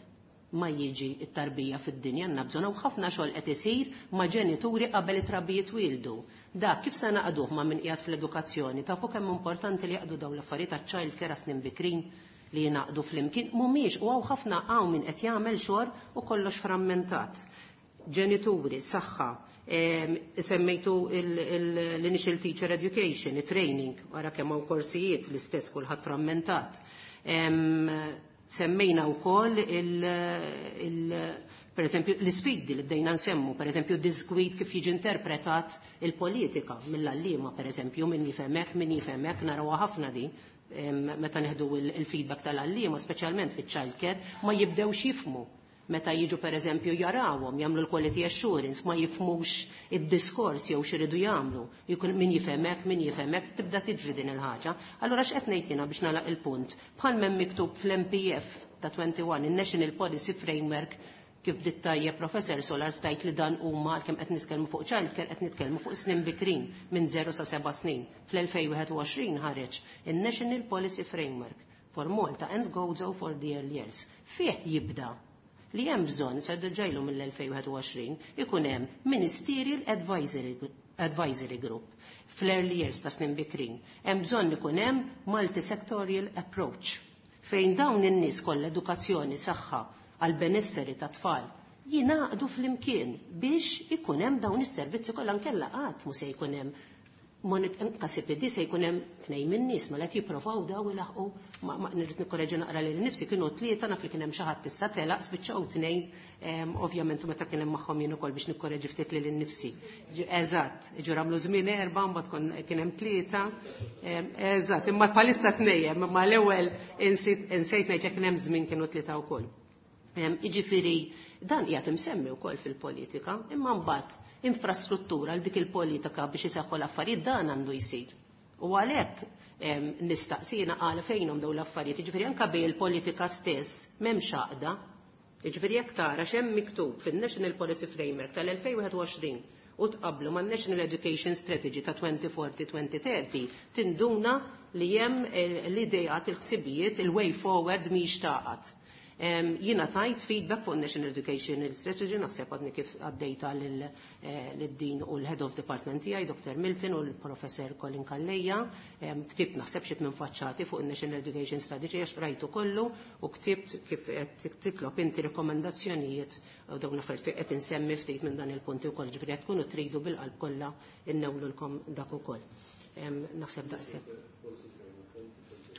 ma jiġi it-tarbija fid-dinja għandna bżonn hawn ħafna xogħol qed isir ma' ġenituri qabel it-trabijiet twildu. Dak kif se naqduh ma' min qiegħed fl-edukazzjoni, tafu kemm importanti li jaqdu dawn l-affarijiet taċ-child care snin bikrin li jingħaqdu flimkien mhumiex u hawn ħafna hawn min qed jagħmel xogħol u kollox frammentat. Ġenituri, saħħa, semmejtu l-initial teacher education, training, wara kemm hawn korsijiet l-istess kulħadd frammentat. Semmejna wkoll il, il per esempio l-isfidi li bdejna nsemmu, per esempio disgwid kif jiġi interpretat il-politika mill-għalliema, per esempio, min jifhemek, min jifhemek, narawha ħafna di meta neħdu il-feedback tal-għalliema, speċjalment fiċ-child care, ma jibdewx jifmu meta jiġu per eżempju jarawhom jagħmlu l-quality assurance ma jifmux id-diskors jew x'iridu jagħmlu. Jkun min jifhemek, min jifhemek, tibda tiġri din il-ħaġa. Allura x'qed ngħid jiena biex nagħlaq il-punt? Bħal m'hemm miktub fl-N P F ta' wieħed u għoxrin, il-National Policy Framework, kif bdiet tajjeb Professor Solar stajt li dan huma kemm qed nitkellmu fuq child care, qed nitkellmu fuq snin bikrin minn żero sa seba' snin. Fl-elfejn u wieħed u għoxrin ħareġ il-National Policy Framework for Malta and Gozo for the Early Years. Fih jibda li hemm bżonn sa ġejlu mill-elfejn u wieħed u għoxrin ikun hemm Ministerial Advisory, Advisory Group fl-early years ta' snin bikrin. Hemm bżonn ikun hemm multisectorial approach fejn dawn in-nies kollha, edukazzjoni, saħħa, għal benesseri ta' tfal jingħaqdu flimkien biex ikun hemm dawn is-servizzi kollha, nkella qatt mu se jkun hemm anka C P D, se jkun hemm tnejn min-nies ma qed jipprovaw daw ilaħqu. Ma nirrid nikkoreġi naqra lil nifsi, kienu tlieta, naf li kien hemm xi ħadd issa telaq, spiċċaw tnejn ovvjament meta kien hemm magħhom jien ukoll biex nikkoreġi ftit lil innifsi. Eżatt, ġur għamlu żmien erba' mbagħad kien hemm tlieta. Eżatt, imma bħalissa tnejn, imma l-ewwel insejt ngħid jekk kien hemm żmien kienu tlieta wkoll. Jiġifieri dan qiegħed imsemmi wkoll fil-politika, imma mbagħad infrastruttura għal dik il-politika biex iseħħu l-affarijiet dan għandu jsir. U għalhekk nistaqsina għal fejnhom dawn l-affarijiet, jiġifieri anke bej il-politika stess m'hemmx għaqda. Jiġifieri jekk tara x'hemm miktub fin-National Policy Framework tal-elfejn u wieħed u għoxrin u tqablu man National Education Strategy ta' elfejn u erbgħin-elfejn u tletin, tinduna li hemm l-idejat, il-ħsibijiet, il-way forward mhix taqgħod. Jiena tajt feedback fuq National Education Strategy, naħseb għadni kif għaddejta lid-din u l-Head of Department tiegħi, Doctor Milton u l-Professor Colin Calleja, ktibt naħseb xi tmien faċċati fuq il-National Education Strategy għax rajtu kollu u ktibt kif qed titlob inti rekomendazzjonijiet u dawn l-affarijiet qed insemmi ftit minn dan il-punti wkoll, ġifieri qed tkunu tridu bil-qalb kollha innewlulkom dak ukoll. Naħseb daqshekk.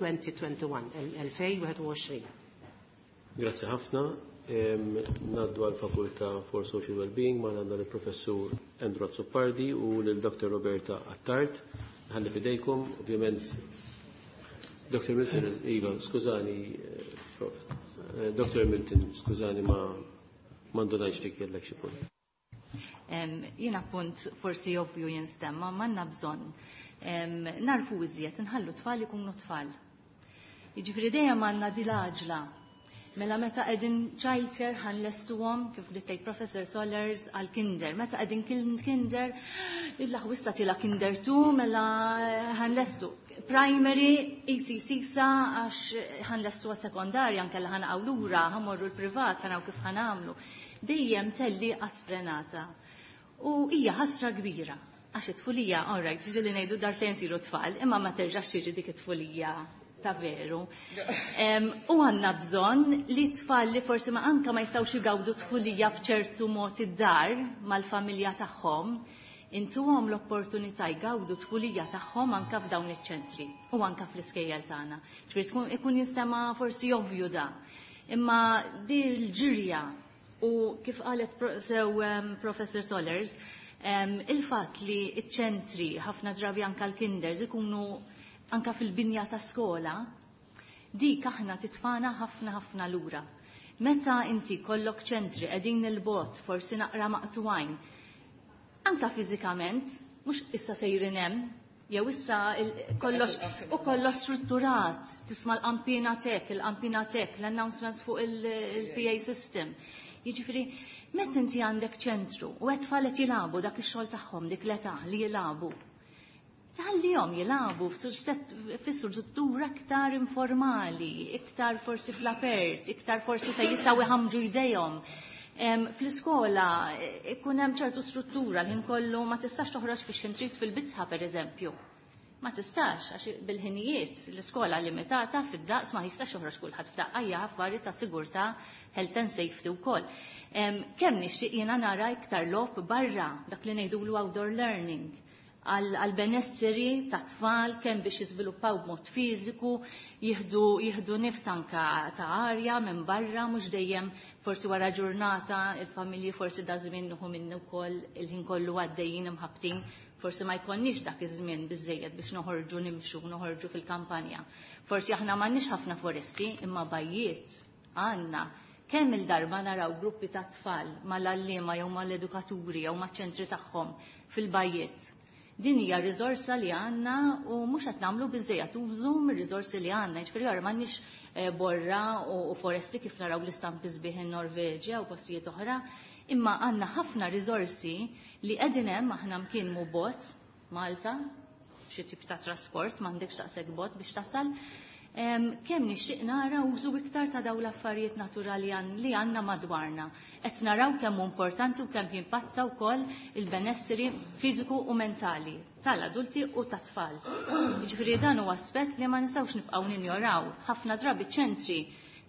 elfejn u wieħed u għoxrin, elfejn u wieħed u għoxrin. Grazzi ħafna. Naddu għal Fakultà for Social Wellbeing ma għandna l-Professur Andrew Azzopardi u l-Doctor Roberta Attard. Ħalli fidejkom, ovvjament, Doctor Milton, Iva, skużani, eh, prof. Eh, Doctor Milton, skużani ma mandunajx li kellek xi punt. Jiena punt forsi ovvju jinstemma, ma għandna bżonn narfu iżjed nħallu tfal ikunu tfal. Jiġifieri dejjem għandna dil-għaġla. Mela meta qegħdin childcare ħanlestuhom kif li tgħid Professor Solers għal kinder. Meta qegħdin kinder, il-laħwissa tila kinder two, mela ħanlestu. Primary, E C C sa għax ħanlestu għas sekondarja nkella ħanaqgħu lura, ħamorru l-privat, ħanaw kif ħanamlu. Dejjem telli sfrenata. U hija ħasra kbira. Għax it-tfulija, all right, ġieli ngħidu darbtejn siru tfal, imma ma terġax tiġi dik it-tfulija ta' veru. U għandna bżonn li tfal li forsi ma anka ma jistgħux igawdu tfulija b'ċertu mod id-dar mal-familja tagħhom, intuhom l-opportunità jgawdu tfulija tagħhom anka f'dawn iċ-ċentri u anka fl-iskejjel tagħna. Ġifieri tkun ikun jinstema' forsi ovvju da. Imma di l-ġirja u kif qalet sew Professor Solers, il-fatt li iċ-ċentri ħafna drabi anka l-kinders ikunu anka fil-binja ta' skola, dik aħna titfana ħafna ħafna lura. Meta inti kollok ċentri qegħdin il-bot, forsi naqra maqtuwajn, anka fiżikament, mhux issa sejrin hemm, jew issa kollox u kollox strutturat, tisma' l-qampina tek, il-qampina tek, l-announcements fuq il-P A system. Jiġifieri, meta inti għandek ċentru u qed tfal qed jilagħbu dak ix-xogħol tagħhom dik l-età li jilagħbu, tħallihom jilagħbu fi struttura iktar informali, iktar forsi fl-apert, iktar forsi fejn jistgħu jħamġu jdejhom. Fl-iskola ikun hemm ċertu struttura li kollu ma tistax toħroġ fi xintrit fil-bitħa, pereżempju. Ma tistax, għax bil-ħinijiet l-iskola limitata fid-daqs, ma jistax joħroġ kulħadd f'daqqa, hija affari ta' sigurtà, health and safety wkoll. Kemm nixtieq jiena nara iktar logħob barra, dak li ngħidulu outdoor learning għal benesseri ta' tfal, kemm biex jiżviluppaw b'mod fiżiku, jieħdu jieħdu nifs anka ta' arja minn barra, mhux dejjem forsi wara ġurnata il-familji, forsi da żmien nuħu minnu wkoll, il-ħin kollu għaddejjin imħabtin, forsi ma jkollniex dak iż-żmien biżejjed biex noħorġu nimxu, noħorġu fil-kampanja. Forsi aħna m'għandniex ħafna foresti, imma bajjiet għandna. Kemm il-darba naraw gruppi ta' tfal mal-għalliema jew mal-edukaturi jew maċ-ċentri tagħhom fil-bajjiet? Din hija riżorsa li għandna u mhux qed nagħmlu biżejjed użu mir-riżorsi li għandna. Jiġifieri ara m'għandniex eh, borra u foresti kif naraw l-istampi sbieħ in-Norveġja u postijiet oħra, imma għandna ħafna riżorsi li qegħdin hemm, aħna mkien mu bot Malta, xi tip ta' trasport m'għandekx daqshekk bot biex tasal. Kemm nixtieq nara użu iktar ta' dawn l-affarijiet naturali li għandna madwarna. Qed naraw kemm hu importanti u kemm jimpatta wkoll il-benesseri fiżiku u mentali tal-adulti u tat-tfal. Jiġifieri dan huwa aspett li ma nistgħux nibqgħu ninjoraw. Ħafna drabi ċentri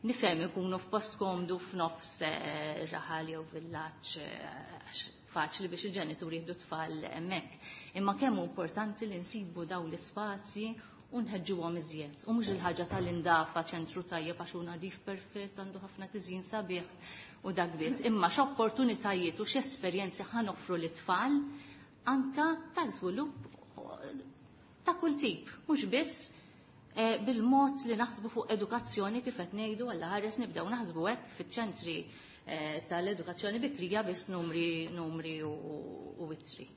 nifhem ikunu f'post komdu f'nofs eh, raħal jew villaġġ, eh, faċli biex il-ġenituri jieħdu tfal hemmhekk. Imma kemm hu importanti li nsibu dawn l-ispazji u nħeġġuhom iżjed. U mhux il-ħaġa tal-indafa, ċentru tajjeb għax hu nadif perfett, għandu ħafna tiżjin sabiħ u dak biss. Imma x'opportunitajiet u x'esperjenzi ħa noffru lit-tfal anka ta' żvilupp ta' kull tip, mhux biss eh, bil-mod li naħsbu fuq edukazzjoni kif qed ngħidu għall ħares nibdew naħsbu hekk fiċ-ċentri eh, tal-edukazzjoni bikrija biss, numri numri u ittri.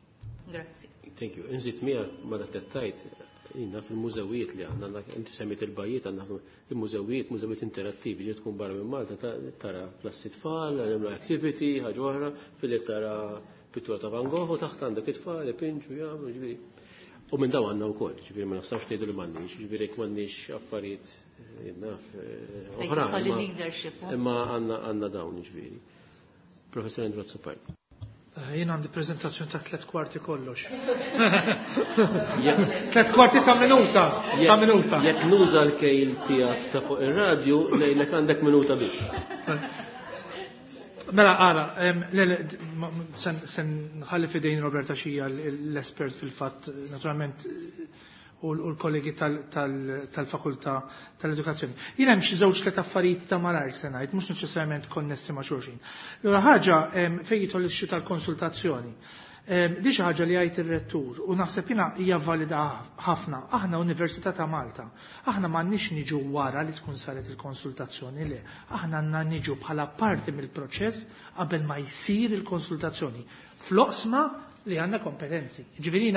Grazzi. Thank you. Inżid miegħek ma dak li tajt jina fil-mużewijiet li għandna, inti semmit il-bajjiet, għandna il-mużewijiet, mużewijiet interattivi, ġi tkun barra minn Malta tara klassi tfal, għamlu activity, ħaġa oħra, fil tara pittura ta' Van Gogh u taħt għandek it-tfal, ipinġu, jagħmlu, ġifieri. U minn daw għandna wkoll, ġifieri ma nafx ngħidu li m'għandniex, ġifieri jekk m'għandniex affarijiet eh, naf eh, oħra. Imma għandna għandna dawn, ġifieri. Professor Andrew Azzopardi. Eh, jien għandi prezentazzjoni ta' tliet kwarti kollox. Tliet kwarti ta' minuta. Ta' minuta. Jekk nuża l-kejl tiegħek ta' fuq ir-radju, ngħidlek għandek minuta biss. Mela, għara, sen nħalli fidejn Roberta Xija l-espert fil-fatt, naturalment, u l-kollegi tal-fakultà tal-edukazzjoni. Jien hemm xi żewġ tliet affarijiet ta' malajr se ngħid, mhux neċessarjament konnessi ma' xulxin. L-ewwel ħaġa fejn jidħol ix tal-konsultazzjoni. Di xi ħaġa li jgħid ir-rettur u naħseb jiena hija valida ħafna. Aħna Università ta' Malta. Aħna m'għandniex niġu wara li tkun saret il-konsultazzjoni, le. Aħna għandna niġu bħala parti mill-proċess qabel ma jsir il-konsultazzjoni. Fl-oqsma li għandna kompetenzi. Ġifieri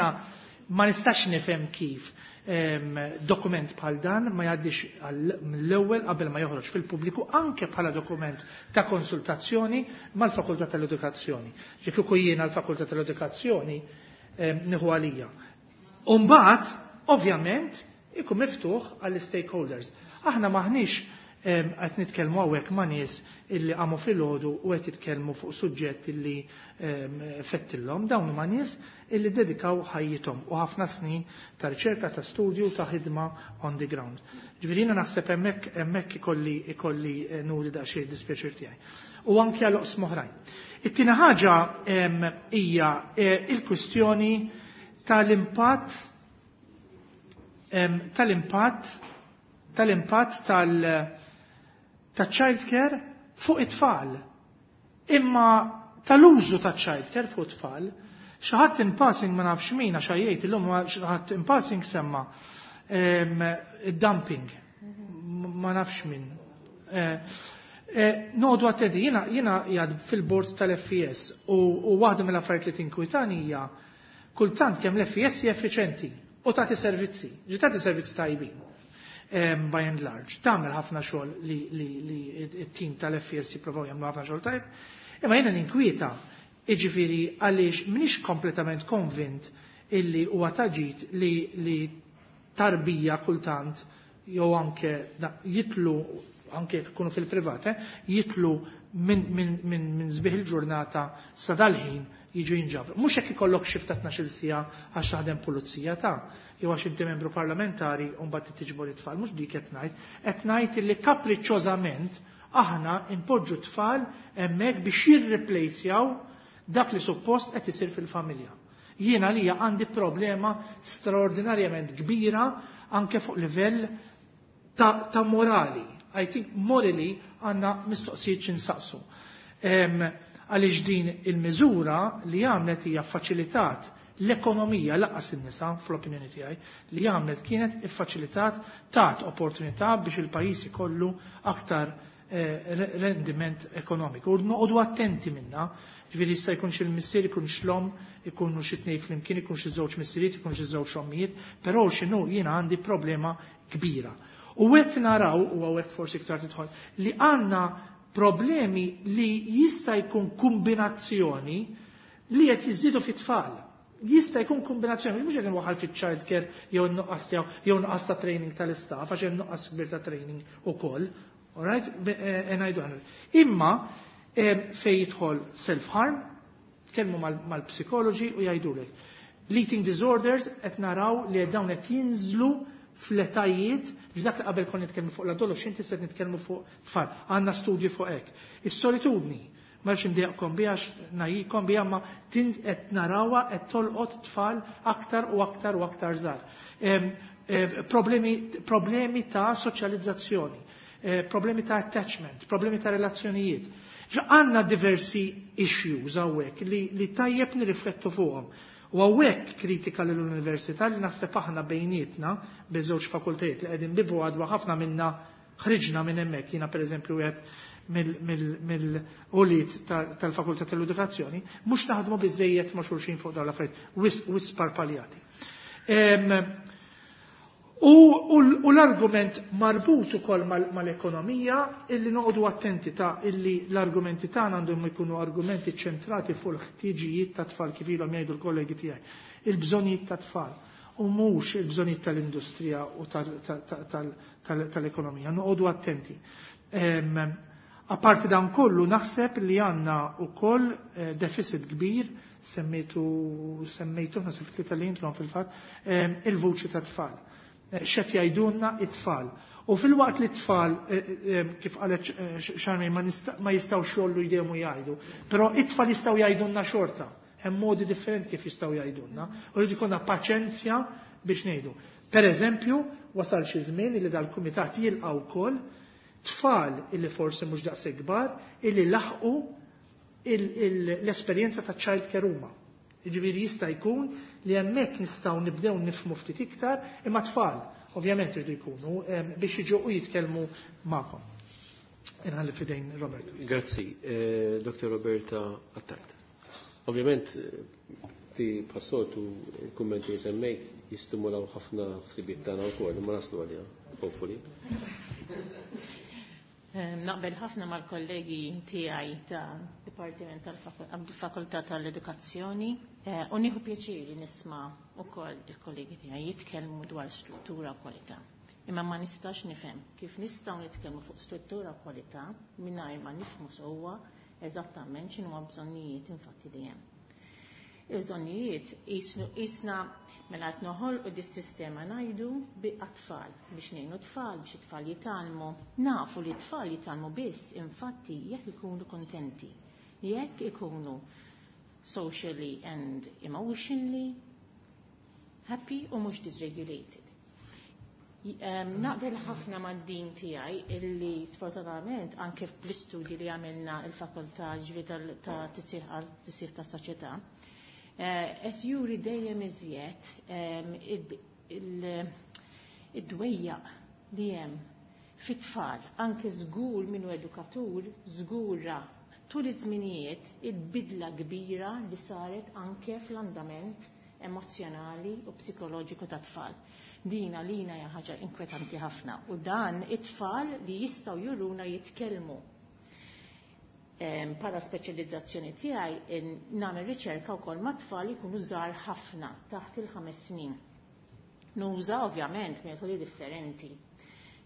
ma nistax nifhem kif dokument bħal dan ma jgħaddix mill-ewwel qabel ma joħroġ fil-pubbliku anke bħala dokument ta' konsultazzjoni mal-Fakultà tal-Edukazzjoni. Jekk kieku jiena l-Fakultà tal-Edukazzjoni nieħu għalija. U mbagħad, ovvjament, ikun miftuħ għall-stakeholders. Aħna maħniex qed nitkellmu hawnhekk ma' nies illi qamu filgħodu u qed jitkellmu fuq suġġett illi fettillhom, dawn huma nies illi dedikaw ħajjithom u ħafna snin ta' riċerka, ta' studju, ta' ħidma on the ground. Ġifieri jiena naħseb hemmhekk hemmhekk ikolli ikolli nuri daqsxejn dispjaċir tiegħi. U anke għal oqsma oħrajn. It-tieni ħaġa hija il-kwistjoni tal-impatt tal-impatt tal-impatt tal- ta' childcare fuq it-tfal. Imma tal-użu ta' childcare fuq it-tfal, xi ħadd in passing ma nafx min għax jgħid illum xi ħadd in passing semma id-dumping. Ma nafx min. Noqogħdu attenti, jiena jiena qiegħed fil-board tal-F E S u waħda mill-affarijiet li tinkwitani hija kultant kemm l-F E S hija effiċenti u tagħti servizzi, ġi tagħti servizzi tajbin by and large. Tagħmel ħafna xogħol li li li t-tim tal-F E S jippruvaw jagħmlu ħafna xogħol tajb. Imma jiena ninkwieta, jiġifieri għaliex m'iniex kompletament konvint illi huwa ta' ġid li li tarbija kultant jew anke jitlu anke jkunu fil-privat, eh, jitlu minn min, min, min sbieħ il-ġurnata sa dal-ħin jiġu jinġabru. Mhux hekk ikollok shift ta' tnax-il siegħa għax taħdem pulizija ta' jew għax inti membru parlamentari u mbagħad tiġbor it-tfal, mhux dik qed ngħid, qed ngħid li kapriċċożament aħna npoġġu tfal hemmhekk biex jirreplacjaw dak li suppost qed isir fil-familja. Jiena li għandi problema straordinarjament kbira anke fuq livell ta', ta morali. I think morally għandna mistoqsijiet x'insaqsu. Għaliex din il-miżura li għamlet hija faċilitat l-ekonomija lanqas in-nisa, fl-opinjoni tiegħi, li għamlet kienet iffaċilitat, tat opportunità biex il-pajjiż ikollu aktar eh, rendiment ekonomiku. U noqogħdu attenti minna, ġifieri jista' jkun xi l-missier, ikun xlom, ikunu xi tnejn flimkien, ikun xi żewġ missiriet, ikun xi żewġ ommijiet, però x'inhu jiena għandi problema kbira. U qed naraw, u hawnhekk forsi iktar tidħol, li għandna problemi li jista' jkun kombinazzjoni li qed jiżdiedu fit-tfal. Jista' jkun kombinazzjoni, mhux qed inwaħħal fiċ-child care jew nuqqas tiegħu jew nuqqas ta' training tal-istaff, għax hemm nuqqas kbir ta' training ukoll. Alright? Ngħidu aħna. Imma fejn jidħol self-harm, tkellmu mal-psikoloġi u jgħidulek. L-eating disorders qed naraw li dawn qed jinżlu fl-etajiet, dak li qabel konna nitkellmu fuq l-adolescenti, se nitkellmu fuq tfal. Għandna studji fuq hekk. Is-solitudni, ma rridx indejjaqkom biha, ngħajjikom biha, ma qed narawha qed tolqot tfal aktar u aktar u aktar żgħar. Problemi, problemi ta' soċjalizzazzjoni, problemi ta' attachment, problemi ta' relazzjonijiet. Għandna diversi issues hawnhekk li, li tajjeb nirriflettu fuqhom. U hawnhekk kritika l-università li naħseb aħna bejnietna biż-żewġ fakultajiet li qegħdin bibu għadwa ħafna minna ħriġna minn hemmhekk. Jiena pereżempju qed mill-ulied tal-Fakultà tal-Edukazzjoni, mhux naħdmu biżejjed ma' xulxin fuq dawn l-affarijiet, wisq wisq parpaljati. U, u, u l-argument marbut ukoll mal-ekonomija illi noqogħdu attenti ta' illi l-argumenti tagħna għandhom ikunu argumenti ċentrati fuq l-ħtiġijiet ta' tfal, kif ilhom jgħidu l-kollegi tiegħi, il-bżonnijiet ta' tfal u mhux il-bżonnijiet tal-industrija u tal-ekonomija. Noqogħdu attenti. Apparti dan kollu, naħseb li għandna ukoll eh, deficit kbir, semmejtu semmejtu naħseb tlieta li intom fil-fatt, il-vuċi ta' tfal. X'qed jgħidulna it-tfal? U filwaqt li t-tfal, kif qalet Charmaine, ma jistgħux jgħollu jdejhom u jgħidu, però it-tfal jistgħu jgħidulna xorta. Hemm modi differenti kif jistgħu jgħidulna. U rrid ikollna paċenzja biex ngħidu. Per eżempju, wasal xi żmien li dal-kumitat jilqa' wkoll tfal illi forsi mhux daqshekk kbar illi laħqu l-esperjenza ta' child care huma. Jiġifieri jista' jkun li hemmhekk nistgħu nibdew nifhmu ftit iktar, imma tfal ovvjament irdu jkunu biex jiġu u jitkellmu magħkom. Inħalli f'idejn Roberta. Grazzi, eh, Doktor Roberta Attard. Ovvjament, ti bħas-soltu il-kummenti li semmejt jistimulaw ħafna ħsibiet tagħna wkoll, imma naslu għaliha, hopefully. Naqbel ħafna mal-kollegi tiegħi ta' Dipartiment tal-Fakultà tal-Edukazzjoni u nieħu pjaċir nisma' wkoll il-kollegi tiegħi jitkellmu dwar struttura u kwalità. Imma ma nistax nifhem kif nistgħu nitkellmu fuq struttura u kwalità mingħajr ma nifhmu sewwa eżattament x'inhuma bżonnijiet infatti li hemm. Il-bżonnijiet isna mela qed noħolqu dis-sistema ngħidu bi tfal biex ngħinu tfal biex it-tfal jitgħallmu. Nafu li t-tfal jitgħallmu biss infatti jekk ikunu kontenti, jekk ikunu socially and emotionally happy u mhux dysregulated. Naqbel ħafna mad-din tiegħi illi sfortunatament anke fl-istudji li għamilna il-fakultà ġifieri ta' tisħiħ ta' soċjetà, qed juri dejjem iżjed id-dwejjaq li hemm fit-tfal, anke żgur minnu edukatur, żgura tul iż-żminijiet id-bidla kbira li saret anke fl-andament emozjonali u psikoloġiku ta' tfal. Dina lina hija ħaġa inkwetanti ħafna u dan it-tfal li jistgħu juruna jitkellmu. Para speċjalizzazzjoni tiegħi nagħmel riċerka wkoll ma' tfal jkunu żgħar ħafna taħt il-ħames snin. Nuża ovvjament metodi differenti.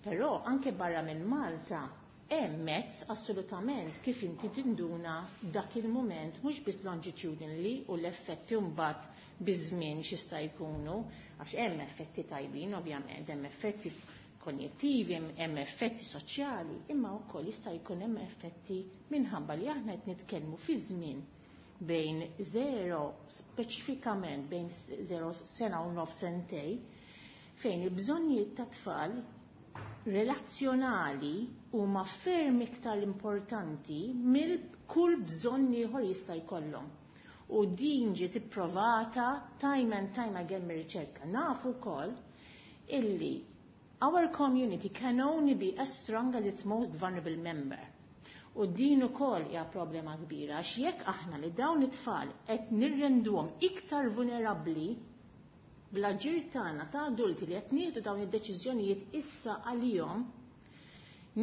Però anke barra minn Malta hemm mezz assolutament kif inti tinduna dak il-mument mhux biss longitudinally u l-effetti mbagħad biż-żmien x'jista' jkunu, għax hemm effetti tajbin ovvjament, hemm effetti konjettivi, hemm effetti soċjali, imma wkoll jista' jkun hemm effetti minħabba li aħna qed nitkellmu fi żmien bejn zero speċifikament bejn zero sena u nof sentej, fejn il-bżonnijiet ta' tfal relazzjonali huma ferm iktar importanti mill kull bżonn ieħor jista' jkollhom. U din ġiet ipprovata time and time again mir-riċerka. Nafu wkoll illi our community can only be as strong as its most vulnerable member. U din ukoll hija problema kbira għax jekk aħna li dawn it-tfal qed nirrenduhom iktar vulnerabbli bl-aġir tagħna ta' adulti li qed nieħdu dawn id-deċiżjonijiet issa għalihom,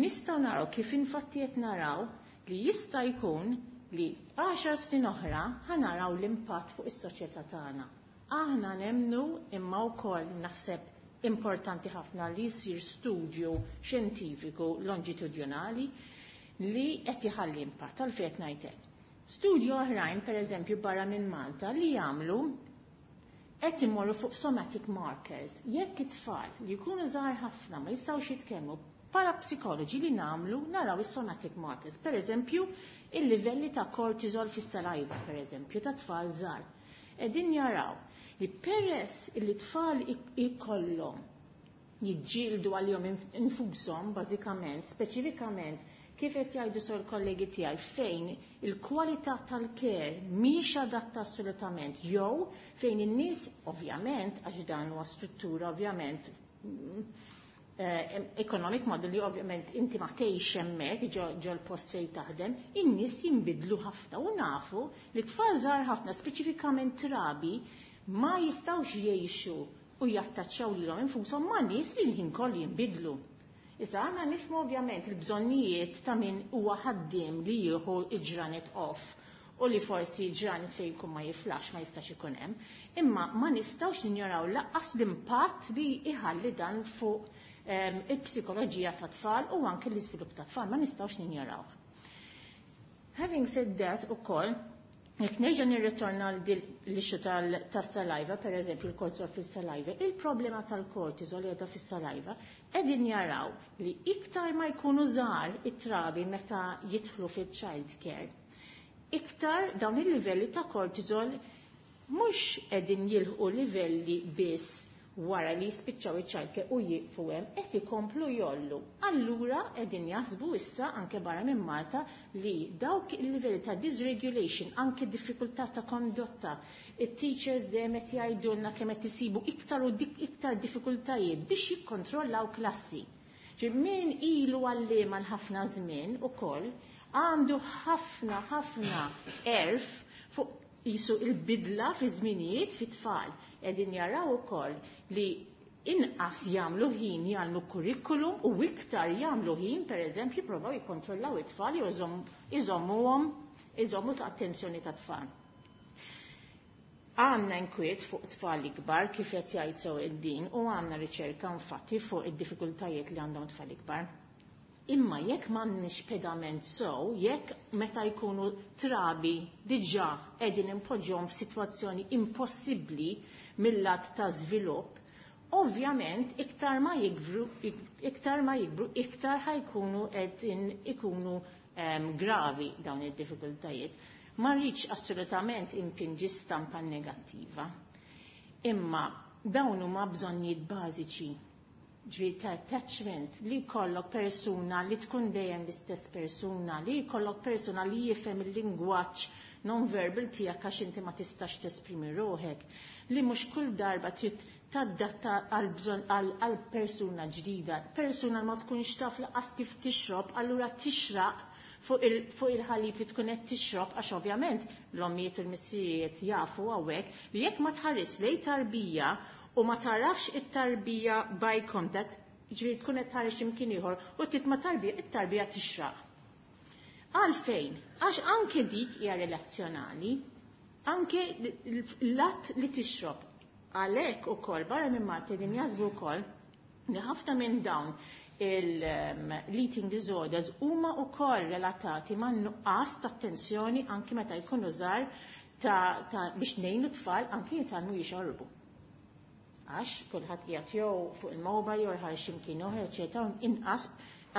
nistgħu naraw kif infatti qed naraw li jista' jkun li għaxar snin oħra ħanaraw l-impatt fuq is-soċjetà tagħna. Aħna nemnu imma wkoll naħseb importanti ħafna li jsir studju xjentifiku longitudinali li qed iħalli impatt għalfejn qed ngħid hekk. Studju oħrajn, pereżempju barra minn Malta, li jagħmlu qed imorru fuq somatic markers. Jekk it-tfal li jkunu żgħar ħafna ma jistgħux jitkellmu, bħala psikoloġi li nagħmlu naraw is-somatic markers. Pereżempju, il-livelli ta' cortisol fis-saliva, pereżempju, ta' tfal żgħar. Qegħdin jaraw li peress li tfal ikollhom jiġġieldu għalihom infushom bażikament, speċifikament kif qed jgħidu sor kollegi tiegħi fejn il-kwalità tal-care mhix adatta assolutament jew fejn in-nies ovvjament għax dan huwa struttura ovvjament eh, economic model li ovvjament inti ma tgħix hemmhekk ġo l-post fejn taħdem, in-nies jinbidlu ħafna u nafu li tfal żgħar ħafna speċifikament trabi ma jistgħux jgħixu u jattaċċaw lilhom infushom ma' nies li l-ħin kollu jinbidlu. Issa għandna nifhmu ovvjament il-bżonnijiet ta' min huwa ħaddiem li jieħu il-ġranet off u li forsi ġranet fejn jkun ma jiflax ma jistax ikun hemm, imma ma nistgħux ninjoraw lanqas l-impatt li iħalli dan fuq um, il-psikoloġija ta' tfal u anke l-iżvilupp ta' tfal ma nistgħux ninjoraw. Having said that ukoll, jekk nerġa' nirritorna l-issue tas-saliva, per eżempju il-cortisol fis-saliva, il-problema tal-cortisol li qiegħda fis-saliva qegħdin jaraw li iktar ma jkunu żgħar it-trabi meta jidħlu fil-child care, iktar dawn il-livelli ta' cortisol mhux qegħdin jilħqu livelli biss wara li jispiċċaw iċ-childcare u jieqfu hemm qed ikomplu jgħollu. Allura qegħdin jaħsbu issa anke barra minn Malta li dawk il-livelli ta' dysregulation, anke diffikultà ta' kondotta, it-teachers dejjem qed jgħidulna kemm qed isibu iktar u dik iktar diffikultajiet biex jikkontrollaw klassi. Ġi min ilu għalliem għal ħafna żmien ukoll għandu ħafna ħafna għerf fuq jisu il-bidla fi żminijiet fi tfal. Qegħdin jaraw ukoll li inqas jagħmlu ħin jagħmlu kurrikulum u iktar jagħmlu ħin pereżempju jippruvaw jikkontrollaw it-tfal jew iżommuhom iżommu ta' attenzjoni ta' tfal. Għandna inkwiet fuq tfal ikbar kif qed jgħid sew id-din u għandna riċerka infatti fuq id-diffikultajiet li għandhom tfal ikbar. Imma jekk m'għandniex pedament sew, jekk meta jkunu trabi diġà qegħdin impoġġhom f'sitwazzjoni impossibbli mill-lat ta' żvilupp, ovvjament iktar ma jikbru, iktar ma jikbru, iktar ħajkunu qegħdin ikunu um, gravi dawn id-diffikultajiet. Ma rridx assolutament impinġi stampa negattiva. Imma dawn huma bżonnijiet bażiċi ġifieri ta' attachment, li jkollok persuna li tkun dejjem l-istess persuna, li jkollok persuna li jifhem il-lingwaġġ non-verbal tiegħek għax inti ma tistax tesprimi ruħek, li mhux kull darba trid tadatta għal bżonn għal persuna ġdida, persuna ma tkunx taf laqas kif tixrob, allura tixraq fuq il-ħalib li tkun qed tixrob għax ovvjament l-ommijiet u l-missirijiet jafu hawnhekk li jekk ma tħares lejn tarbija u ma tarafx it-tarbija by contact, ġifieri tkun qed tħares x'imkien ieħor u titma' tarbija, it-tarbija tixraq. Għalfejn? Għax anke dik hija relazzjonali, anke l-att li tixrob. Għalhekk ukoll barra minn Malta din jaħsbu wkoll li ħafna minn dawn l-eating disorders huma wkoll relatati ma' nuqqas ta' attenzjoni anke meta jkunu żgħar ta', ta biex ngħinu tfal anke jitgħallmu jixorbu. Għax kulħadd qiegħed jew fuq il-mobile jew ħareġ x'imkien oħra, eċetera, inqas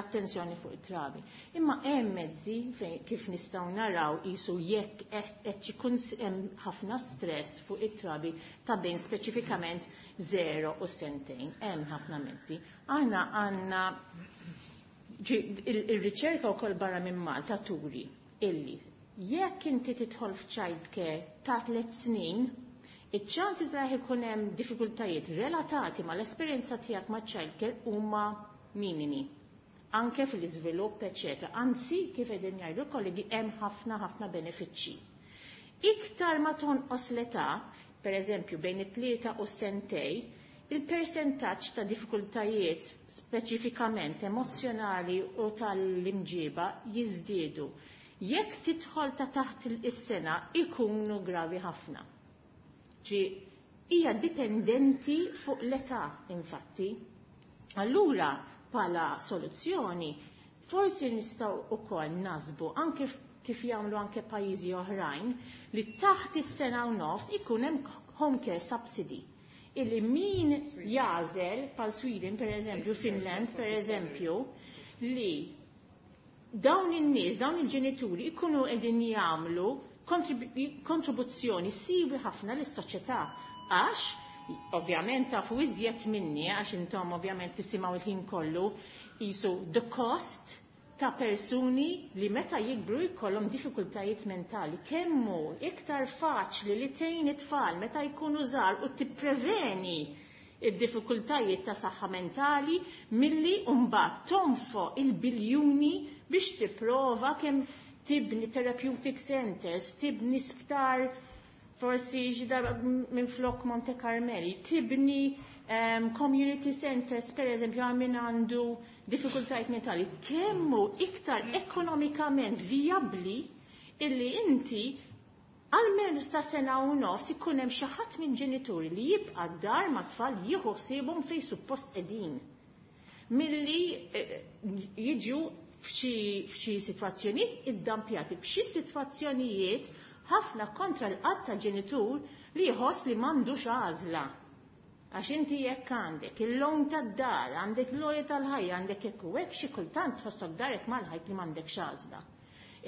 attenzjoni fuq it-trabi. Imma hemm mezzi fejn kif nistgħu naraw qisu jekk qed ikun hemm ħafna stress fuq it-trabi ta' bejn speċifikament zero u sentejn. Hemm ħafna mezzi. Aħna għandna il-riċerka wkoll barra minn Malta turi illi jekk inti tidħol f'child care ta' tliet snin, iċ-ċansi li ikun hemm diffikultajiet relatati mal-esperjenza tiegħek ma' child care huma minimi. Anke fil-iżvilupp, eċetera. Anzi, kif qegħdin jgħidu l-kollegi, hemm ħafna ħafna benefiċċji. Iktar ma tonqos l-età, per eżempju bejn it-tlieta u sentej, il-persentaġġ ta' diffikultajiet speċifikament emozjonali u tal-imġiba jiżdiedu. Jekk tidħol ta' taħt is-sena ikunu gravi ħafna. Ġi hija dipendenti fuq l-età infatti. Allura bħala soluzzjoni forsi nistgħu wkoll nasbu anke kif jagħmlu anke pajjiżi oħrajn li taħt is-sena u nofs ikun hemm home care subsidy. Illi min jagħżel bħal Sweden per eżempju, Finland per eżempju, li dawn in-nies, dawn il-ġenituri ikunu qegħdin jagħmlu kontribuzzjoni siwi ħafna lis-soċjetà għax ovvjament tafu iżjed minni għax intom ovvjament tisimgħu il-ħin kollu qisu the cost ta' persuni li meta jikbru jkollhom diffikultajiet mentali. Kemmu iktar faċli li tgħin it-tfal meta jkunu żgħar u tippreveni id-diffikultajiet ta' saħħa mentali milli mbagħad tonfoq il-biljuni biex tipprova kemm tibni therapeutic centers, tibni sptar forsi xi darba minn flok Monte Carmeli, tibni um, community centers, per eżempju, għal min għandu diffikultajiet mentali, kemmu iktar ekonomikament viabli illi inti għalmenu sa sena u nofs ikun hemm xi ħadd minn ġenituri li jibqa' d-dar ma' tfal jieħu ħsiebhom fejn suppost qegħdin. Milli jiġu f'xi sitwazzjonijiet iddampjati, f'xi sitwazzjonijiet ħafna kontra l-qatt ta' ġenitur li jħoss li m'għandux għażla. Għax inti jekk għandek il-loan tad-dar, għandek l-għoli tal-ħajja, għandek hekk u hekk, xi kultant tħossok darek mal-ħajt li m'għandekx għażla.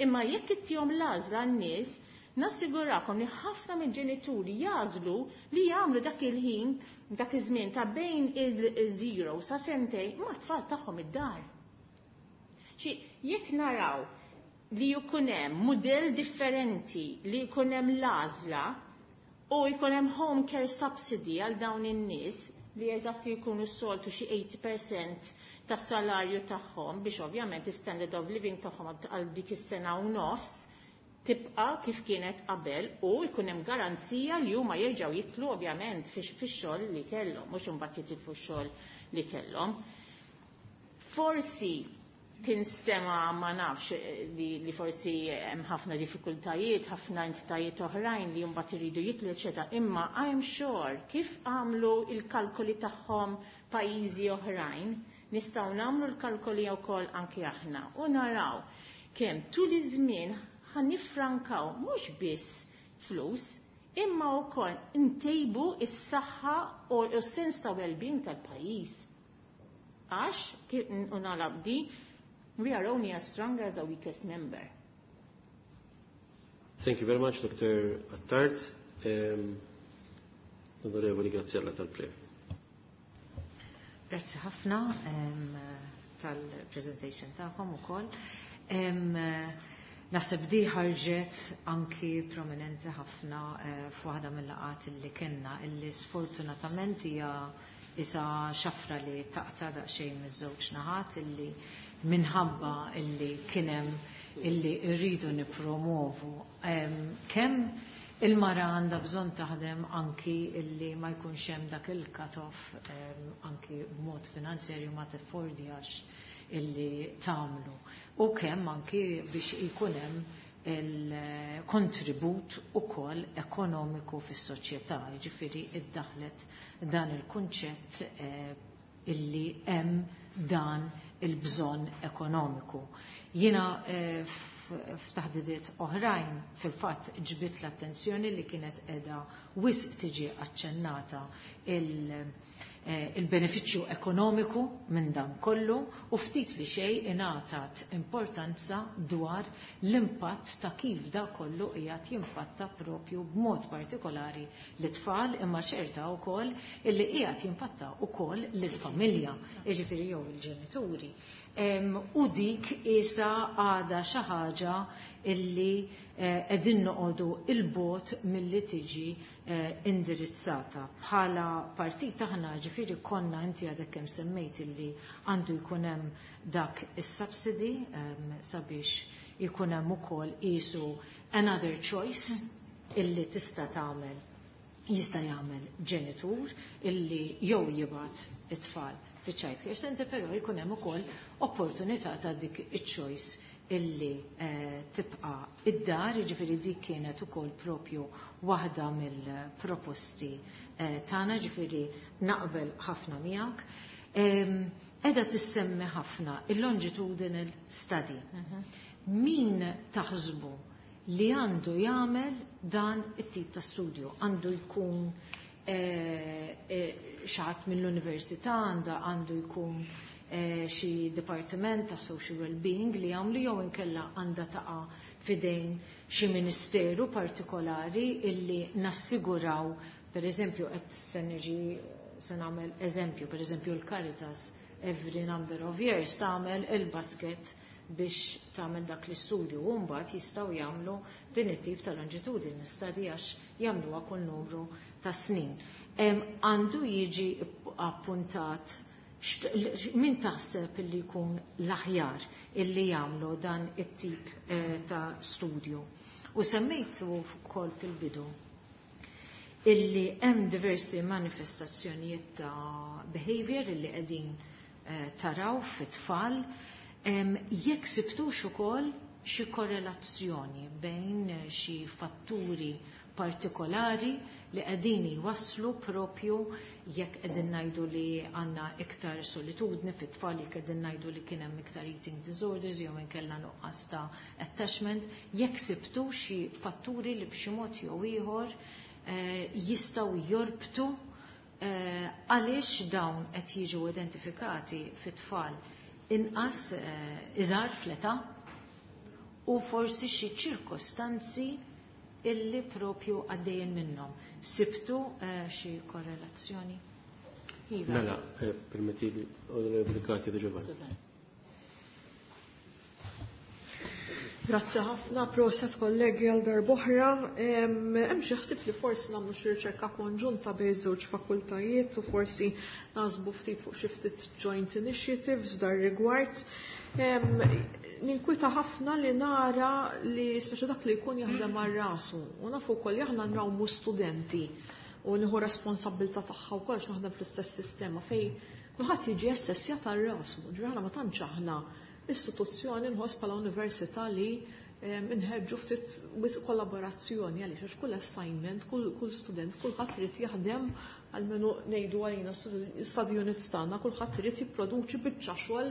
Imma jekk ittihom l-għażla n-nies, Nassigurakom li ħafna mill-ġenituri jagħżlu li jagħmlu dak il-ħin, dak iż-żmien ta' bejn il-zero sa sentejn mat-tfal tagħhom id-dar. Xi jekk naraw li jkun hemm mudell differenti, li jkun hemm l-għażla u jkun hemm home care subsidy għal dawn in-nies li eżatti jkunu s-soltu xi tmenin fil-mija tas-salarju tagħhom, biex ovvjament is-standard of living tagħhom għal dik is-sena u nofs tibqa' kif kienet qabel u jkun hemm garanzija li huma jerġgħu jidħlu ovvjament fix-xogħol li kellhom, mhux imbagħad jitilfu x-xogħol li kellhom. Forsi tinstema, ma nafx, li, li forsi hemm ħafna diffikultajiet, ħafna entitajiet oħrajn li mbagħad iridu jidħlu, eċetera. Imma I'm sure kif għamlu il-kalkoli tagħhom pajjiżi oħrajn, nistgħu nagħmlu l-kalkoli wkoll anki aħna u naraw kemm tul iż-żmien ħa nifrankaw mhux biss flus, imma wkoll ntejbu is-saħħa u s-sens ta' well-being tal-pajjiż. Għax, u nagħlaq, we are only as strong as our weakest member. Thank you very much, Doctor Attard. Um, Onorevoli Graziella Tal-Previ. Grazzi ħafna um, tal-presentation tagħkom ukoll. Um, Naħseb di ħarġet anki prominenti ħafna uh, f'waħda mill-laqgħat illi kellna, illi sfortunatament hija isa xafra li taqta daqsxejn miż-żewġ naħat, illi minħabba illi kien hemm illi rridu nippromovu kemm il-mara għandha bżonn taħdem, anki illi ma jkunx hemm dak il-cut-off, anki b'mod finanzjarju ma teffordjax illi tagħmlu. U kemm anki biex ikun hemm il-kontribut ukoll ekonomiku fis-soċjetà, jiġifieri iddaħlet dan il-kunċett eh, illi hemm dan il-bżonn ekonomiku. Jiena eh, f'taħdidiet oħrajn fil-fatt ġbidt l-attenzjoni li kienet qiegħda wisq tiġi aċċennata eh, il-benefiċċju ekonomiku minn dan kollu u ftit li xejn ingħatat importanza dwar l-impatt ta' kif da kollu qiegħed jimpatta propju b'mod partikolari l-tfal, imma ċerta wkoll illi qiegħed jimpatta wkoll lill-familja, jiġifieri jew il-ġenituri. U dik isa għada xi ħaġa illi eh, qegħdin noqogħdu il-bogħod milli tiġi eh, indirizzata. Bħala partit aħna ġifieri konna, inti għadek kemm semmejt illi għandu jkun hemm dak is-subsidy sabiex jkun hemm ukoll qisu another choice illi tista' tagħmel, jista' jagħmel ġenitur illi jew jibgħat it-tfal fi child care center, però jkun hemm ukoll opportunità ta' dik iċ-choice illi eh, tibqa' id-dar, jiġifieri dik kienet ukoll propju waħda mill-proposti eh, tagħna, ġifieri naqbel ħafna miegħek. Qiegħda tissemmi ħafna il-longitudinal study. Mhm. Min taħsbu li għandu jagħmel dan it-tip ta' studju? Għandu jkun eh, xi ħadd mill-università, għandu jkun eh, xi dipartiment ta' social well-being li jagħmlu, jew inkella għandha taqa' f'idejn xi ministeru partikolari illi nassiguraw, per eżempju, qed se niġi se nagħmel eżempju, per eżempju l-Caritas every number of years tagħmel il-basket biex tagħmel dak l-istudju u mbagħad jistgħu jagħmlu din it-tip ta' longitudinal study għax jagħmluha kull numru ta' snin. Għandu jiġi appuntat, min taħseb illi jkun l-aħjar illi jagħmlu dan it-tip eh, ta' studju? U semmejtu wkoll fil-bidu illi hemm diversi manifestazzjonijiet ta' behavior illi qegħdin eh, taraw fit-tfal, jekk sibtux ukoll xi korrelazzjoni bejn xi fatturi partikolari li qegħdin jwasslu propju, jekk qegħdin ngħidu li għandna iktar solitudni fit-tfal, jekk qegħdin ngħidu li kien hemm iktar eating disorders jew inkella nuqqas ta' attachment, jekk sibtu xi fatturi li b'xi mod jew ieħor eh, jistgħu jorbtu eh, għaliex dawn qed jiġu identifikati fit-tfal inqas eh, iżgħar fl-età u forsi xi ċirkostanzi illi propju għaddejjin minnhom. Sibtu eh, xi korrelazzjoni? Iva. Mela, eh, permettili, Onorevoli Katia De Giovanni. Grazzi ħafna, proset kollegi għal darb'oħra. Hemm xi ħsieb li forsi nagħmlu xi riċerka konġunta bejn żewġ fakultajiet u forsi naħsbu ftit fuq xi ftit joint initiatives dar rigward. Ninkwita ħafna li nara li speċi dak li jkun jaħdem għal rasu u nafu wkoll li aħna nrawmu studenti u nieħu responsabbiltà tagħha wkoll għax naħdem fl-istess sistema fejn kulħadd jiġi assessjat għal rasu. Ġifieri aħna ma tantx aħna istituzzjoni nħoss bħala università li nħeġġu ftit wisq kollaborazzjoni għaliex għax kull assignment, kull, kull student, kulħadd irid jaħdem għalmenu ngħidu għalina study units tagħna, kulħadd irid jipproduċi biċċa xogħol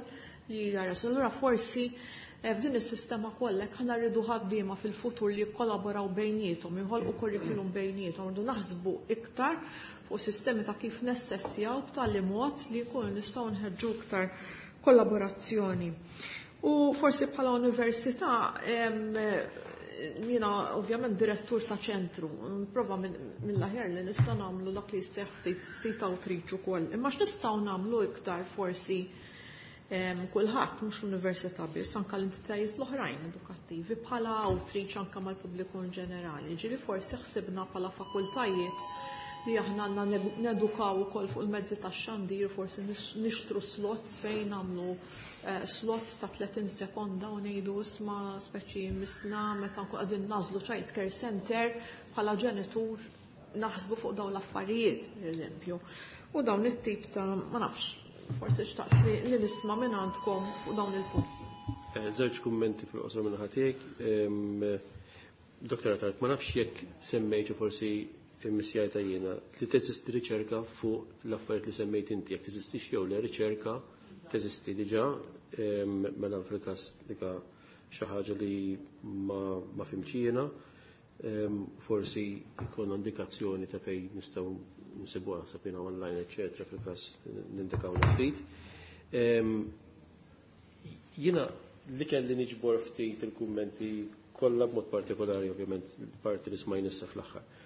li jara. Allura forsi eh, f'din is-sistema kollha aħna rridu ħaddiema fil-futur li jikkollaboraw bejniethom, joħolqu curriculum bejniethom, rridu naħsbu iktar fuq sistemi ta' kif nessessjaw b'tali mod li jkunu nistgħu nħeġġu iktar kollaborazzjoni. U forsi bħala università, jiena ovvjament direttur ta' ċentru, nprova mill-aħjar li nista' nagħmlu dak li jistgħu ftit ftit outreach ukoll. Imma x'nistgħu nagħmlu iktar forsi kulħadd mhux l-università biss, anke l-entitajiet l-oħrajn edukattivi bħala outreach anke mal-pubbliku in ġenerali. Ġieli forsi ħsibna bħala fakultajiet li aħna għandna nedukaw ukoll fuq il-mezzi tax-xandir, forsi nixtru slots fejn nagħmlu eh, slot ta' tletin sekonda u ngħidu isma' speċi misna meta nkun qegħdin nażlu child care center bħala ġenitur naħsbu fuq dawn l-affarijiet, pereżempju. U dawn it-tip ta' ma nafx, forsi xtaqt li, li nisma' minn għandkom fuq dawn il-punti. Eh, żewġ kummenti fil-qosor minn ħatiek. Doktora Tart, ma nafx jekk semmejt forsi il-missjajta jiena li teżisti riċerka fuq l-affarijiet li semmejt inti, jekk teżistix jew le riċerka teżisti diġà, mela fil-każ dika xi ħaġa li ma, ma fimx jiena, forsi jkun indikazzjoni ta' fejn nistgħu nsibuha sapina online, eċetera, fil-każ nindikaw ftit. Jiena li kelli niġbor ftit il-kummenti kollha b'mod partikolari ovvjament parti li smajna issa fl-aħħar.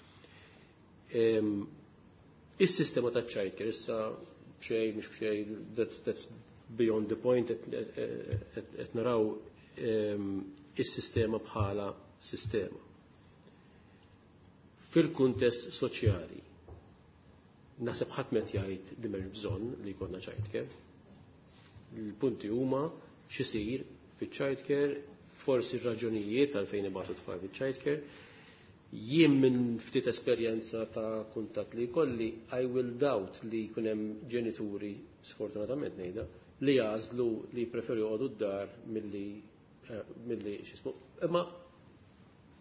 Is-sistema ta' childcare issa b'xejn mhux b'xejn, that's, that's beyond the point, qed naraw is-sistema bħala sistema. Fil-kuntest soċjali, naħseb ħadd m'qed jgħid li m'hemmx bżonn li jkollna childcare. Il-punti huma x'isir fiċ-childcare, forsi r-raġunijiet għalfejn ibagħtu tfal fiċ-childcare. Jien minn ftit esperjenza ta' kuntatt li jkolli, I will doubt li jkun hemm ġenituri, sfortunatament ngħidha, li jagħżlu li jpreferu joqogħdu d-dar milli eh, milli x'ismu. Imma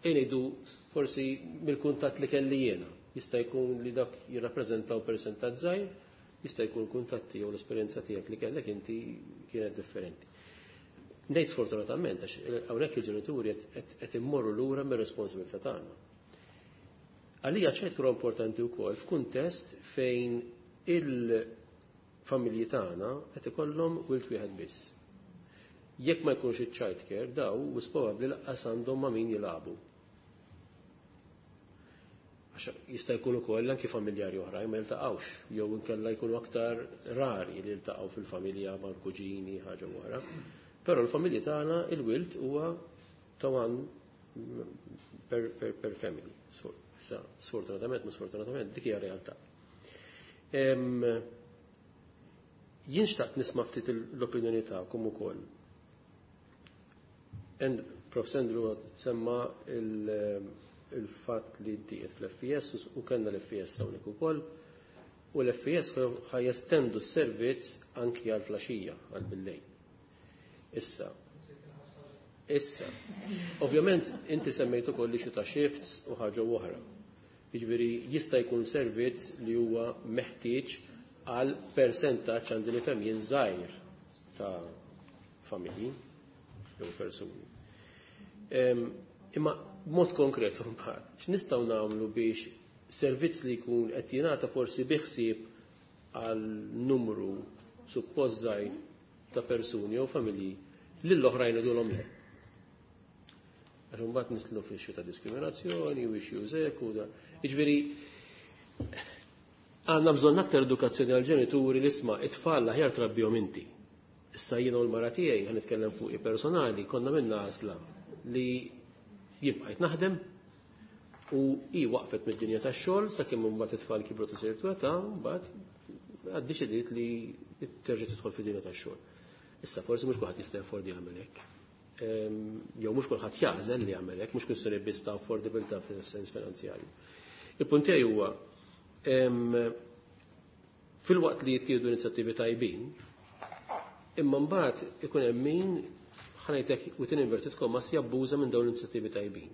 ngħidu forsi mill-kuntatt li kelli jiena. Jista' jkun li dak jirrappreżentaw persentaġġ żgħir, jista' jkun kuntatti jew l-esperjenza tiegħek li kellek inti kienet differenti. Ngħid sfortunatament għax hawnhekk il-ġenituri qed immorru lura mir-responsabilità tagħna. Għalija ċert kura importanti wkoll f'kuntest fejn il-familji tagħna qed ikollhom wild wieħed biss. Jekk ma jkunx iċ-child care daw wis probabbli lanqas għandhom ma' min jilagħbu. Għax jista' jkun ukoll anki familjari oħrajn ma jiltaqgħux, jew inkella jkunu aktar rari li jiltaqgħu fil-familja mal-kuġini ħaġa oħra. Però l-familji tagħna il-wild huwa ta' one per, per, per family. Sa, sfortunatament, ma sfortunatament, dik hija realtà. Jien xtaqt nisma' ftit l-opinjoni tagħkom ukoll. And Professor Andrew semma il-fatt li ddiet fl-F E S u kellna l-F E S hawnhekk ukoll, u l-F E S ħajestendu s-servizz anki għal flaxija, għal billejl. Issa, issa, ovvjament inti semmejt ukoll li xi ta' shifts u ħaġa oħra. Jiġifieri jista' jkun servizz li huwa meħtieġ għal persentaġġ għandi nifhem jien żgħir ta' familji jew persuni. Imma b'mod konkret mbagħad, x'nistgħu nagħmlu biex servizz li jkun qed jingħata forsi bi ħsieb għal numru suppost żgħir ta' persuni jew familji lill-oħrajn idulhom le. Għax imbagħad nidħlu fi issue ta' diskriminazzjoni u issues hekk u da. Jiġifieri għandna bżonn aktar edukazzjoni għall-ġenituri li isma' it-tfal aħjar trabbihom inti. Issa jiena u l-mara tiegħi ħa nitkellem fuqi personali, konna minna għażla li jien bqajt naħdem u hi waqfet mid-dinja tax-xogħol sakemm imbagħad it-tfal kibru ta' ċertu età, mbagħad iddeċidiet li terġa' tidħol fid-dinja tax-xogħol. Issa forsi mhux kulħadd jista' jaffordi jagħmel hekk. Jew mhux kulħadd jagħżel li jagħmel hekk, mhux kwistjoni biss ta' affordabilità fis-sens finanzjarju. Il-punt tiegħi huwa filwaqt li jittieħdu inizjattivi tajbin, imma mbagħad ikun hemm min ħa ngħidlek within inverted commas jabbuża minn dawn l-inizjattivi tajbin.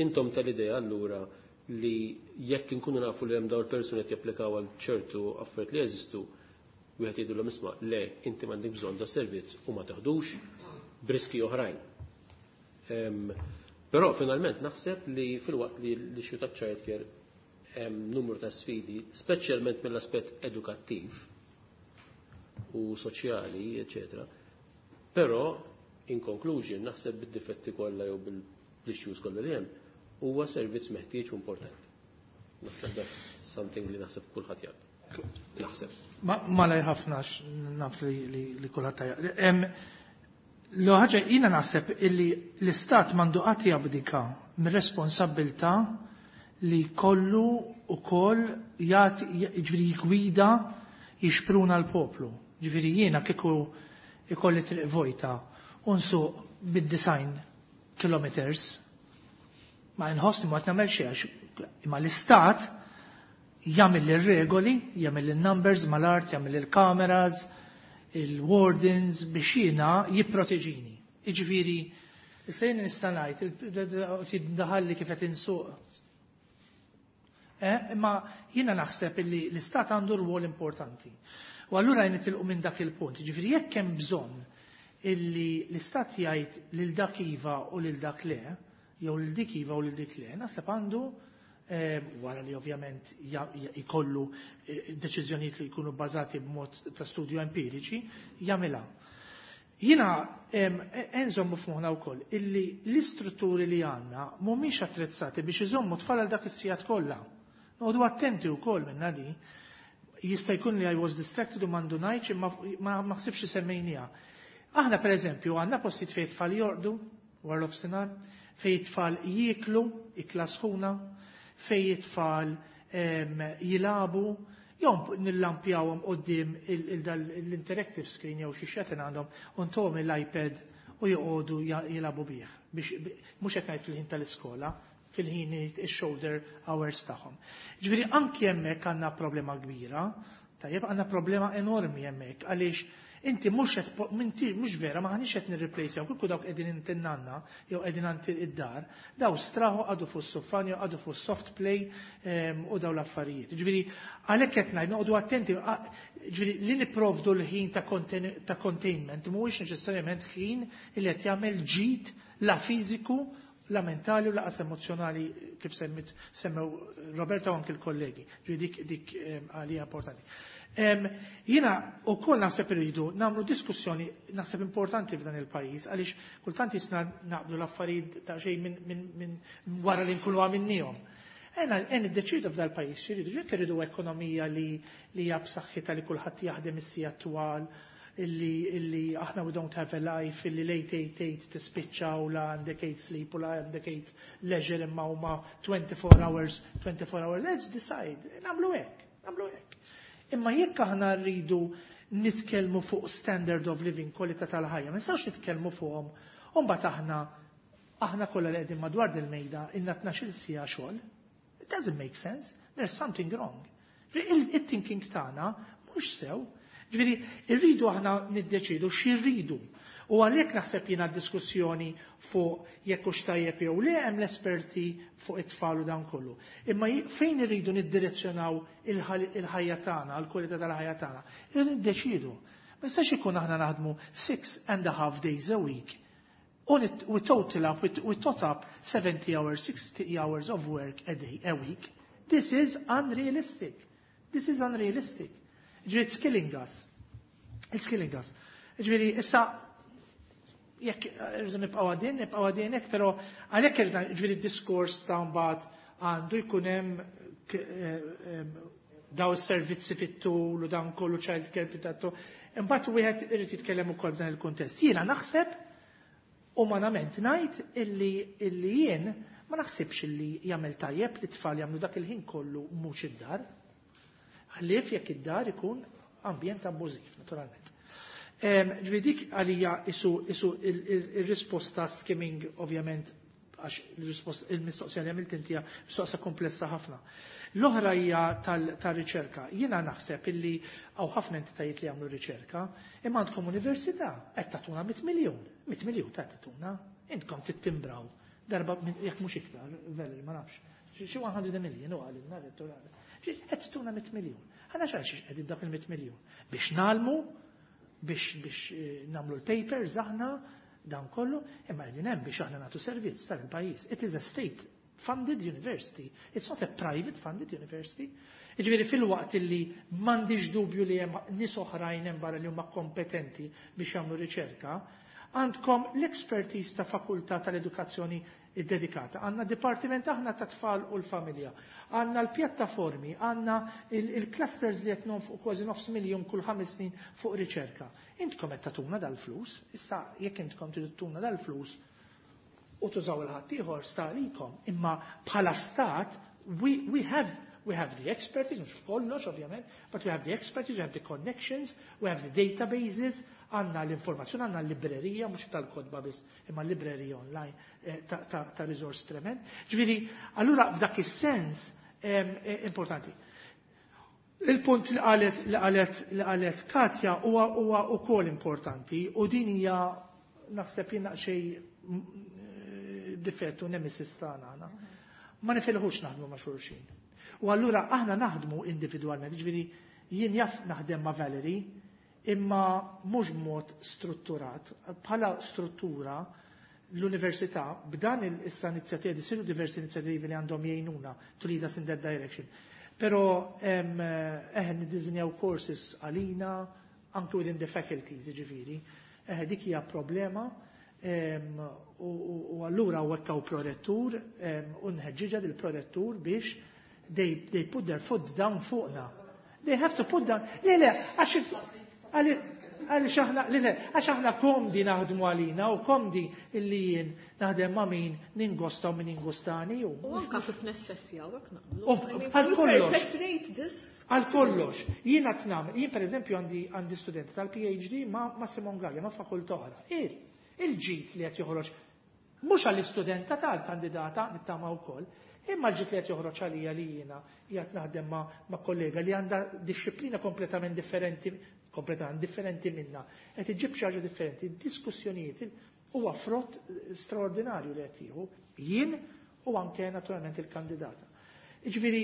Intom tal-idea allura li jekk inkunu nafu li hemm dawn il-persuni qed japplikaw għal ċertu affarijiet li jeżistu, wieħed jgħidulhom isma' le inti m'għandek bżonn da servizz u ma taħdux b'riski oħrajn. Però finalment naħseb li filwaqt li l-issue ta' childcare hemm numru ta' sfidi, speċjalment mill-aspett edukattiv u soċjali, eccetera. Però in conclusion naħseb bid-difetti kollha jew bil-issues kollha li hemm huwa servizz meħtieġ u importanti. Naħseb that's something li naħseb kulħadd jgħid. Naħseb. Malajr ħafna naf li li kulħadd tajja. L-ħaġa jiena naħseb illi l-istat m'għandu qatt jabdika mir-responsabbiltà li kollu u koll jagħti ġifieri jgwida jixpruna l-poplu. Ġifieri jiena kieku ikolli triq vojta u nsuq bid-disgħin kilometers ma nħossni ma nagħmel xejn għax imma l-istat jagħmel ir-regoli, jagħmel il-numbers mal-art, jagħmel il-kameras, il-wardens biex jiena jipproteġini. Jiġifieri, issa jien nista' ngħid daħalli kif qed insuq. Eh, imma jiena naħseb illi l-istat għandu rwol importanti. U allura jien nitilqu minn dak il-punt. Ġifieri jekk hemm bżonn illi l-istat jgħid lil dak iva u lil dak le, jew lil dik iva u lil dik le, naħseb għandu eh, wara li ovvjament jkollu eh, deċiżjonijiet li jkunu bbażati b'mod ta' studju empiriċi, jagħmilha. Jiena nżommu f'moħħna wkoll illi l-istrutturi li għandna mhumiex attrezzati biex iżommu tfal għal dak is-sigħat kollha. Noqogħdu attenti wkoll minn di. Jista' jkun li I was distracted u m'għandu ngħidx imma ma naħsibx semmejniha. Aħna per eżempju għandna postijiet fejn tfal jorqdu wara nofsinhar, fejn tfal jieklu ikla sħuna, fejn tfal jilagħbu, jew nillampjawhom quddiem l-interactive screen jew xi xetin għandhom u ntuhom l-iPad u joqogħdu jilagħbu bih biex mhux qed ngħid fil-ħin tal-iskola, fil-ħin il-shoulder hours tagħhom. Ġifieri anki hemmhekk għandna problema kbira, tajjeb għandna problema enormi hemmhekk għaliex inti mhux qed minti mhux vera ma ħanix qed nirreplacejaw kieku dawk qegħdin intinnanna jew qegħdin għand id-dar, daw straħu qagħdu fuq s-soffan jew qagħdu fuq soft play u daw l-affarijiet. Ġifieri għalhekk qed ngħid noqogħdu attenti, ġifieri li nipprovdu l-ħin ta' containment mhuwiex neċessarjament ħin li qed jagħmel ġid la fiżiku la mentali u lanqas emozjonali kif semmit semmew Roberta u anke l-kollegi. Ġifieri dik dik għalija importanti. Jiena ukoll naħseb irridu nagħmlu diskussjoni naħseb importanti f'dan il-pajjiż għaliex kultant jisna naqbdu l-affarijiet ta' xejn minn min, wara li nkunu għamilnihom. Ena en iddeċidu f'dal pajjiż x'iridu, jekk irridu ekonomija li li hija b'saħħitha li kulħadd jaħdem is-sigħat twal, illi illi aħna we don't have a life, illi late eight eight tispiċċa u la għandek eight sleep u la għandek eight leisure imma huma twenty-four hours, twenty-four hours, let's decide, nagħmlu hekk, nagħmlu hekk. Imma jekk aħna rridu nitkellmu fuq standard of living, kwalità tal-ħajja, ma nistgħux nitkellmu fuqhom, u mbagħad aħna aħna kollha li qegħdin madwar dil-mejda ilna tnax-il siegħa xogħol. It doesn't make sense. There's something wrong. Il-thinking tagħna mhux sew. Ġifieri, irridu aħna niddeċidu x'irridu. U għalhekk naħseb jiena diskussjoni fuq jekk hux tajjeb jew le hemm l-esperti fuq it-tfal u dan kollu. Imma fejn irridu niddirezzjonaw il-ħajja tagħna, l-kwalità tal-ħajja tagħna, irridu niddeċidu. Ma jistax ikun aħna naħdmu six and a half days a week u we total up, we tot up seventy hours, sixty hours of work a day, a week. This is unrealistic. This is unrealistic. Ġifieri, it's killing us. It's killing us. Ġifieri, issa, Jekk irridu nibqgħu għaddejjin, nibqgħu għaddejjin hekk, però għalhekk irid ġifieri d-diskors ta' mbagħad għandu jkun hemm daw is-servizzi fit-tul u dan kollu child care fit-tul. Imbagħad wieħed irid jitkellem ukoll f'dan il-kuntest. Jiena naħseb umanament ngħid illi illi jien ma naħsibx illi jagħmel tajjeb li tfal jagħmlu dak il-ħin kollu mhux id-dar. Ħlief jekk id-dar ikun ambjent abbużiv, naturalment. Ġifieri dik għalija isu isu il-risposta skimming ovvjament għax il-mistoqsija li għamilt inti mistoqsija komplessa ħafna. L-oħra hija tal-riċerka. Jiena naħseb illi hawn ħafna entitajiet li jagħmlu riċerka, imma għandkom università qed tagħtuna mitt miljun. Mitt miljun ta' tagħtuna. Intkom tittimbraw. Darba jekk mhux iktar, Valerie, ma nafx. Xi one hundred million u għalilna rettur. Qed tagħtuna mitt miljun. Aħna x'għal xiex qegħdin dak il-mitt miljun? Biex nagħmlu, biex biex eh, nagħmlu l-papers aħna dan kollu, imma qegħdin hemm biex aħna nagħtu servizz tal-pajjiż. It is a state funded university. It's not a private funded university. Jiġifieri fil-waqt illi m'għandix dubju li hemm nies oħrajn hemm barra li huma kompetenti biex jagħmlu riċerka, għandkom l-expertise ta' fakultà tal-edukazzjoni dedikata. Għandna dipartiment aħna ta' tfal u l-familja. Għandna l-pjattaformi, għandna il-clusters li qed fuq kważi nofs miljon kull ħames snin fuq riċerka. Intkom qed tagħtuna dal-flus, issa jekk intkom tagħtuna dal-flus u tużaw il-ħaddieħor sta għalikom. Imma bħala stat, we, we have We have the expertise, mhux f'kollox ovvjament, but we have the expertise, we have the connections, we have the databases, għandna l-informazzjoni, għandna l-librerija, mhux tal-kotba biss, imma l-librerija online eh, ta', ta, ta resource trement. Ġifieri, allura f'dak is-sens eh, importanti. Il-punt li qalet li qalet li qalet Katja huwa huwa wkoll importanti u din hija naħseb jien xejn difettu nemesis tagħna aħna. Ma nifilħux naħdmu ma' xulxin. U allura aħna naħdmu individwalment, ġifieri jien jaf naħdem ma' Valerie, imma mhux b'mod strutturat. Bħala struttura l-università b'dan issa inizjattivi, siru diversi inizjattivi li għandhom jgħinuna to lead us in that direction. Però eħe niddiżinjaw courses għalina, anke within the faculties, ġifieri. Eħe dik hija problema u allura għattaw prorettur u nħeġġiġa dil-prorettur biex they, they put their foot down fuqna. They have to put down. Le, le, għax għalix aħna, le, le, għax aħna komdi naħdmu għalina u komdi illi jien naħdem ma' min ningosta u min ingostani. U anka kif nessessjaw, hekk nagħmlu. U għal kollox. Perpetrate this. Għal kollox. Jien qed nagħmel, jien per eżempju għandi għandi studenti tal-P H D ma' ma' Simon Gallia, ma' fakultà oħra. Il, il-ġid li qed joħroġ mhux għall-istudenta tal-kandidata nittama wkoll, imma l-ġid li qed joħroġ għalija li jiena qiegħed naħdem ma', ma' kollega li għandha disċiplina kompletament differenti kompletament differenti minna, qed iġib xi ħaġa differenti, diskussjonijiet huwa frott straordinarju li qed jieħu jien u anke naturalment il-kandidata. Jiġifieri,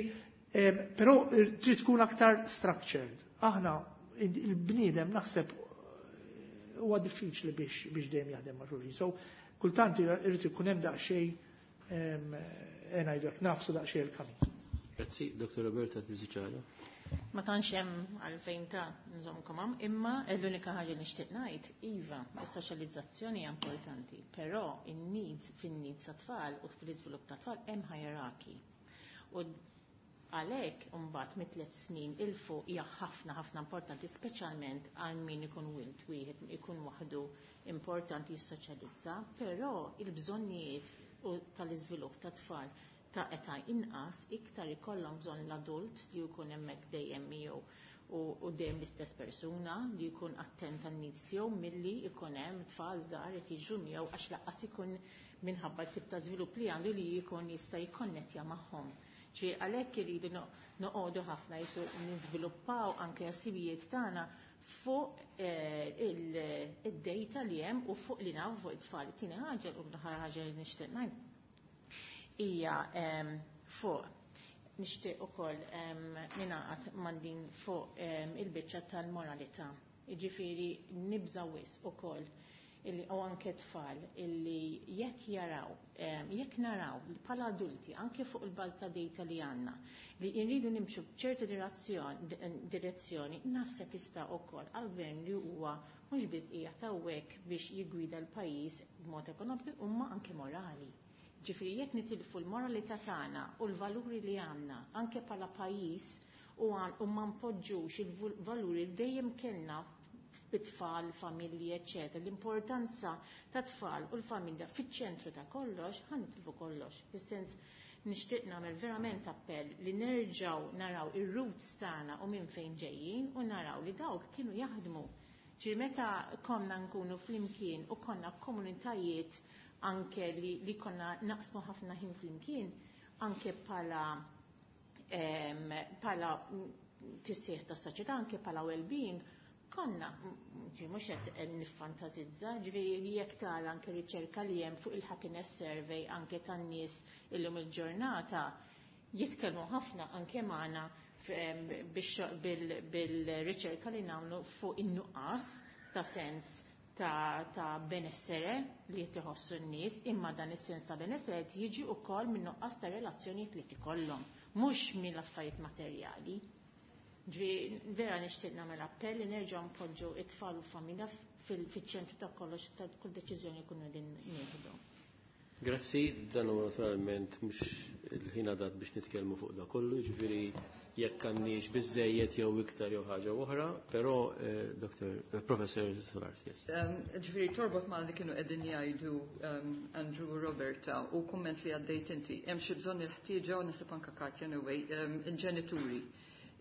però trid tkun aktar structured. Aħna il-bniedem naħseb huwa diffiċli biex biex dejjem jaħdem ma' xulxin. So kultant irid ikun hemm daqsxejn ngħidu hekk nafsu daqsxejn il-kamin. Grazzi, Doktor Roberta Tiziċala. Ma tantx hemm għalfejn ta' nżommkom hawn, imma l-unika ħaġa li nixtieq ngħid, iva, is-soċjalizzazzjoni hija importanti, però in-needs fin-needs tat-tfal u fl-iżvilupp tat-tfal hemm hierarchy. U għalhekk imbagħad mit tliet snin 'il fuq hija ħafna ħafna importanti, speċjalment għal min ikun wild wieħed ikun waħdu importanti jissoċjalizza, però il-bżonnijiet u tal-iżvilupp tat-tfal ta' età inqas iktar ikollhom bżonn l-adult li jkun hemmhekk dejjem miegħu u, u dejjem l-istess persuna li jkun attent għan-needs tiegħu milli jkun hemm tfal żgħar qed jiġu miegħu, għax lanqas ikun minħabba l-tip ta' żvilupp li għandu li jkun jista' jikkonnettja magħhom. Ġi għalhekk iridu noqogħdu ħafna jisu niżviluppaw anke ħsibijiet tagħna fuq id-data li hemm u fuq li nafu fuq it-tfal. Tieni ħaġa u l-aħħar ħaġa li nixtieq ngħid hija fuq nixtieq ukoll ningħaqad ma' din fuq il-biċċa tal-moralità. Jiġifieri nibża' wisq ukoll illi u anke tfal illi jekk jaraw, jekk naraw bħala adulti anke fuq il-bażi ta' data li għandna li jridu nimxu b'ċertu direzzjoni, naħseb jista' ukoll għall-gvern li huwa mhux biss qiegħed hawnhekk biex jiggwida l-pajjiż b'mod ekonomiku imma anke morali. Ġifieri jekk nitilfu l-moralità tagħna u l-valuri li għandna anke bħala pajjiż u, u ma npoġġux il-valuri li dejjem kellna bit-tfal, familji, eċċetera. L-importanza ta' tfal u l-familja fiċ-ċentru ta' kollox, ħa nitilfu kollox. Fis-sens nixtieq nagħmel verament appell li nerġgħu naraw ir-roots tagħna u minn fejn ġejjin u naraw li dawk kienu jaħdmu. Ġifieri meta konna nkunu flimkien u konna komunitajiet anke li, li konna naqsmu ħafna ħin flimkien, anke bħala bħala tisħiħ ta' soċjetà, anke bħala well-being, konna, ġi mhux qed niffantazizza, ġifieri jekk tara anke riċerka li hemm fuq il-happiness survey anke tan-nies illum il-ġurnata, jitkellmu ħafna anke magħna bil-riċerka li nagħmlu fuq in-nuqqas ta' sens ta', ta' benessere li jtiħossu n-nies, imma dan is-sens ta' benessere jiġi wkoll minn nuqqas ta' relazzjonijiet li tikollhom, mhux mill-affarijiet materjali. Ġi vera nixtieq nagħmel appell li nerġgħu npoġġu it-tfal u familja fil-ċentru ta' kollox ta' kull deċiżjoni jkunu din nieħdu. Grazzi, dan huwa naturalment mhux il-ħin għadat biex nitkellmu fuq da kollu, jiġifieri jekk għandniex biżejjed jew iktar jew ħaġa oħra, però eh, Dr. Eh, Professor Solars, yes. Ġifieri torbot ma' li kienu qegħdin jgħidu Andrew u Roberta u kumment li għaddejt inti, hemm xi bżonn il-ħtieġa u nasib anke Katja anyway, il-ġenituri.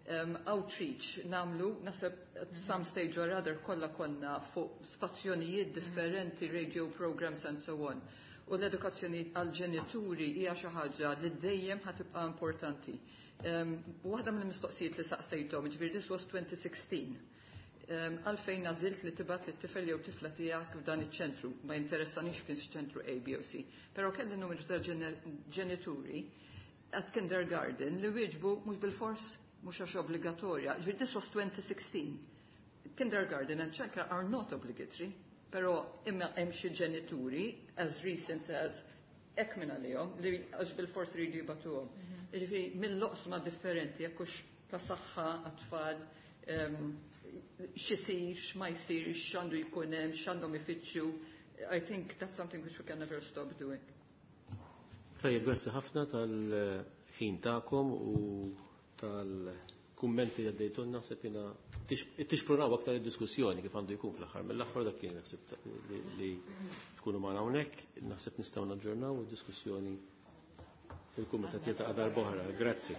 Um, outreach namlu, nasib at some stage or other kollha konna fuq stazzjonijiet differenti, radio programs and so on. U l-edukazzjoni għal-ġenituri hija xi ħaġa li dejjem ħa tibqa' importanti. Um, Waħda mill-mistoqsijiet li saqsejthom, ġifieri this was twenty sixteen. Um, għalfejn għażilt li tibgħat lit-tifel jew tifla tiegħek f'dan iċ-ċentru, ma jinteressanix kien ċentru A, B u C. Però kelli numru ta' ġenituri at kindergarten li wieġbu mhux bil-fors, mhux għax obbligatorja. Ġifieri this was twenty sixteen. Kindergarten and childcare are not obligatory, però imma hemm xi ġenituri as recent as hekk minn għalihom li għax bil-fors ridu jibatuhom. Jiġifieri mill-oqsma differenti jekk hux ta' saħħa għat-tfal, x'isir, x'ma jsirx, x'għandu jkun hemm, x'għandhom ifittxu. I think that's something which we can never stop doing. Tajjeb, grazzi ħafna tal-ħin tagħkom u tal-kummenti li għaddejtulna, naħseb jiena tixprunaw aktar id-diskussjoni kif għandu jkun fl-aħħar. Mill-aħħar dak kien naħseb li tkunu magħna hawnhekk, naħseb nistgħu naġġornaw id-diskussjoni fil-kumitat jiltaqa' darb'oħra. Grazzi.